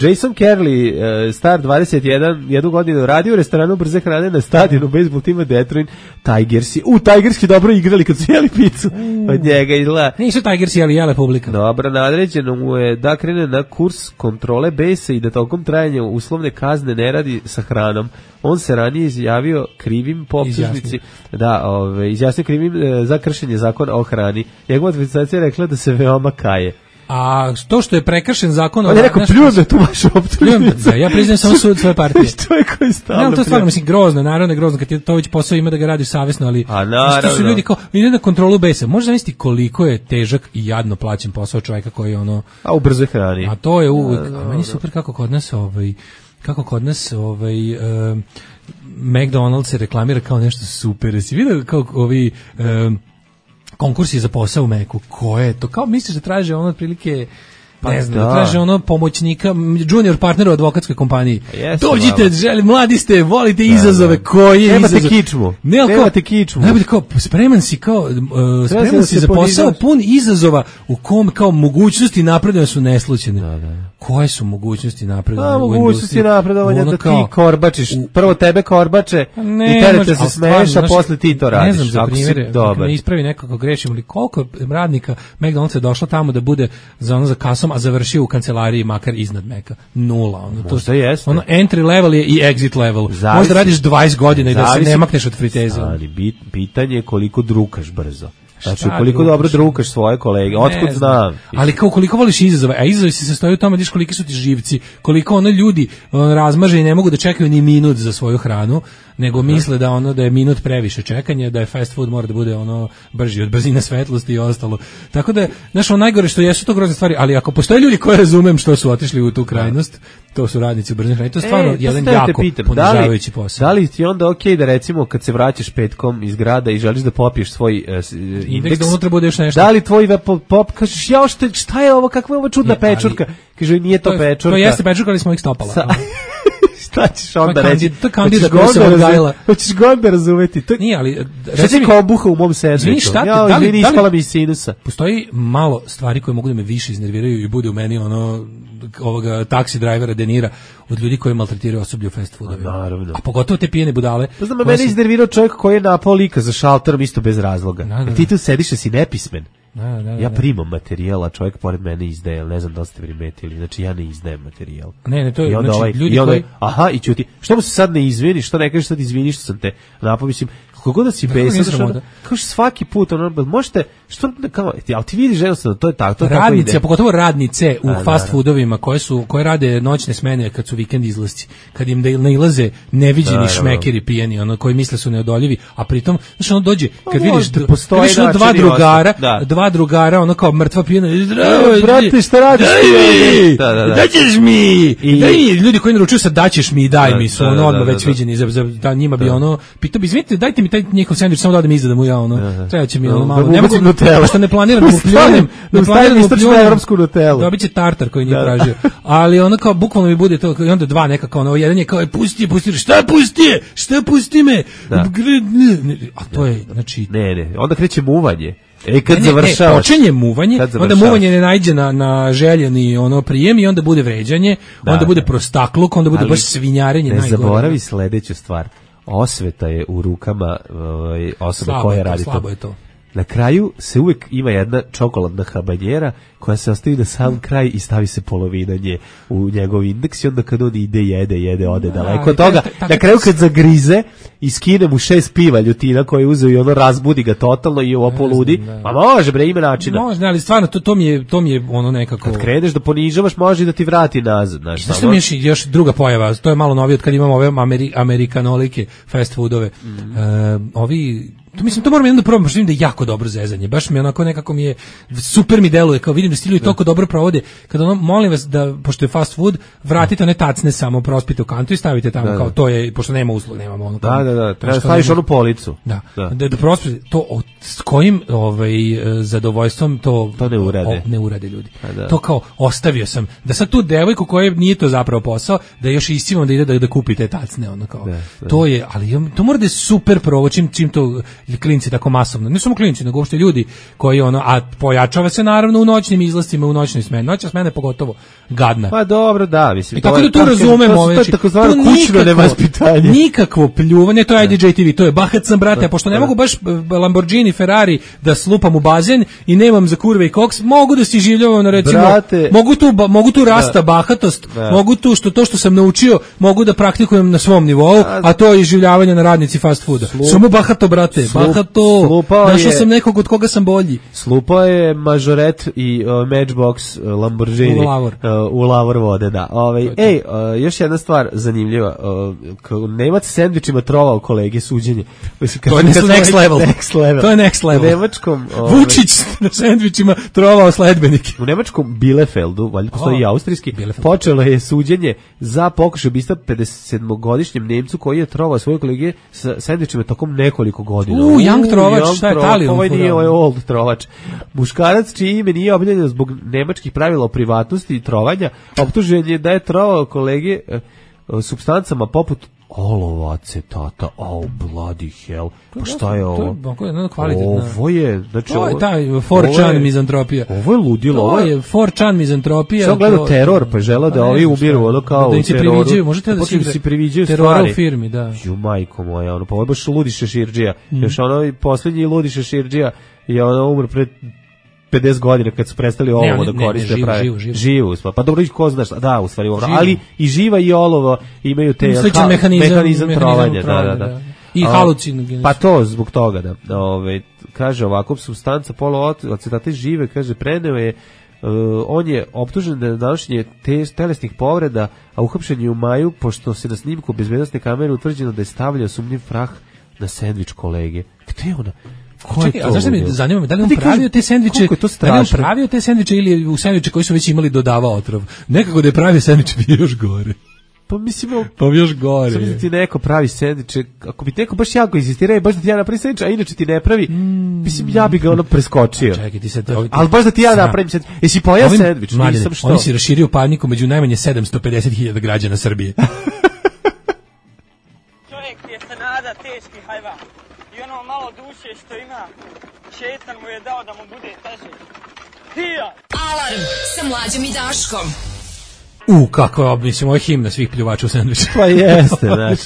Jason Kerley, uh, star dvadeset jedan, jednu godinu radio u restoranu brze hrane na stadionu bejsbol tima Detroit Tigersi. U, Tigersi dobro igrali kad su jeli picu. Mm. Od njega izgleda. Nisu Tigersi, ali jele publika. Dobro, nadređeno mu je da krene na kurs kontrole besa i da tokom trajanja uslovne kazne ne radi sa hranom. On se ranije izjavio krivim po optužnici, da, ove, izjasnio krivim e, za kršenje zakona o hrani. Njegova administracija je rekla da se veoma kaje. A to što je prekršen zakon... On je rekao, pljujem da tu vašu optužnicu. Da, ja priznajem samo sud svoje partije. Što je koji stavno? Ne, to je stvarno, mislim, grozno, naravno je grozno, kad ti to već posao ima da ga radiš savjesno, ali... A naravno. Što su ljudi kao, ide na kontrolu besa. Možeš zamisliti koliko je težak i jadno plaćen posao čovjeka koji je ono... A u brzoj hrani. A to je uvijek... A meni super kako kod nas, ovaj... Kako kod nas, ovaj... Um, McDonald's se reklamira kao nešto super. Jesi vidio kao ovi... Um, konkursi za posao u Meku, ko je to? Kao misliš da traže ono otprilike, pa ne znam, da. da traže ono pomoćnika, junior partnera u advokatskoj kompaniji. Dođite, želi, mladi ste, volite da, izazove, da. Koje Nemate izazove? Kičmu. Ne, kao, Nemate kičmu. Najbolje kao, spreman si kao, uh, spreman da si za posao pun izazova u kom kao mogućnosti napredovanja su neslučene. Da, da. Koje su mogućnosti napredovanja? A, mogućnosti napredovanja da ti korbačiš. Prvo tebe korbače ne, i terete se smeš, a posle ti to radiš. Ne znam, za primjere, ne ispravi neko kako grešim, ali koliko radnika McDonald's je došlo tamo da bude za ono za kasom, a završio u kancelariji makar iznad Meka. Nula. Ono, to Možda jeste. Ono entry level je i exit level. Zavisi, možda radiš dvadeset godina i da se ne makneš od friteze. Ali bit, pitanje je koliko drukaš brzo. Znači, koliko drugaš? Dobro drukaš svoje kolege, otkud znam. Ali kao koliko voliš izazove, a izazovi se sastoji u tome, vidiš koliki su ti živci, koliko ono ljudi on, razmaže i ne mogu da čekaju ni minut za svoju hranu, nego misle da ono da je minut previše čekanja, da je fast food mora da bude ono brži od brzine svetlosti i ostalo. Tako da, znaš, ono najgore što jesu to grozne stvari, ali ako postoje ljudi koji razumem što su otišli u tu krajnost, to su radnici u brzine hrane, to je stvarno e, jedan jako ponižavajući posao. Da li ti onda okej okay da recimo kad se vraćaš petkom iz grada i želiš da popiješ svoj uh, indeks, da unutra bude još nešto. Da li tvoj pop, pop kažeš, ja šta, šta je ovo, kakva je ovo čudna je, pečurka? Kaže, nije to, to pečurka. To jeste pečurka, ali smo ih stopala. Sa... Šta ćeš onda to reći? To je kandida koja se odgajila. Hoćeš ga onda razumeti. To... Nije, ali... Šta ti kao buha u mom sandviču? Ja, da li, izvini, ispala mi iz sinusa. Postoji malo stvari koje mogu da me više iznerviraju i bude u meni ono ovoga taksi drajvera Denira od ljudi koji maltretiraju osoblje u fast foodovima. Naravno. A pogotovo te pijene budale. To znam, mene se... iznervirao čovjek koji je napao lika za šalterom isto bez razloga. Da, da, da. Ti tu sediš da si nepismen. Da, da, da, ja primam materijal, a čovjek pored mene izdaje, ne znam da li ste primetili, znači ja ne izdajem materijal. Ne, ne, to je, I onda znači, ovaj, ljudi i onda, koji... aha, i ćuti, što mu se sad ne izviniš, što ne kažeš sad izviniš što sam te napao, mislim, kako da si besan, kao svaki put, ono, možete, što, kao, ali ti vidiš jednostavno, to je tako, to je radnice, tako a pogotovo radnice u a, fast foodovima koje su, koje rade noćne smene kad su vikend izlasci, kad im da nailaze neviđeni šmekeri pijeni, ono, koji misle su neodoljivi, a pritom, znači ono dođe, kad no, vidiš, kad vidiš ono dva drugara, da. dva drugara, ono kao mrtva pijena, brate, šta radiš? Da, da, da. Daćeš mi! I... Daj mi, ljudi koji naručuju sa daćeš mi i daj da, mi su, ono, odmah već viđeni, za, za, da njima bi ono, pitao bi, izvinite, dajte mi taj njihov sendvič, samo da odem iza da mu ja, ono, treba će mi, ono, malo, ne mogu, što ne planiram da mu pljunem, ne planiram da mu pljunem, evropsku nutelu. Dobit će tartar koji nije tražio. Ali ono kao, bukvalno mi bude to, i onda dva nekako, ono, jedan je kao, pusti, pusti, šta pusti je, šta pusti me, a to je, znači... Ne, ne, onda kreće muvanje. E kad ne, ne, završavaš, ne, počinje muvanje, onda muvanje ne najde na, na željeni ono prijem i onda bude vređanje, da, onda bude prostakluk, onda bude ali baš svinjarenje. Ne najgore. Zaboravi sledeću stvar, osveta je u rukama ovaj, osobe slabo koja radi to. Slabo je to. Na kraju se uvek ima jedna čokoladna habanjera koja se ostavi na sam kraj i stavi se polovina nje u njegov indeks i onda kad on ide, jede, jede, ode da, daleko od toga. Na kraju kad zagrize i skine mu šest piva ljutina koje je uzeo i ono razbudi ga totalno i ovo poludi. Pa može bre, ima načina. Može, ali stvarno to, to, mi je, to mi je ono nekako... Kad kreneš da ponižavaš, može i da ti vrati nazad. Znaš, znaš što mi je još druga pojava, to je malo novije od kad imamo ove Ameri, amerikanolike, fast foodove. Mm. E, ovi... To mislim, to moram jednom da probam, pošto vidim da je jako dobro zezanje. Baš mi onako nekako mi je, super mi deluje, kao vidim da stilju i toliko dobro provode. Kada ono, molim vas da, pošto je fast food, vratite one tacne samo, prospite u kantu i stavite tamo, da, kao to je, pošto nema uslug, nemamo ono. Da, da, da, treba staviš onu policu. Da, da, da, da prospite, to, o, s kojim ovaj, zadovoljstvom to, to ne urade. O, ne urade ljudi. Da. To kao, ostavio sam, da sad tu devojku koja nije to zapravo posao, da još iscivam da ide da, da kupi te tacne, ono kao. Da, da. To je, ali to mora da je super provo, čim, čim to klinci tako masovno, ne samo klinci, nego uopšte ljudi koji ono, a pojačava se naravno u noćnim izlascima, u noćnoj smeni. Noćna smena je pogotovo gadna. Pa dobro, da, mislim. I tako da tu razumemo ove, to je takozvano kućno nevaspitanje. Nikakvo pljuvanje, to je I D J T V, to je bahat sam, brate, a pošto ne mogu baš Lamborghini, Ferrari da slupam u bazen i nemam za kurve i koks, mogu da si življavam, no recimo, brate, mogu tu, mogu tu rasta da, bahatost, da. mogu tu što to što sam naučio, mogu da praktikujem na svom nivou, a to je življavanje na radnici fast fooda. Slup. Samo bahato, brate, bahato, našao sam nekog od koga sam bolji. Slupao je mažoret i uh, Matchbox uh, Lamborghini u lavor, uh, u lavor vode, da. Ovaj, ej, uh, još jedna stvar zanimljiva. Uh, Nemac sendvičima trovao kolege suđenje. To je next level. next level. To je next level. U Nemačkom... Ovaj, Vučić na sendvičima trovao sledbenike. U nemačkom Bielefeldu, valjda postoji oh, i austrijski, Bielefeld. Počelo je suđenje za pokušaj ubistva pedesetsedmogodišnjem Nemcu koji je trovao svoje kolege sa sendvičima tokom nekoliko godina. U, young trovač, young šta je Talijan? Ovaj nije, ovaj old trovač. Muškarac čiji ime nije objavljeno zbog nemačkih pravila o privatnosti i trovanja, optužen je da je trovao kolege e, supstancama poput olova, acetata, oh bloody hell, pa šta je ovo? To je jedno kvalitetno. Ovo je, znači to je taj four chan mizantropija. Ovo je ludilo. To je four chan mizantropija. Sam gledao teror, pa žele da ovi ubiru ono kao da u teroru. Priviđaju, možete da se priviđaju terora u firmi, da. Ju majko moja, ono, pa ovo je baš ludi šeširđija. Mm. Još ono, posljednji ludi šeširđija je ono umr pred pedeset godina kad su prestali olovo da koriste ne, prave. Živu, živu. Živu, pa dobro ih ko znaš, da, u stvari, ovo, ali i živa i olovo imaju te ha, mehanizam, mehanizam trovanja, da, da, da. I halucinogen. Pa to zbog toga, da. Ove, kaže ovako, supstanca poluacetate žive, kaže, preneo je Uh, on je optužen da je današnje te, telesnih povreda, a uhapšen je u maju, pošto se na snimku bezbednosne kamere utvrđeno da je stavljao sumnjiv prah na sendvič kolege. Gde je ona? Čekaj, a zašto mi zanima me, da li on pravio te sendviče, da li on pravio te sendviče ili u sendviče koji su već imali dodavao otrov? Nekako da je pravio sendviče bi još gore. Pa mislim, pa još gore. Samo da ti neko pravi sendviče, ako bi neko baš jako insistirao, baš da ti ja napravim sendvič, a inače ti ne pravi, mm. mislim, ja bi ga ono preskočio. Čekaj, ti sad... Ali baš da ti ja napravim sendvič. Jesi pojao sendvič? Nisam što. Oni si raširio paniku među najmanje sedamsto pedeset hiljada građana Srbije. Čovjek je se nada teški hajvan. I ono malo duše što ima, šetan mu je dao da mu bude teže. Hija! Alarm sa Mlađom i Daškom. U, kako je, mislim, ovo je himna svih pljuvača u sendviču. Pa jeste, znaš.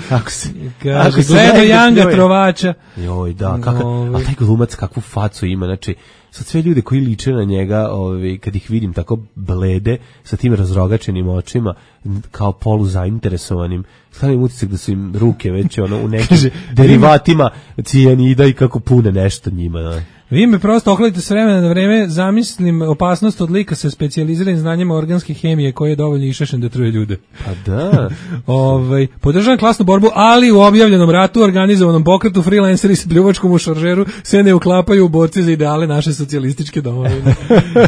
Kako se, kako se gleda Janga Trovača. Joj, da, kako, a taj glumac kakvu facu ima, znači, sad sve ljude koji liče na njega, ovaj, kad ih vidim tako blede, sa tim razrogačenim očima, kao polu zainteresovanim, stavim utisak da su im ruke već ono, u nekim derivatima cijanida i kako pune nešto njima, da. Vi me prosto okladite s vremena na vreme, zamislim opasnost od lika sa specijaliziranim znanjima organske hemije koji je dovoljno išašen da truje ljude. Pa da. ovaj, podržavam klasnu borbu, ali u objavljenom ratu, organizovanom pokretu, freelanceri s pljuvačkom u šaržeru se ne uklapaju u borci za ideale naše socijalističke domovine.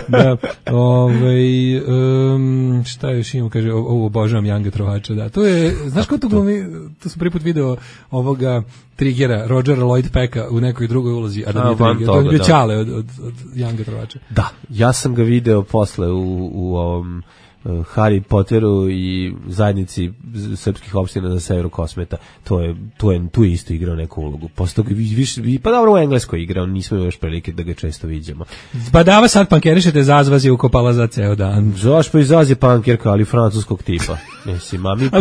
da. Ovaj, um, šta još imam, kaže, ovo obožavam Janga Trovača, da. To je, znaš ko to glumi, to sam prvi put video ovoga Trigera, Rodgera Lloyd Pecka u nekoj drugoj ulozi, a da nije Trigger, to je bio Ćale od, od, od Janga Trovača. Da, ja sam ga video posle u, u ovom uh, Harry Potteru i zajednici srpskih opština na severu Kosmeta. To je, to je, tu je isto igrao neku ulogu. Posle toga više, pa dobro u Engleskoj igrao, nismo još prilike da ga često viđemo. Badava sad pankerišete, Zazvaz je ukopala za ceo dan. Zaš pa i Zaz je pankerka, ali francuskog tipa. Mislim, a mi, po,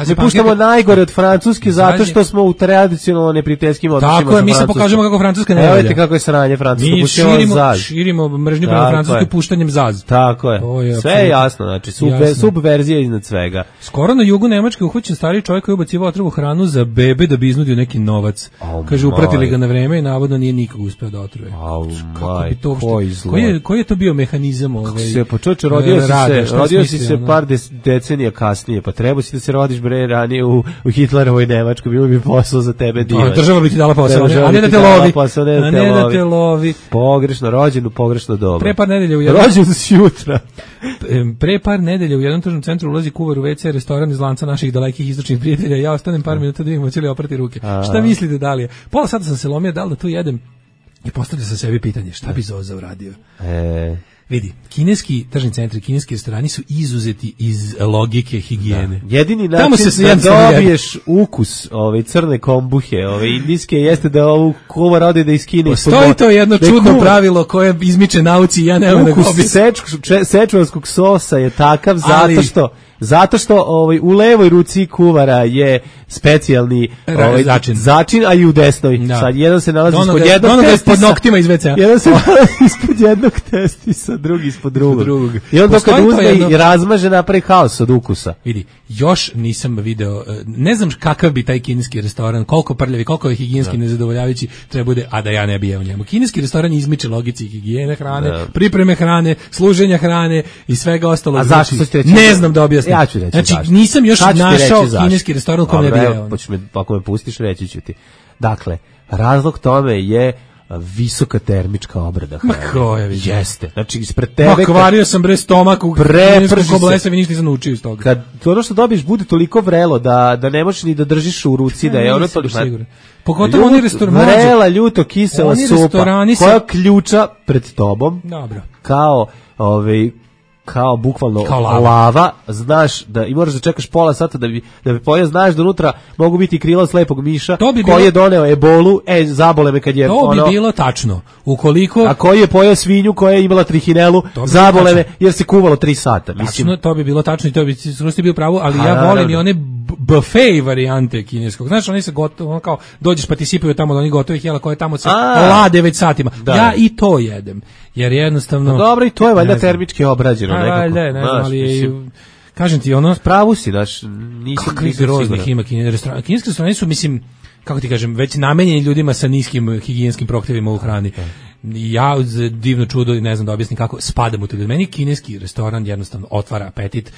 mi puštamo najgore od Francuske zato što smo u tradicionalno neprijateljskim odnosima. Tako je, mi se pokažemo kako Francuska ne valja. Evo kako je sranje Francusko, mi širimo, širimo mržnju prema Francuskoj puštanjem Zaz. Tako je, je sve je jasno, znači subver, subverzija iznad svega. Skoro na jugu Nemačke uhoćen stari čovjek koji je ubacivao otrovu hranu za bebe da bi iznudio neki novac. Oh, kaže, upratili ga na vreme i navodno nije nikog uspeo da otruje. Oh, kako bi to koji, je, koji je to bio mehanizam? Ovaj, se počoče, rodio si se, rodio si se par decenija kasnije, pa treba si da se rodiš bre ranije u, u Hitlerovoj Nemačkoj, bilo bi posao za tebe divan. Država bi ti dala posao, a ne da te lovi. Posao, ne, a ne da te lovi. Pogrešno rođen u pogrešno doba. Pre par nedelja u jednom... Rođen si jutra. Pre par nedelja u jednom tržnom centru ulazi kuvar u ve ce, restoran iz lanca naših dalekih istočnih prijatelja. Ja ostanem par minuta da vidimo, će li oprati ruke. A. Šta mislite da li je? Pola sata sam se lomio, da li da to jedem? I postavljam sam sebi pitanje, šta bi Zoza uradio? E... Vidi, kineski tržni centri, kineski restorani su izuzeti iz logike higijene. Da. Jedini način se da dobiješ ukus ove crne kombuhe, ove indijske, jeste da ovu kuvar ode da iskine. Postoji to jedno čudno kuvar. Pravilo koje izmiče nauci i ja ne mogu da ukus sečuvanskog sosa je takav zato ali, što Zato što ovaj, u levoj ruci kuvara je specijalni ovaj, začin. začin, a i u desnoj. Da. Sad jedan se nalazi Donoga, ispod jednog testisa. ispod noktima iz ve ce a. Jedan se nalazi ispod jednog testisa, drugi ispod drugog. drugog. I onda kad uzme jedno... i razmaže napravi haos od ukusa. Vidi, još nisam video, ne znam kakav bi taj kineski restoran, koliko prljavi, koliko je higijenski da. nezadovoljavajući treba bude, a da ja ne bi jeo njemu. Kineski restoran izmiče logici higijene hrane, da. pripreme hrane, služenja hrane i svega ostalog. A zašto znači, reći, ne znam da objasnim. Ja ću reći znači, zašto. nisam još našao kineski restoran u kojem ne bi jeo. Me, ako me pustiš, reći ću ti. Dakle, razlog tome je visoka termička obrada hrane. Ma koja vidi. Jeste. Znači, ispred tebe... Ma kvario sam bre stomak u kineskom koblesavi, ništa nisam naučio iz toga. Kad ono što dobiješ bude toliko vrelo da, da ne možeš ni da držiš u ruci, da je ono toliko... Pogotovo oni restorani. Vrela, ljuto, kisela supa, koja ključa pred tobom, dobro. kao... Ovaj, kao bukvalno kao lava. lava, znaš da i moraš da čekaš pola sata da bi da bi pojeo, znaš da unutra mogu biti krila slepog miša bi koji bilo, je doneo ebolu, e zabole me kad je to ono. To bi bilo tačno. Ukoliko a koji je pojeo svinju koja je imala trihinelu, zabole me jer se kuvalo tri sata, mislim. Tačno, to bi bilo tačno i to bi skroz bio pravo, ali a, ja volim i one buffet varijante kineskog. Znaš, oni se gotovo, ono kao dođeš pa ti sipaju tamo od onih gotovih jela koje tamo se lade već satima. Da. Ja i to jedem. Jer jednostavno... No, dobro, i to je valjda termički obrađeno nekako. Valjda, ne znam, ali je, kažem ti, ono... Pravu si, daš, nisam... Kakvih groznih ima kineski restorani. Kineski restorani su, mislim, kako ti kažem, već namenjeni ljudima sa niskim higijenskim prohtjevima u hrani. Ja, za divno čudo, ne znam da objasnim kako, spadam u to. Meni kineski restoran jednostavno otvara apetit.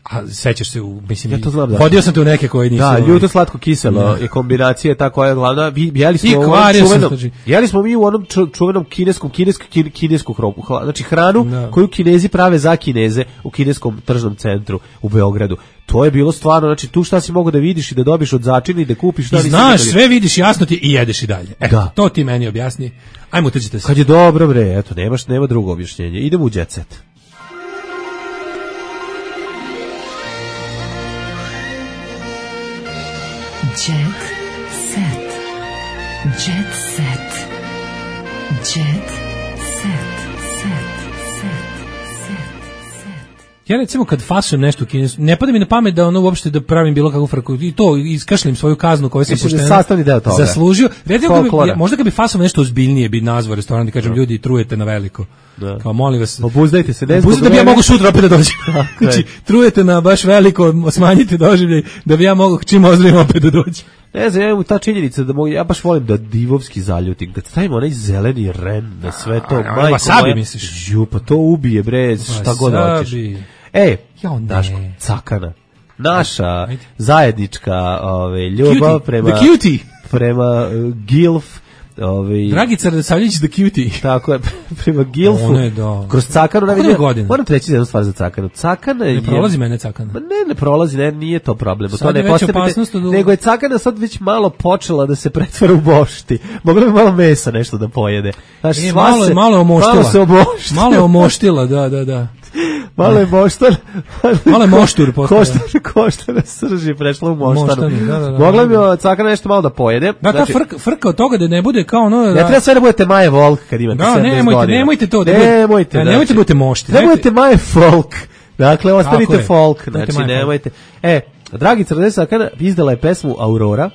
A sećaš se u, mislim, ja to znam, da. Vodio sam te u neke koje nisu... Da, ljuto slatko kiselo je kombinacija ta koja je glavna. Jeli smo, u onom čuvenom, jeli smo mi u onom čuvenom kineskom, kinesk, kineskog roku. Znači hranu no. koju Kinezi prave za Kineze u kineskom tržnom centru u Beogradu. To je bilo stvarno, znači tu šta si mogu da vidiš i da dobiš od začina i da kupiš. Šta I znaš, sve vidiš jasno ti i jedeš i dalje. E, da. To ti meni objasni. Ajmo, utrčite se. Kad je dobro, bre, eto, nemaš, nema drugo objašnjenje. Idemo u Jet Set. Jet set. Jet set. Jet set. Set. Set. Set. Ja recimo kad fasujem nešto u kinesku, ne pada mi na pamet da ono uopšte da pravim bilo kakvu frku i to iskašlim svoju kaznu koju sam pošteno zaslužio. Recimo, bi, ja, možda kad bi fasovao nešto ozbiljnije bi nazvao restoran da kažem, ljudi, trujete na veliko. Da. Kao molim vas, obuzdajte se, ne znam da bi ja mogu sutra opet da dođem. Znači, trujete na baš veliko, smanjite doživljaj da bi ja mogu čim ozdravim opet da dođem. Ne znam, ja ta činjenica da mogu, ja baš volim da divovski zaljutim. Kad stavimo onaj zeleni ren na sve to, a, majko moja, misliš? Ju, pa to ubije, bre, šta god hoćeš. E, ja, Daško, cakana. Naša ajde. Zajednička ove, ljubav cutie. prema... The cutie. Prema uh, Gilf. Ove, Dragica Radosavljević the cutie. Tako je, prema Gilfu. Kroz cakanu. Navidim, moram treći za jednu stvar za cakanu. Cakana ne je... prolazi mene cakana. Ne, ne prolazi, ne, nije to problem. Sad to ne je već opasnost od... Nego je cakana sad već malo počela da se pretvara u bošti. Mogla bi malo mesa nešto da pojede. Znaš, e, malo, se, malo je omoštila. Malo se omoštila. Malo je omoštila, da, da, da. Malo je moštar. Malo je moštur postala. Koštar, koštara srži prešla u moštaru. Moštani, da, da, da. Mogla bi cakana nešto malo da pojede. Da, znači, ta frka, frka od toga da ne bude kao ono... Da... Ne treba sve da budete Maje Volk kad imate da, sedamdeset nemojte, godina. Nemojte to. Da nemojte, da, znači, nemojte da budete mošti. Ne budete Maje Folk. Dakle, ostanite folk. Znači, Maje nemojte. E, Dragica Radosavljević izdala je pesmu Aurora,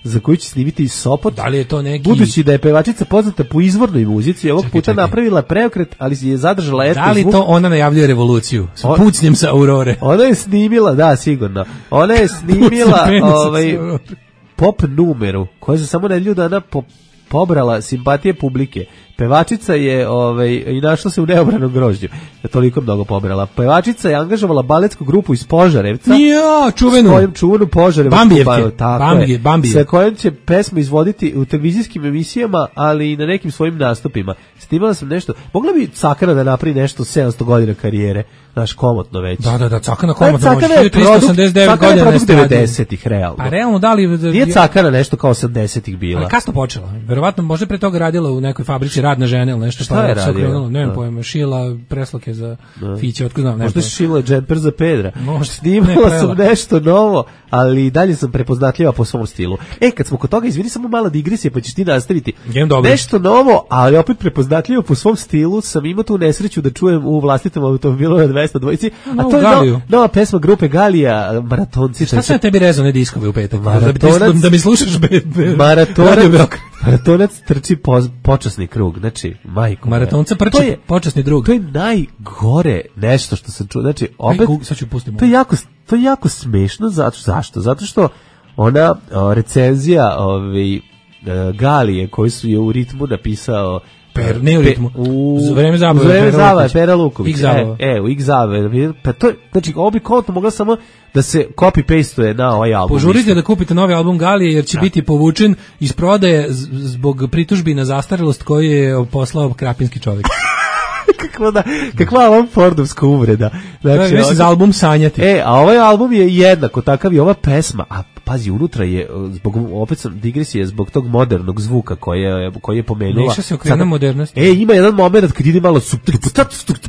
za koju će snimiti iz Sopota. Da li je to neki... Budući da je pevačica poznata po izvornoj muzici, ovog čekaj, puta čekaj. napravila preokret, ali je zadržala etno zvuk. Da li zvuk. To ona najavljuje revoluciju? S On, pucnjem sa Aurore. Ona je snimila, da, sigurno. Ona je snimila ovaj, pop numeru, koja se samo nedelju dana po, pobrala simpatije publike. Pevačica je ovaj, i našla se u neobranom grožđu. Je toliko mnogo pobrala. Pevačica je angažovala baletsku grupu iz Požarevca. Ja, čuvenu. S kojom čuvenu Požarevcu. Bambijevke. Bambije, Bambije. Sa kojom će pesmu izvoditi u televizijskim emisijama, ali i na nekim svojim nastupima. Snimala sam nešto. Mogla bi Cakana da napravi nešto sedamsto godina karijere. Naš komotno već. Da, da, da, Cakana komotno može. hiljadu tristo osamdeset devet godina produkt devedesetih, realno. Pa realno, da li... Nije Cakana nešto kao osamdesetih bila. Ali kasno počela. Verovatno, možda pre toga radila u nekoj fabrici radna žena ili nešto. Šta pa je radila? Ne znam pojma, šila preslake za da. Fiće, otko znam nešto. Možda šila džemper za Pedra. Možda. Snimala ne, sam nešto novo, ali dalje sam prepoznatljiva po svom stilu. E, kad smo kod toga, izvini samo mala digresija, pa ćeš ti nastaviti. Nešto novo, ali opet prepoznatljivo po svom stilu, sam imao tu nesreću da čujem u vlastitom automobilu na mesta dvojici, a Novu to je Galiju. no, nova pesma grupe Galija, Maratonci. Šta se na tebi rezone diskove u petak? Maratonac, da, da mi slušaš be, be, maratonac, maratonac trči po, počasni krug, znači, majko. Maratonca prči je, počasni drug. To je najgore nešto što sam čuo, znači, opet, Aj, sad ću pustiti to je jako, to je jako smešno, zato, zašto? Zato što ona o, recenzija ovaj, Galije koju su je u ritmu napisao Per, ne u ritmu. U za vreme zabave. U vreme zabave, Pera Luković. X zabava. E, e, u X zabave. Pa to, znači, ovo bi kontno mogla samo da se copy-pastuje na ovaj album. Požurite da kupite novi album Galije, jer će da. biti povučen iz prodaje zbog pritužbi na zastarelost koju je poslao krapinski čovjek. Kakva da, kakva ovom Fordovska uvreda. Znači, mislim za album Sanjati. E, a ovaj album je jednako takav i ova pesma, a pazi, unutra je, zbog, opet sam digresije, zbog tog modernog zvuka koji je, koji je pomenula. Neša se okrena modernost. E, ima jedan moment kad ide malo su,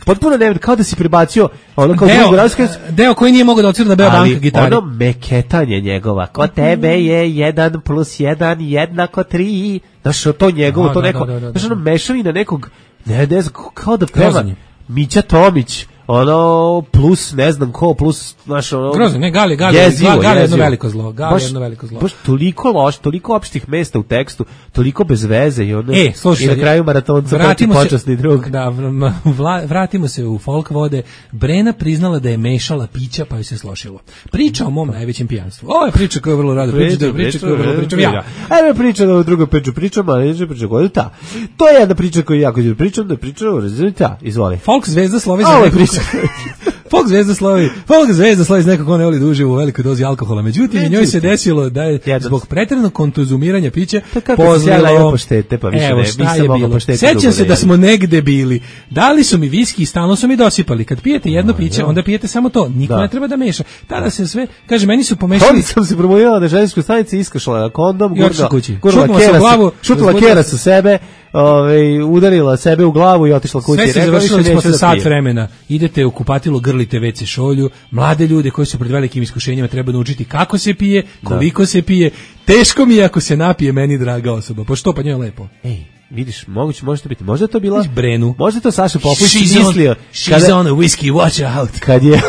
potpuno ne, kao da si prebacio, ono kao deo, drugo, deo koji nije mogao da odsvira na Bea Banka gitari. Ono meketanje njegova, ko tebe je jedan plus jedan jednako tri, znaš, to njegovo, da, to da, neko, da, da, da, znaš, ono da. mešavina nekog, ne, ne znam, kao da peva Grozanje. Mića Tomić, ono plus ne znam ko, plus znaš ono Grozno, ne, Gali, Gali, jezivo, Gali, Gali jezivo. jedno veliko zlo, Gali baš, jedno veliko zlo. Baš toliko loš, toliko opštih mesta u tekstu, toliko bez veze i ono e, slušaj, i na kraju maratonca vratimo se, počasni drug. Da, vla, vratimo se u folk vode. Brena priznala da je mešala pića pa joj se slošilo. Priča o mom najvećem pijanstvu. Ovo je priča koju vrlo rado pričam, priča koju vrlo pričam ja. Ajme priča da o drugoj priču pričam, ali neće priča koju ta. To je jedna priča koju jako ću pričam, da pričam o rezultata. Izvoli. Folk zvezda slovi za neku priča. Folk zvezda slovi, folk zvezda slovi iz nekog ko ne voli da uživa u velikoj dozi alkohola. Međutim, i njoj se desilo da je zbog pretjeranog konzumiranja pića pozlilo poštete, pa više evo, ne, šta nisam je mogao bilo. poštete. Sećam se da smo negde bili. Dali su mi viski i stalno su mi dosipali. Kad pijete jedno piće, onda pijete samo to. Niko da. ne treba da meša. Tada se sve, kaže, meni su pomešali. Onda sam se promovirala na željezničkoj stanici, iskašla kondom, gurla, gurla kera, glavu, šutila kera sa sebe, ovaj, udarila sebe u glavu i otišla kući. Sve se završilo posle sat vremena. Idete u kupatilo, grlite ve ce šolju. Mlade ljude koji su pred velikim iskušenjima treba naučiti kako se pije, koliko da. se pije. Teško mi je ako se napije meni draga osoba. Pa što, pa njoj je lepo. Ej, vidiš, moguće, može to biti. Možda je to bila... Brenu. Možda je to Saša Popović she's mislio. On, she's kada, on a whiskey, watch out. Kad je,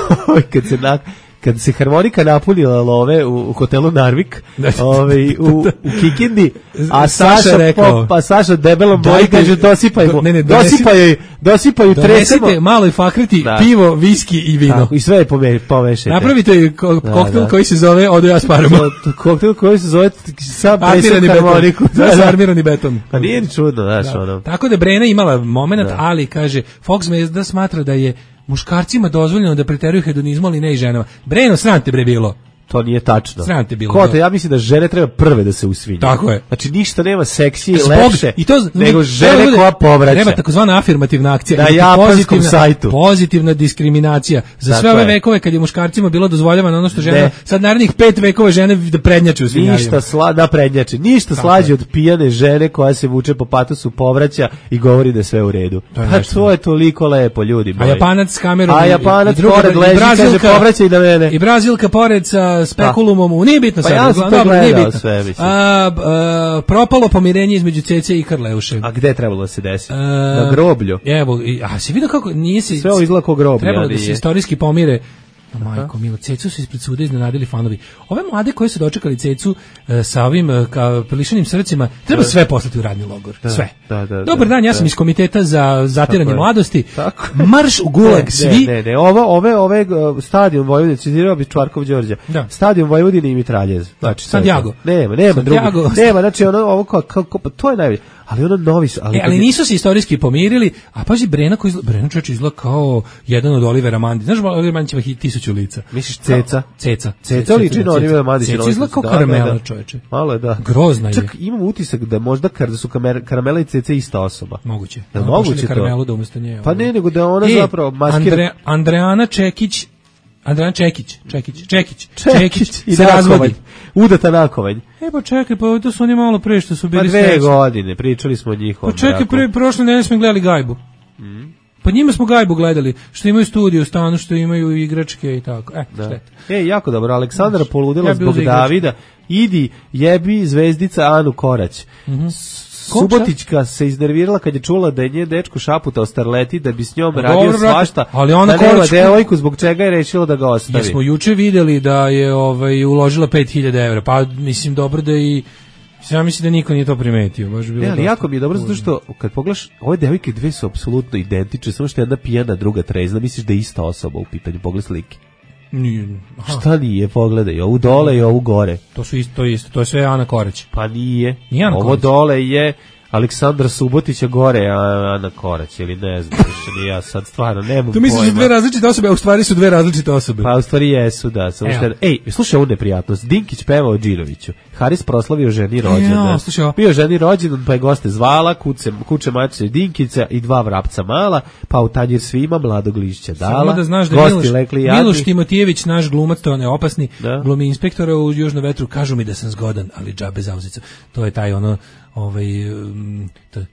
kad se na... kad se harmonika napunila love u, u hotelu Narvik, ovaj u, u Kikindi, a Saša, Saša rekao, pa Saša debelom boji kaže dosipajmo, ne, ne, dosipaju, dosipaju tresemo. Donesite maloj Fakriti da. pivo, viski i vino. Tako, i sve je pomešajte. Napravite ko, koktel da, da. koji se zove Odo ja sparamo. Koktel koji se zove sam armirani harmoniku. Da, da, armirani beton. Pa nije ni čudno, znaš, da. ono. Tako da Brena imala moment, da. ali kaže, Fox Zvezda smatra da je muškarcima dozvoljeno da preteruju hedonizmu, ali ne i ženama. Breno, sram te bre bilo. To nije tačno. Sram te bilo. Kote, ja mislim da žene treba prve da se usvinju. Tako je. Znači ništa nema seksije i Zbog, lepše i to, nego žene bude, koja povraća. Treba takozvana afirmativna akcija. Na japanskom pozitivna, sajtu. Pozitivna diskriminacija. Za tako sve ove je. vekove kad je muškarcima bilo dozvoljavano ono što žena, ne. sad narednih pet vekova žene da prednjače u svinjarijama. Ništa sla, da prednjače. Ništa tako slađe je. od pijane žene koja se vuče po patosu, povraća i govori da je sve u redu. To pa to je toliko lepo, ljudi moji. A Japanac s kamerom. A Japanac pored leži, kaže povraća i na mene. I Brazilka pored sa spekulumom. Nije bitno pa sad, ja dobro, dobro, nije bitno. Sve, a, a, propalo pomirenje između Cece i Karleuše. A gde trebalo da se desi? A, na groblju. Evo, a si vidio kako nije se... Sve ovo izgleda kao groblje. Trebalo da se istorijski pomire. Majko milo, Cecu su ispred suda iznenadili fanovi. Ove mlade koji su dočekali Cecu e, sa ovim e, ka prilišanim srcima, treba da. sve poslati u radni logor. Da, sve. Da, da, Dobar dan, ja sam da. iz komiteta za zatiranje mladosti. Tako. Marš u gulag, ne, svi. Ne, ne, ne. Ovo, ove, ove stadion Vojvodine, citirao bi Čvarkov Đorđe. Da. Stadion Vojvodine i Mitraljez. Znači, Santiago. Nema, nema drugo. Nema, znači ono, ovo kao, kao, kao, to je najbolje. Ali ono novi su, ali, e, ali nisu se istorijski pomirili, a pazi Brena koji izgleda, Brena čovječ izgleda kao jedan od Olivera Mandića. Znaš, Oliver Mandić ima tisuću lica. Misliš Ceca? Ceca. Ceca liči na Olivera Mandića. Ceca izgleda kao karamela, čovječe. Malo je, da. Grozna je. Čak imam utisak da možda da su karamela i Ceca ista osoba. Moguće. Da, moguće to. Karamelu da umjesto nje. Pa ne, nego da ona e, zapravo maskira. Andre, Andreana Čekić, Andrejan Čekić, Čekić, Čekić, Čekić i se razvodi. Udata nakovanj. E pa čekaj, pa to su oni malo pre što su bili pa dve srećni. godine, pričali smo o njihovom. Pa čekaj, pre, prošle nedelje smo gledali Gajbu. Mm. Pa njima smo Gajbu gledali, što imaju studiju u stanu, što imaju igračke i tako. E, da. šteta. E, jako dobro, Aleksandra poludela ja zbog Davida. Idi, jebi zvezdica Anu Korać. Mm -hmm. Subotićka se iznervirala kad je čula da je nje dečko šaputao starleti da bi s njom Pa radio dobro, brate, svašta, ali ona da nema Korać- devojku zbog čega je rešila da ga ostavi. Jesmo juče videli da je ovaj uložila pet hiljada evra, pa mislim dobro da i ja mislim da niko nije to primetio, baš bi bilo. Ne, ali dosta jako mi je dobro zato što kad pogledaš, ove devojke dve su apsolutno identične, samo što je jedna pijana, druga trezna, misliš da je ista osoba u pitanju, pogledaj slike. Nije. Aha. Šta nije, pogledaj, ovu dole i ovu gore. To su isto, to je isto, to je sve Ana Korać. Pa nije. Nije Ana Ovo Korać. dole je Aleksandra Subotića, gore a Ana Korać, ili ne znam, više ni ja sad stvarno nemam Tu misliš da su pojma. dve različite osobe, a u stvari su dve različite osobe. Pa u stvari jesu, da. Samo što je- Ej, slušaj ovu neprijatnost. Dinkić peva o Džinoviću. Haris proslavio ženi rođendan. Ja, slušaj ovo. Bio ženi rođendan, pa je goste zvala, kuce, kuće mačice Dinkića i dva vrapca mala, pa u tanjir svima mladog lišća dala. Samo da znaš da gosti Miloš, lekli jadni. Miloš Timotijević, naš glumac, to on je opasni, Da. glumi inspektora u Južnom vetru, kažu mi da sam zgodan, ali džabe zauzica. To je taj ono, ovaj, um, to, e,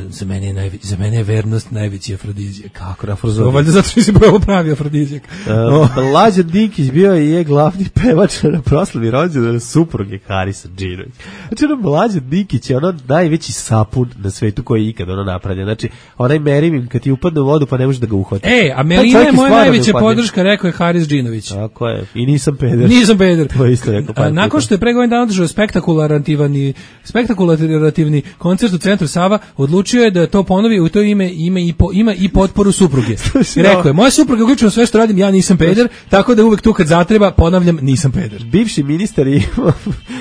za mene je, najve, za mene je vernost najveći afrodizijak. Kako na To Frozovi. valjda zato što si pravo pravi afrodizijak. Uh, Mlađan Dinkić bio je, je glavni pevač na proslavi rođendana supruge Harisa Džinović. Znači, ono, Mlađan Dinkić je ono najveći sapun na svetu koji je ikad ono napravljen. Znači, onaj merimim kad ti upadne u vodu pa ne možeš da ga uhvati. E, a Taj Melina čovjek je moja stvarno najveća neupadljiv. podrška, rekao je Haris Džinović. Tako je. I nisam peder. Nisam peder. To je isto rekao par A, nakon puta. što je pre godinu dana održao spektakulativni spektakulativni koncert u centru Sava, odlučio je da to ponovi, u to ime ima i po, ima i potporu supruge. I rekao je: "Moja supruga uključuje sve što radim, ja nisam peder, tako da uvek tu kad zatreba ponavljam nisam peder." Bivši ministar je imao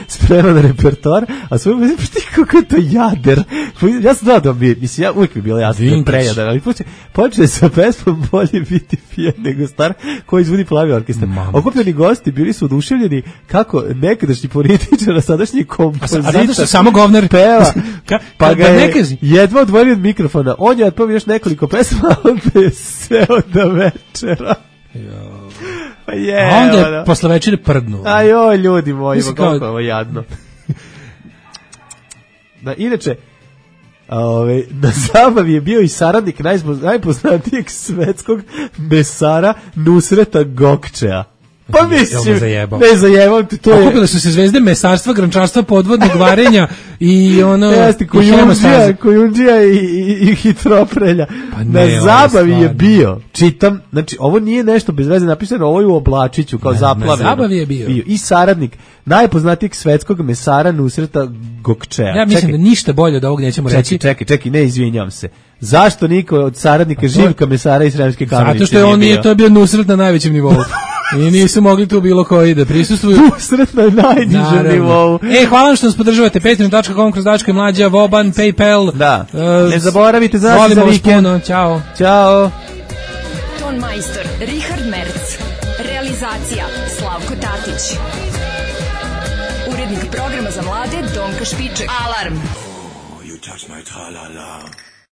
spreman repertoar, a svoj mislim, pa ti kako je to jader. Ja sam znao da bi, mislim, ja uvijek mi je bilo jasno da je prejadan, ali počne, počne sa pesmom Bolje biti pijan nego star, koji izvodi Plavi orkestar. Okupljeni gosti bili su oduševljeni kako nekadašnji političar, a sadašnji kompozitor, A zato što samo govnar peva, Ka- pa ka- ga da je ne kaži. jedva odvojio od mikrofona. On je otpao još nekoliko pesma, a onda je seo do večera. Pa je, A onda ono. je posle večere prdnu. Ajoj, ljudi moji, Mislim kako kao- je ovo jadno. Da, inače, ove, na zabavi je bio i saradnik najzbo- najpoznatijeg svetskog mesara Nusreta Gokčea. Pa Jel me mislim, zajebao? ne zajebam ti, to je... Okupile su se zvezde mesarstva, grančarstva, podvodnog varenja i ono... Jeste, i Kojundžija, hemostaze. Kojundžija i, i, i Hitroprelja. Pa ne, na ovo je zabavi je stvarno. bio, čitam, znači ovo nije nešto bez veze napisano, ovo je u oblačiću kao Na- zaplavljeno. na zabavi je bio. I saradnik najpoznatijeg svetskog mesara Nusreta Gokčea. Ja mislim Čekaj, da ništa bolje od ovog nećemo čekaj, reći. čekaj, čekaj, ne izvinjam se. Zašto niko od saradnika Živka mesara iz Sremske Kamenice Zato što je on nije, to je bio Nusret na najvećem nivou. I nisu mogli tu bilo koji da prisustvuju. Nusret na najnižem Naravno. nivou. E, hvala vam što nas podržavate. patreon dot com kroz Daško i Mlađa, Voban, PayPal. Da. E, Ne zaboravite za nas volimo za vas vikend. puno. Ćao. Ćao. Ton majstor Richard Merc. Realizacija Slavko Tatić. Urednik programa za mlade Donka Špiček. Alarm. You touch my tra-la-la.